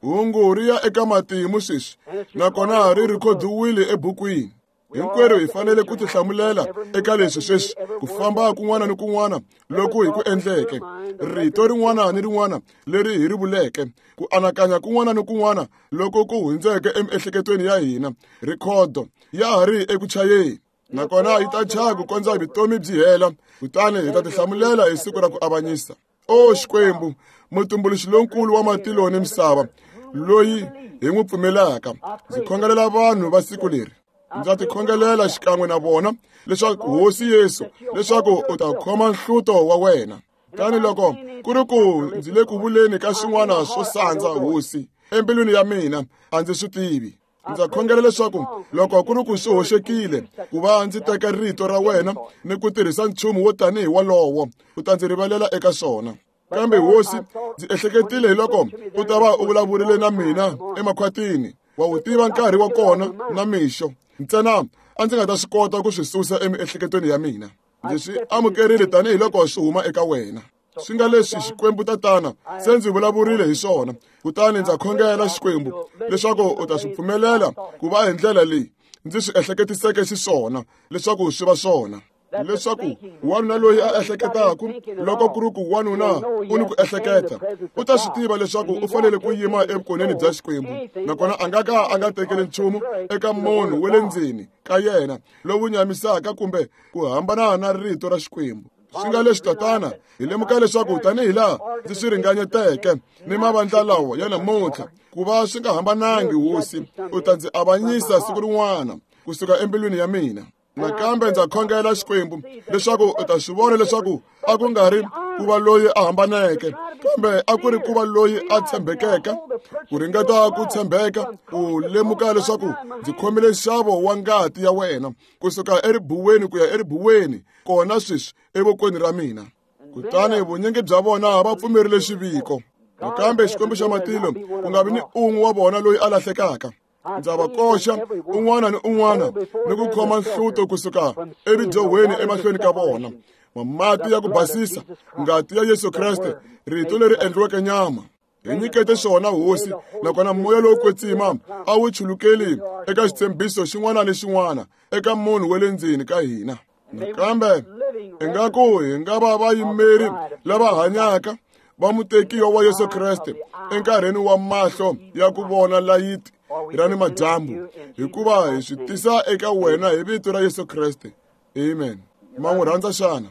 Hungu ri ya eka matimu sweswi, nakona ri rhikhodiwile ebukwini. Hinkwerhu hi fanele ku tihlamulela eka leswi sweswi, ku famba kun'wana ni kun'wana loku hi ku endleke, rito rin'wana ni rin'wana leri hi ri vuleke, ku anakanya kun'wana ni kun'wana loko ku hundzeke emiehleketweni ya hina, rhikhodo ya ha ri eku chayeni. Nakona yi ta chaya ku kondza vutomi byi hela, kutani hi ta tihlamulela hi siku ra ku avanyisa. O Xikwembu, mutumbuluxi lonkulu wa matilo ni misava, loyi hi n'wi pfumelaka, ndzi khongelela vanhu va siku leri. Ndza tikhongelela xikan'we na vona leswaku Hosi Yesu, leswaku u ta khoma nhluto wa wena. Tani loko ku ri ku ndzi le ku vuleni ka swin'wana swo sandza Hosi embilwini ya mina, a ndzi swi tivi. Ndza khongela leswaku loko ku ri ku swi hoxekile ku va ndzi teka rito ra wena ni ku tirhisa nchumu wo tanihi walowo, u ta ndzi rivalela eka swona. Kambe Hosi, ndzi ehleketile hi loko u ta va u vulavurile na mina emakhwatini, wa wu tiva nkarhi wa kona na mixo, ntsena a ndzi nga ta swi kota ku swi susa emiehleketweni ya mina. Ndzi swi amukerile tanihiloko swi huma eka wena. Swi nga leswi Xikwembu Tatana se ndzi vulavurile hi swona, kutani ndza khongela Xikwembu leswaku u ta swi pfumelela ku va hi ndlela leyi ndzi swi ehleketiseke xiswona leswaku swi va swona. Leswaku wanuna loyi a ehleketaka, loko ku ri ku wanuna u ni ku ehleketa, u ta swi tiva leswaku u fanele ku yima evukoneni bya Xikwembu, nakona a nga ka a nga tekeli nchumu eka munhu wa le ndzeni ka yena lowu nyamisaka kumbe ku hambana na rito ra Xikwembu. Swi nga leswi Tatana, hi lemuka leswaku tanihi laha ndzi swi ringanyeteke ni mavandla lawa ya namuntlha, ku va swi nga hambanangi, Hosi, u ta ndzi avanyisa siku rin'wana kusuka embilwini ya mina. Nakambe ndza khongela Xikwembu leswaku u ta swi vona leswaku a ku nga ri ku va loyi a hambaneke, kambe a ku ri ku va loyi a tshembekeke, ku ringeta ku tshembeka, ku lemuka leswaku ndzi khomile nxavo wa ngati ya wena kusuka eribuweni ku ya eribuweni, kona sweswi evokweni ra mina. Kutani vunyingi bya vona va pfumerile xiviko. Nakambe Xikwembu xa matilo ku nga vi ni un'we wa vona loyi a lahlekaka. Ndza va koxa un'wana ni un'wana ni ku khoma nhluto kusuka evidyohweni emahlweni ka vona. Mati ya ku basisa, ngati ya Yesu Kreste, rito leri endliweke nyama. Hi nyikete xona Hosi, nakona moya lowo kwetsima a wu chulukeli eka xitshembiso xin'wana ni xin'wana eka munhu wa le ndzeni ka hina. Nakambe ingaku hi nga va vayimeri lava hanyaka va mutekiwa wa Yesu Kreste enkarhini wa mahlo ya ku vona layiti ra ni madyambu, hikuva hi swi tisa eka wena hi vito ra Yesu Kreste. Amen. Ma n'wi rhandza xana?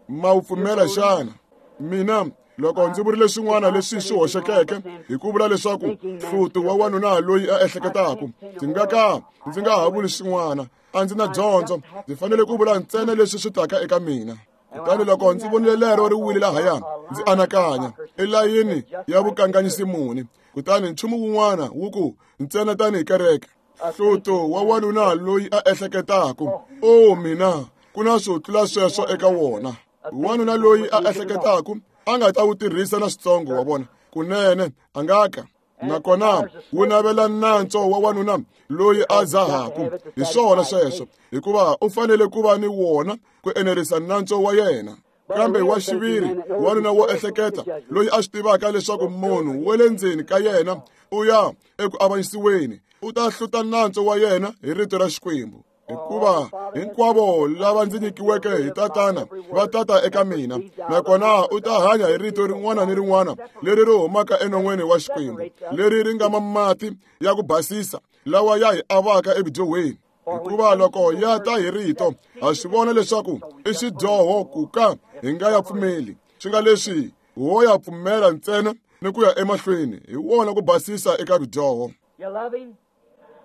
Ma wu pfumela xana? Mina loko ndzi vurile swin'wana leswi swi hoxekeke hi ku vula leswaku hluti wa wanuna loyi a ehleketaka, ndzi nga ka ndzi nga ha vuli swin'wana. A ndzi na dyondzo, ndzi fanele ku vula ntsena leswi swi taka eka mina. Kutani loko ndzi vonile lero ri wile lahaya, ndzi anakanya elayini ya vukanganyisi muni. Kutani nchumu wun'wana wu ku ntsena tanihi kereke, hluto wa wanuna loyi a ehleketaka. O mina, ku na swo tlula sweswo eka wona. Wanuna loyi a ehleketaka a nga ta wu tirhisa na switsongo wa vona, kunene a nga ka. Nakona wu navela nantswo wa wanuna loyi a dzahaku. Hi swona sweswo, hikuva u fanele ku va ni wona ku enerisa nantswo wa yena. Kambe wa xiviri wanuna wo ehleketa loyi a swi tivaka leswaku munhu wa le ndzeni ka yena u ya eku avanyisiweni, u ta hluta nantswo wa yena hi rito ra Xikwembu. Hikuva hinkwavo lava ndzi nyikiweke hi Tatana va tata eka mina, nakona u ta hanya hi rito rin'wana ni rin'wana leri ri humaka enon'weni wa Xikwembu, leri ri nga mati ya ku basisa lawa ya hi avaka evudyohweni. Hikuva loko ya ta hi rito, ha swi vona leswaku i xidyoho ku ka hi nga ya pfumeli, swi nga leswi ho ya pfumela ntsena ni ku ya emahlweni hi wona ku basisa eka vudyoho.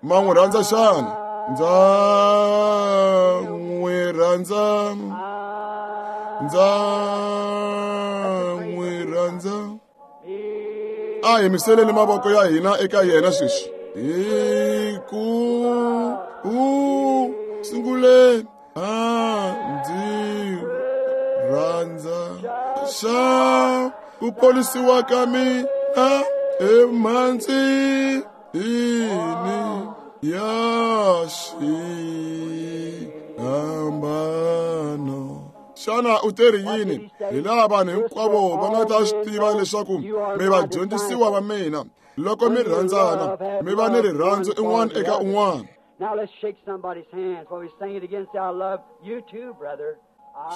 Ma n'wi rhandza xana? Ndza n'wi rhandza, ndza n'wi rhandza. A hi miseleni mavoko ya hina eka yena sweswi. Hi ku u sungule a ndzi rhandza xa ku ponisiwa ka mina emhandzini ya xihambano. Xana u teri yini? Hi laha vanhu hinkwavo va nga ta swi tiva leswaku mi vadyondzisiwa va mina loko mi rhandzana, mi va ni rirhandzu un'wana eka un'wana.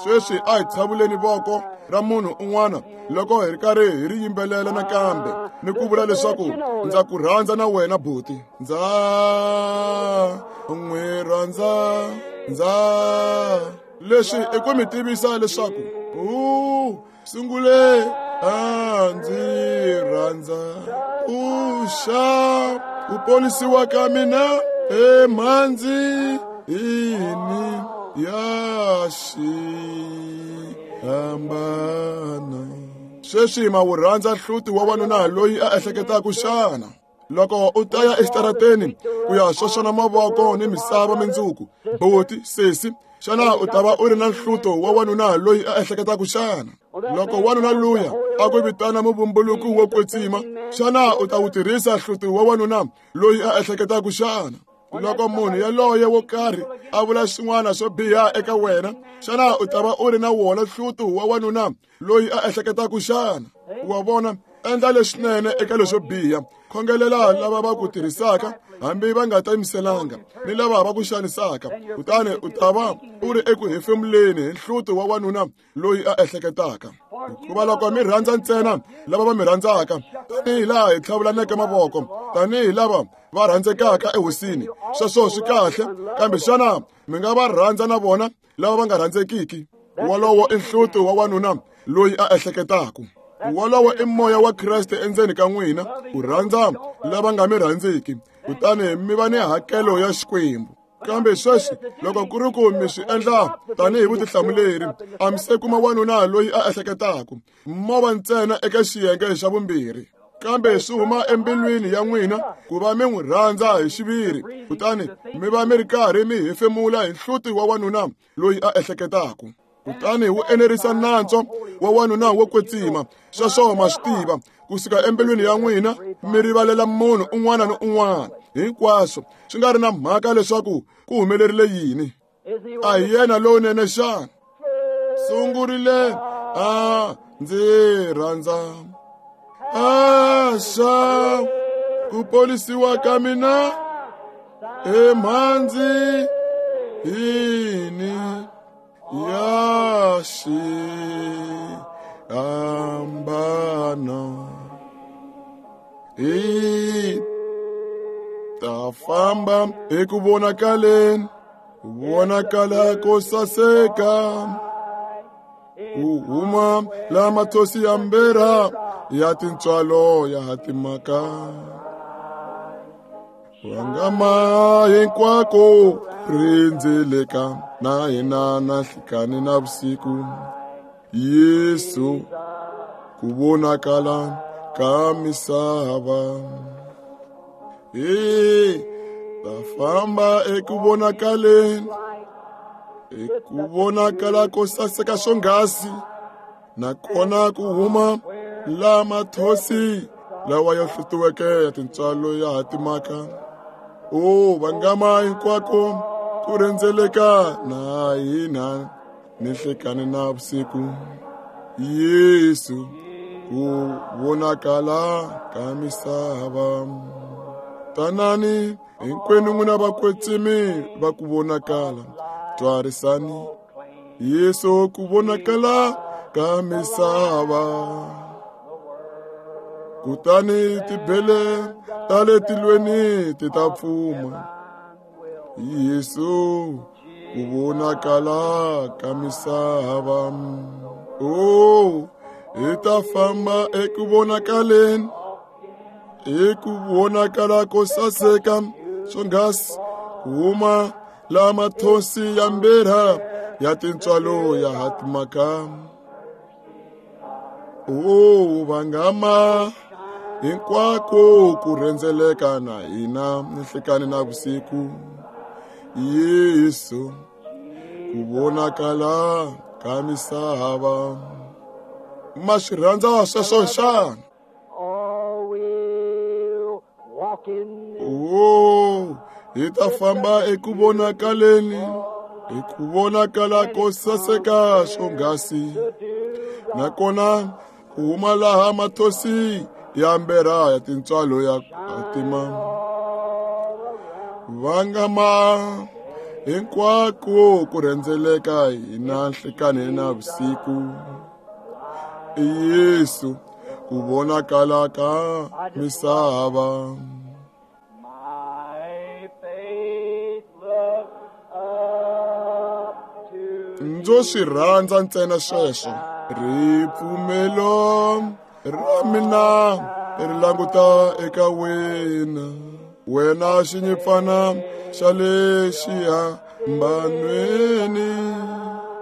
Sweswi a hi tshavuleni voko ra munhu un'wana loko hi ri karhi hi ri yimbelela nakambe ni ku vula leswaku ndza ku rhandza na wena buti. Ndza n'wi rhandza, ndza. Leswi i ku mi tivisa leswaku u sungule a ndzi rhandza, u xa ku ponisiwa ka mina emhandzini ya xihambano. Sweswi ma wu rhandza hluti wa wanuna loyi a ehleketaka xana? Loko u ta ya exitarateni ku ya xoxana mavoko ni misava mindzuku, buti, sesi, xana u ta va u ri na nhluto wa wanuna loyi a ehleketaka xana? Loko wanuna luya a ku vitana muvumbuluki wo kwetsima, xana u ta wu tirhisa nhluto wa wanuna loyi a ehleketaka xana? Loko munhu yaloye wo karhi a vula swin'wana swo biha eka wena, xana u ta va u ri na wona nhluto wa wanuna loyi a ehleketaka xana? Wa vona, endla leswinene eka leswo biha, khongelela lava va ku tirhisaka hambi va nga tiyimiselanga ni lava va ku xanisaka, kutani u ta va u ri eku hefemuleni hi nhluto wa wanuna loyi a ehleketaka. Hikuva loko mi rhandza ntsena lava va mi rhandzaka, tanihi laha hi tlhavulaneke mavoko tanihi lava va rhandzekaka ehosini, sweswo swi kahle, kambe xana mi nga va rhandza na vona lava va nga rhandzekiki? Wolowo i nhluto wa wanuna loyi a ehleketaka. Wolowo i moya wa Kreste endzeni ka n'wina, ku rhandza lava nga mi rhandziki, kutani mi va ni hakelo ya Xikwembu. Kambe sweswi loko ku ri ku mi swi endla tanihi vutihlamuleri, a mi se kuma wanuna loyi a ehleketaka, mo va ntsena eka xiyenge xa vumbirhi. Kambe swi huma embilwini ya n'wina ku va mi n'wi rhandza hi xiviri, kutani mi va mi ri karhi mi hefemula hi nhluti wa wanuna loyi a ehleketaka. Kutani wu enerisa nantswo wa wanuna wo kwetsima. Sweswo ma swi tiva kusuka embilwini ya n'wina mi rivalela munhu un'wana ni un'wana hinkwaswo swi nga ri na mhaka leswaku ku humelerile yini. A hi yena lowunene xana? Sungurile a ndzi rhandza a xa ku ponisiwa ka mina emhandzi yini ya xihambano. Hi ta famba eku vonakaleni, ku vonakala ko saseka, ku huma la mathosi ya mbera ya tintswalo ya hatimaka. Vangama hinkwako rindzeleka na hina na nhlikani na vusiku. Yesu ku vonakala ka misava. Hi ta famba eku vonakaleni, eku vonakala ko saseka swonghasi, nakona ku huma la mathosi lawa ya hlutiweke ya tintswalo ya hatimaka. O vangama hinkwako ku rhendzeleka na hina ni nhlekani na vusiku. Yesu ku vonakala ka misava. Tanani hinkwenu n'wina vakwetsimi va ku vonakala, twarisani Yesu ku vonakala ka misava. Kutani tibele ta le tilweni ti ta pfuma. Yesu ku vonakala ka misava. O hi ta famba eku vonakaleni, eku vonakala ko saseka swonghasi, ku huma la mathosi ya mbera ya tintswalo ya hatimaka. O vangama hinkwako ku rhendzeleka na hina ni nhlekani na vusiku. Yesu ku vonakala ka misava. Ma swi rhandza sweswo xana? Oh, we'll walk in O hi ta famba eku vonakaleni, eku vonakala ko saseka swonghasi, nakona ku huma laha mathosi ya mbera ya tintswalo ya hatima. Vangama hinkwako ku rhendzeleka hina nhlekani na vusiku. Yesu ku vonakala ka misava. My faith look up to Ndzo swi rhandza ntsena sweswo. Ripfumelo ra mina ri languta eka wena, wena xinyimpfana xa le xihambanweni.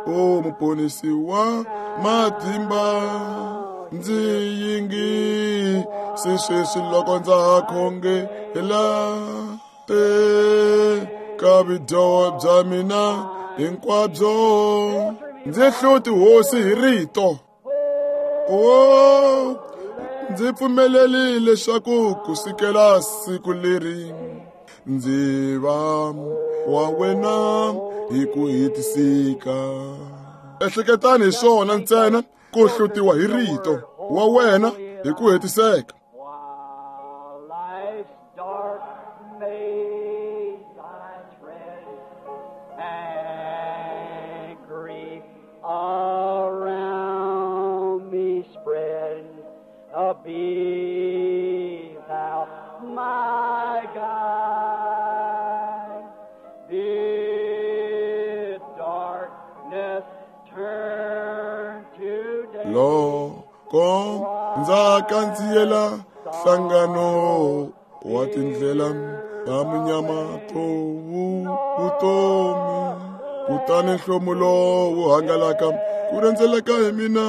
O muponisi wa matimba, ndzi yingisi sweswi loko ndza ha khongela. Teka vudyoho bya mina hinkwabyo, ndzi hluti hosi hi rito. O ndzi pfumeleli leswaku kusukela siku leri ndzi va wa wena hi ku hetiseka. Ehleketani hi swona ntsena, ku hlutiwa hi rito wa wena hi ku hetiseka. While life's dark maze I tread, and grief around me spread, be thou my guide. Bid darkness turn to day. Loko ndza kandziyela nhlangano wa tindlela ta munyama to vutomi, kutani nhlomulo wu hangalaka ku rhendzeleka hi mina,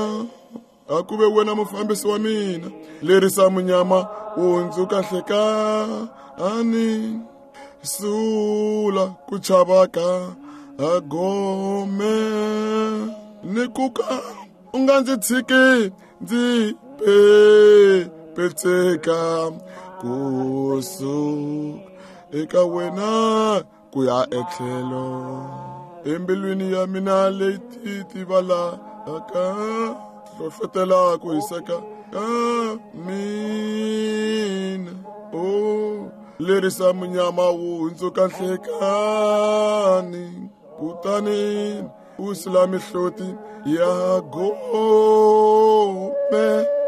a ku ve wena mufambisi wa mina. Lerisa munyama wu hundzuka hlekani, sula ku chava ka gome. Ni ku ka u nga ndzi tshiki ndzi petseka kusuka eka wena ku ya etlhelo. Embilwini ya mina leyi titivalaka, hlohlotela ku hiseka ka mina. O lerisa munyama wu hundzuka nhlekani, kutani u sula mihloti ya gome.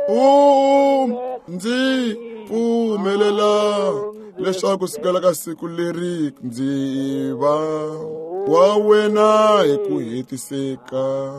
U ndzi pfumelela leswaku sukela ka siku leri ndzi va wa wena hi ku hetiseka.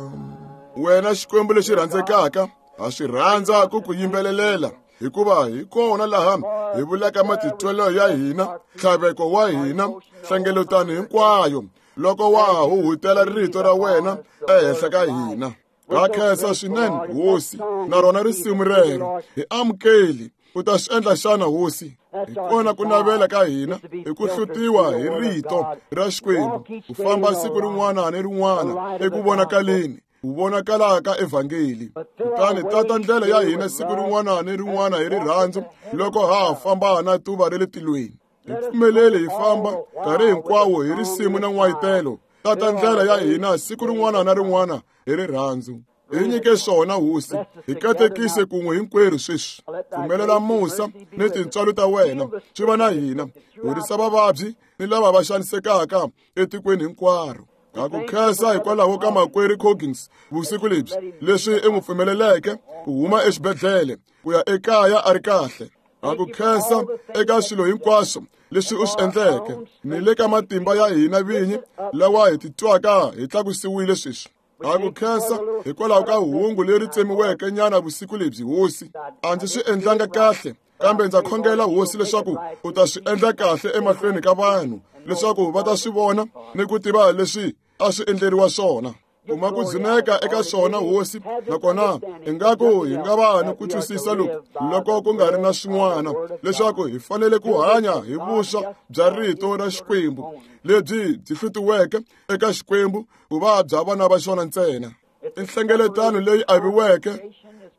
Wena Xikwembu lexi rhandzekaka, ha swi rhandza ku ku yimbelelela, hikuva hi kona laha hi vulaka matitwelo ya hina, ntlhaveko wa hina, hlengeletano hinkwayo, loko wa ha huhutela rito ra wena ehenhla ka hina. Ha khensa swinene Hosi, na rona risimu rero hi amukeli. U ta swi endla xana Hosi? Hi kona ku navela ka hina hi ku hlutiwa hi rito ra Xikwembu, ku famba siku rin'wana ni rin'wana eku vonakaleni, ku vonakala ka evhangeli. Kutani tata ndlela ya hina siku rin'wana ni rin'wana hi rirhandzu, loko ha ha famba na tuva ra le tilweni. Hi pfumeleli hi famba nkarhi hinkwawo hi risimu na n'wayitelo. Tata ndlela ya hina siku rin'wana na rin'wana hi rirhandzu. Hi nyike swona Hosi, hi katekise kun'we hinkwerhu sweswi. Pfumelela musa ni tintswalo ta wena swi va na hina. Horisa vavabyi ni lava va xanisekaka etikweni hinkwaro. Ha ku khensa hikwalaho ka makwerhu Coggins vusiku lebyi, leswi i n'wi pfumeleleke ku huma exibedhlele ku ya ekaya a ri kahle. Ha ku khensa eka swilo hinkwaswo leswi u swi endleke, ni le ka matimba ya hina vinyi lawa hi titwaka hi tlakusiwile sweswi. Ha ku khensa hikwalaho ka hungu leri tsemiweke nyana vusiku lebyi Hosi. A ndzi swi endlanga kahle, kambe ndza khongela Hosi leswaku u ta swi endla kahle emahlweni ka vanhu, leswaku va ta swi vona ni ku tiva leswi a swi endleriwa swona. Kuma ku dzuneka eka swona Hosi, nakona ingaku hi nga va ni ku twisisa loku loko ku nga ri na swin'wana, leswaku hi fanele ku hanya hi vuswa bya rito ra Xikwembu lebyi byi hlutiweke eka Xikwembu ku va bya vana va xona ntsena. I nhlengeletano leyi aviweke,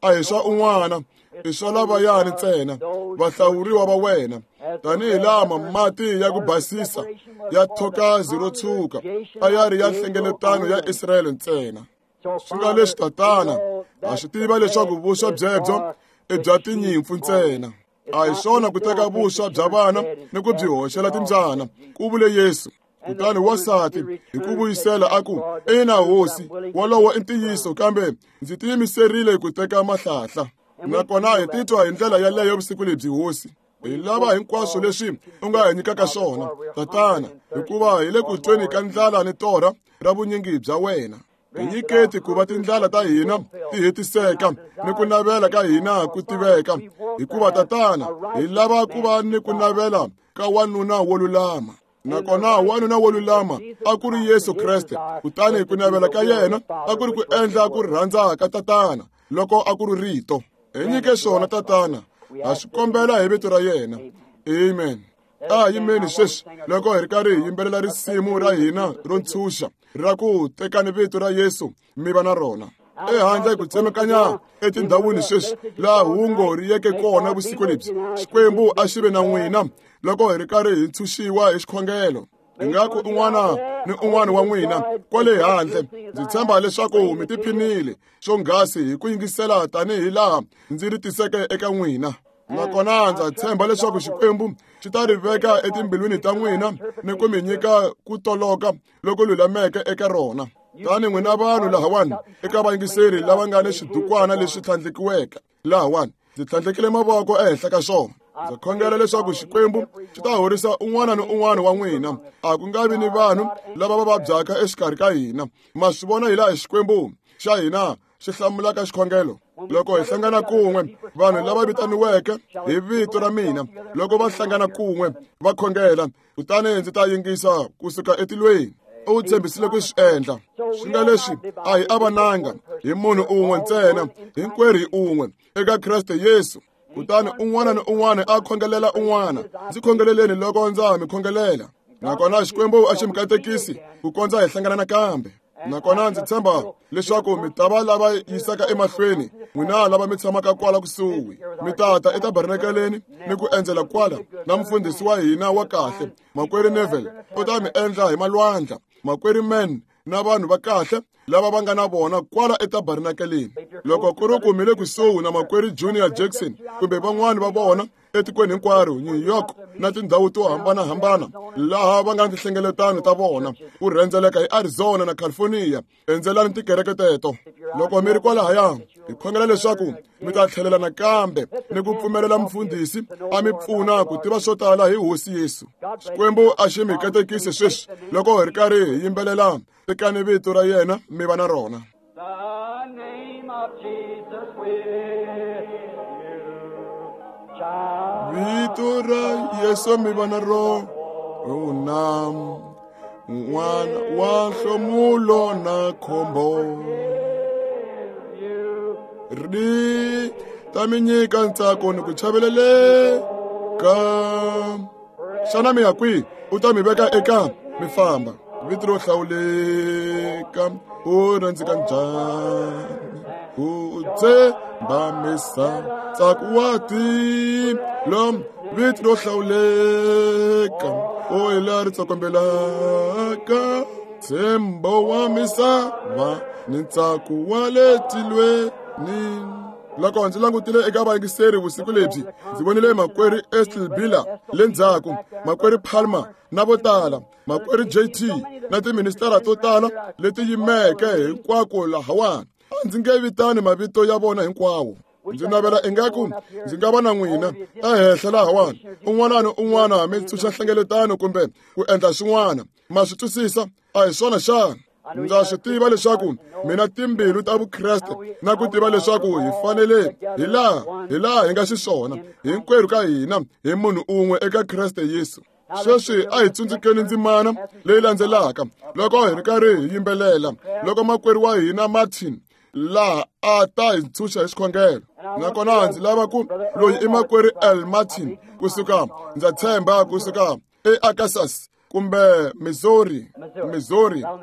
a hi swa un'wana, i swa lavayani ntsena, vahlawuriwa va wena. Tanihi lama mati ya ku basisa ya thokazi ro tshuka a ya ri ya nhlengeletano ya Israyele ntsena. Swi nga leswi Tatana, ha swi tiva leswaku vuswa byebyo i bya tinyimpfu ntsena. A hi swona ku teka vuswa bya vana ni ku byi hoxela timbyana, ku vule Yesu. Kutani wansati hi ku vuyisela a ku, ina Hosi, wolowo i ntiyiso, kambe ndzi tiyimiserile ku teka mahlahla. Nakona hi titwa hi ndlela yaleyo vusiku lebyi Hosi. Hi lava hinkwaswo leswi u nga hi nyikaka swona, Tatana, hikuva hi le ku tweni ka ndlala ni torha ra vunyingi bya wena. Hi nyiketi ku va tindlala ta hina ti hetiseka ni ku navela ka hina ku tiveka, hikuva Tatana, hi lava ku va ni ku navela ka wanuna wo lulama. Nakona wanuna wo lulama a ku ri Yesu Kreste, kutani ku navela ka yena a ku ri ku endla ku rhandza ka Tatana loko a ku ri rito. Hi nyike swona Tatana, ha swi kombela hi vito ra yena. Amen. A yimeni sweswi loko hi ri karhi hi yimbelela risimu ra hina ro ntshunxa ra ku tekani vito ra Yesu mi va na rona. Ehandle ku tsemekanya etindhawini sweswi laha hungu ri yeke kona vusiku lebyi, Xikwembu a xi ve na n'wina loko hi ri karhi hi ntshunxiwa hi xikhongelo. Ingaku un'wana ni un'wana wa n'wina kwale handle, ndzi tshemba leswaku mi tiphinile swonghasi hi ku yingisela tanihi laha ndzi ri tiseke eka n'wina. Nakona ndza tshemba leswaku Xikwembu xi ta ri veka etimbilwini ta n'wina ni ku mi nyika ku toloka loko lulameke eka rona. Tani n'wina vanhu lahawani eka vayingiseri lava nga ni swidukwana leswi tlhandlekiweke lahawani, ndzi tlhandlekile mavoko ehenhla ka swona. Ndza khongela leswaku Xikwembu xi ta horisa un'wana ni un'wana wa n'wina. A ku nga vi ni vanhu lava va vabyaka exikarhi ka hina. Ma swi vona hilaha Xikwembu xa hina xi hlamulaka xikhongelo. Loko hi hlangana kun'we, vanhu lava vitaniweke hi vito ra mina, loko va hlangana kun'we va khongela, kutani ndzi ta yingisa kusuka etilweni. U tshembisile ku swi endla. Swi nga leswi a hi avananga hi munhu un'we ntsena, hinkwerhu hi un'we eka Kreste Yesu. Kutani un'wana ni un'wana a khongelela un'wana. Ndzi khongeleleni loko ndza mi khongelela. Nakona Xikwembu a xi mi katekisi ku kondza hi hlangana nakambe. Nakona ndzi tshemba leswaku mi ta va lava yisaka emahlweni n'wina lava mi tshamaka kwala kusuhi, mi tata etabernakeleni ni ku endzela kwala na mufundhisi wa hina wa kahle Makwerhu Neville. U ta mi endla hi malwandla, Makwerhu Man na vanhu va kahle lava va nga na vona kwala etabernakeleni. Loko ku ri ku mi le kusuhi na Makwerhu Junior Jackson kumbe van'wani va vona etikweni hinkwaro, New York na tindhawu to hambanahambana laha va nga ni tinhlengeletano ta vona, ku rhendzeleka hi Arizona na California, endzelani tikereke teto. Loko mi ri kwalahaya, hi khongela leswaku mi ta tlhelela nakambe ni ku pfumelela mufundhisi a mi pfuna ku tiva swo tala hi Hosi Yesu. Xikwembu a xi mi katekisi sweswi loko hi ri karhi hi yimbelela tekani vito ra yena mi va na rona. The name of Jesus with you, child. Vito ra Yesu mi va na rona, n'wana wa nhlomulo na khombo ri ta mi nyika ntsako ni ku chaveleleka. Xana mi ya kwihi? U ta mi veka eka mi famba. Vito ro hlawuleka u rhandzeka njhani, u tshemba misava ntsako wa tilo. Vito ro hlawuleka u hi laha ri tsokombelaka ntshembo wa misava ni ntsako wa le tilweni. Loko ndzi langutile eka vayingiseri vusiku lebyi, ndzi vonile Makwerhu Estel Biller le ndzhaku, Makwerhu Palmer na vo tala, Makwerhu JT na tiministara to tala leti yimeke hinkwako lahawani. A ndzi nge vitani mavito ya vona hinkwawo. Ndzi navela ingaku ndzi nga va na n'wina ehenhla lahawani, un'wana ni un'wana mi tshunxa nhlengeletano kumbe ku endla swin'wana. Ma swi twisisa? A hi swona xana? Ndza swi tiva leswaku mina timbilu ta Vukreste na ku tiva leswaku hi fanele hi laha hi nga xiswona hinkwerhu ka hina hi munhu un'we eka Kreste Yesu. Sweswi a hi tsundzukeni ndzimana leyi landzelaka loko hi ri karhi hi yimbelela, loko makwerhu wa hina Martin laha a ta hi ntshunxa hi xikhongelo. Nakona ndzi lava ku loyi i Makwerhu L Martin kusuka, ndza tshemba kusuka eArkansas kumbe Missouri,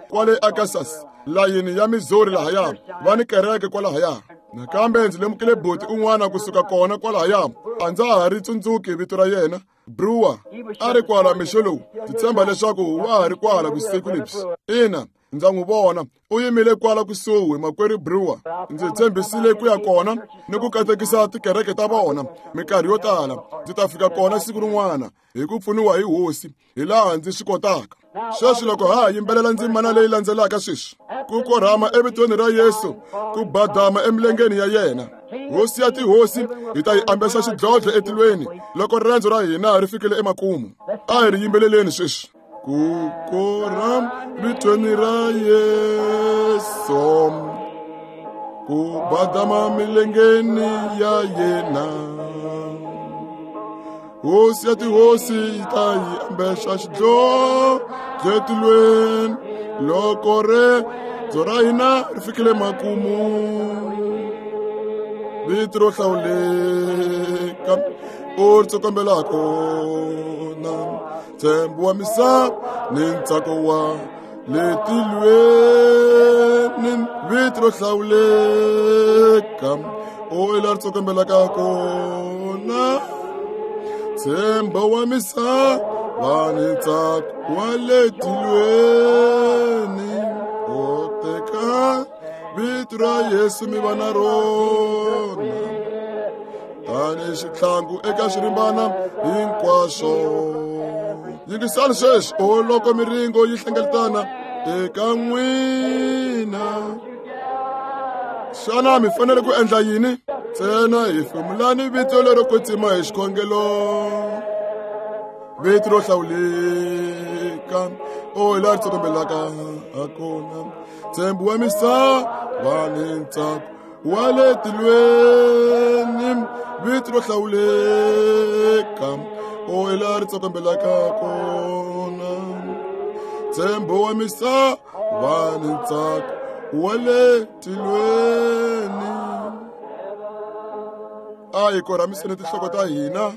kwale Arkansas, layini ya Missouri lahaya, va ni kereke kwalahaya. Nakambe ndzi lemukile buti un'wana kusuka kona kwalahaya, a ndza ha ri tsundzuki vito ra yena, Brewer, a ri kwala mixo lowu. Ndzi tshemba leswaku wa ha ri kwala vusiku lebyi. Ina, ndza n'wi vona u yimile kwala kusuhi, Makwerhu Brewer. Ndzi tshembisile ku ya kona ni ku katekisa tikereke ta vona minkarhi yo tala. Ndzi ta fika kona siku rin'wana hi ku pfuniwa hi Hosi hi laha ndzi swi kotaka. Sweswi loko ha yimbelela ndzimana leyi landzelaka sweswi, ku korhama evitweni ra Yesu, ku badama emilengeni ya yena, Hosi ya tihosi, hi ta yi ambexa xidlodlo etilweni loko rirendzo ra hina ri fikile emakumu. A hi ri yimbeleleni sweswi. Ku korhama vitweni ra Yesu, ku badama milengeni ya yena, Hosi ya tihosi yi ta yi ambexa xidlodlo etilweni loko rirendzo ra hina ri fikile makumu. Vito ro hlawuleka u ri tsokombela kona, ntshembo wa misava ni ntsako wa le tilweni. Vito ro hlawuleka u hi laha ri tsokombelaka kona, ntshembo wa misava ni ntsako wa le tilweni. U teka vito ra Yesu mi va na rona tanihi xitlhangu eka swirimbana hinkwaswo. Yingisani sweswi, o loko miringo yi hlengeletana eka n'wina, xana mi fanele ku endla yini? Ntsena hi hefemulani vito lero kwetsima hi xikhongelo, vito ro hlawuleka o hi laha ri tsokombelaka hakona, ntshembo wa misava ni ntsako wa le tilweni. Vito ro hlawuleka o hi laha ri tsokombelaka kona, ntshembo wa misava ni ntsako wa le tilweni. A hi korhamiseni tinhloko ta hina.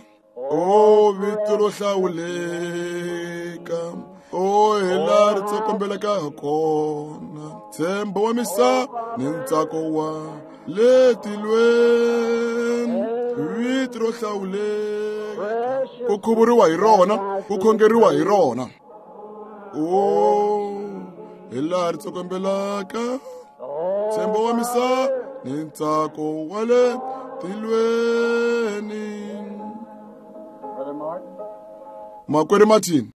O vito ro hlawuleka O hi laha ri tsokombelaka kona, ntshembo wa misava ni ntsako wa le tilweni, vito ro hlawuleka ku khuvuriwa hi rona, ku khongeriwa hi rona. O hi laha ri tsokombelaka, ntshembo wa misava ni ntsako wa le tilweni. Makwerhu Martin.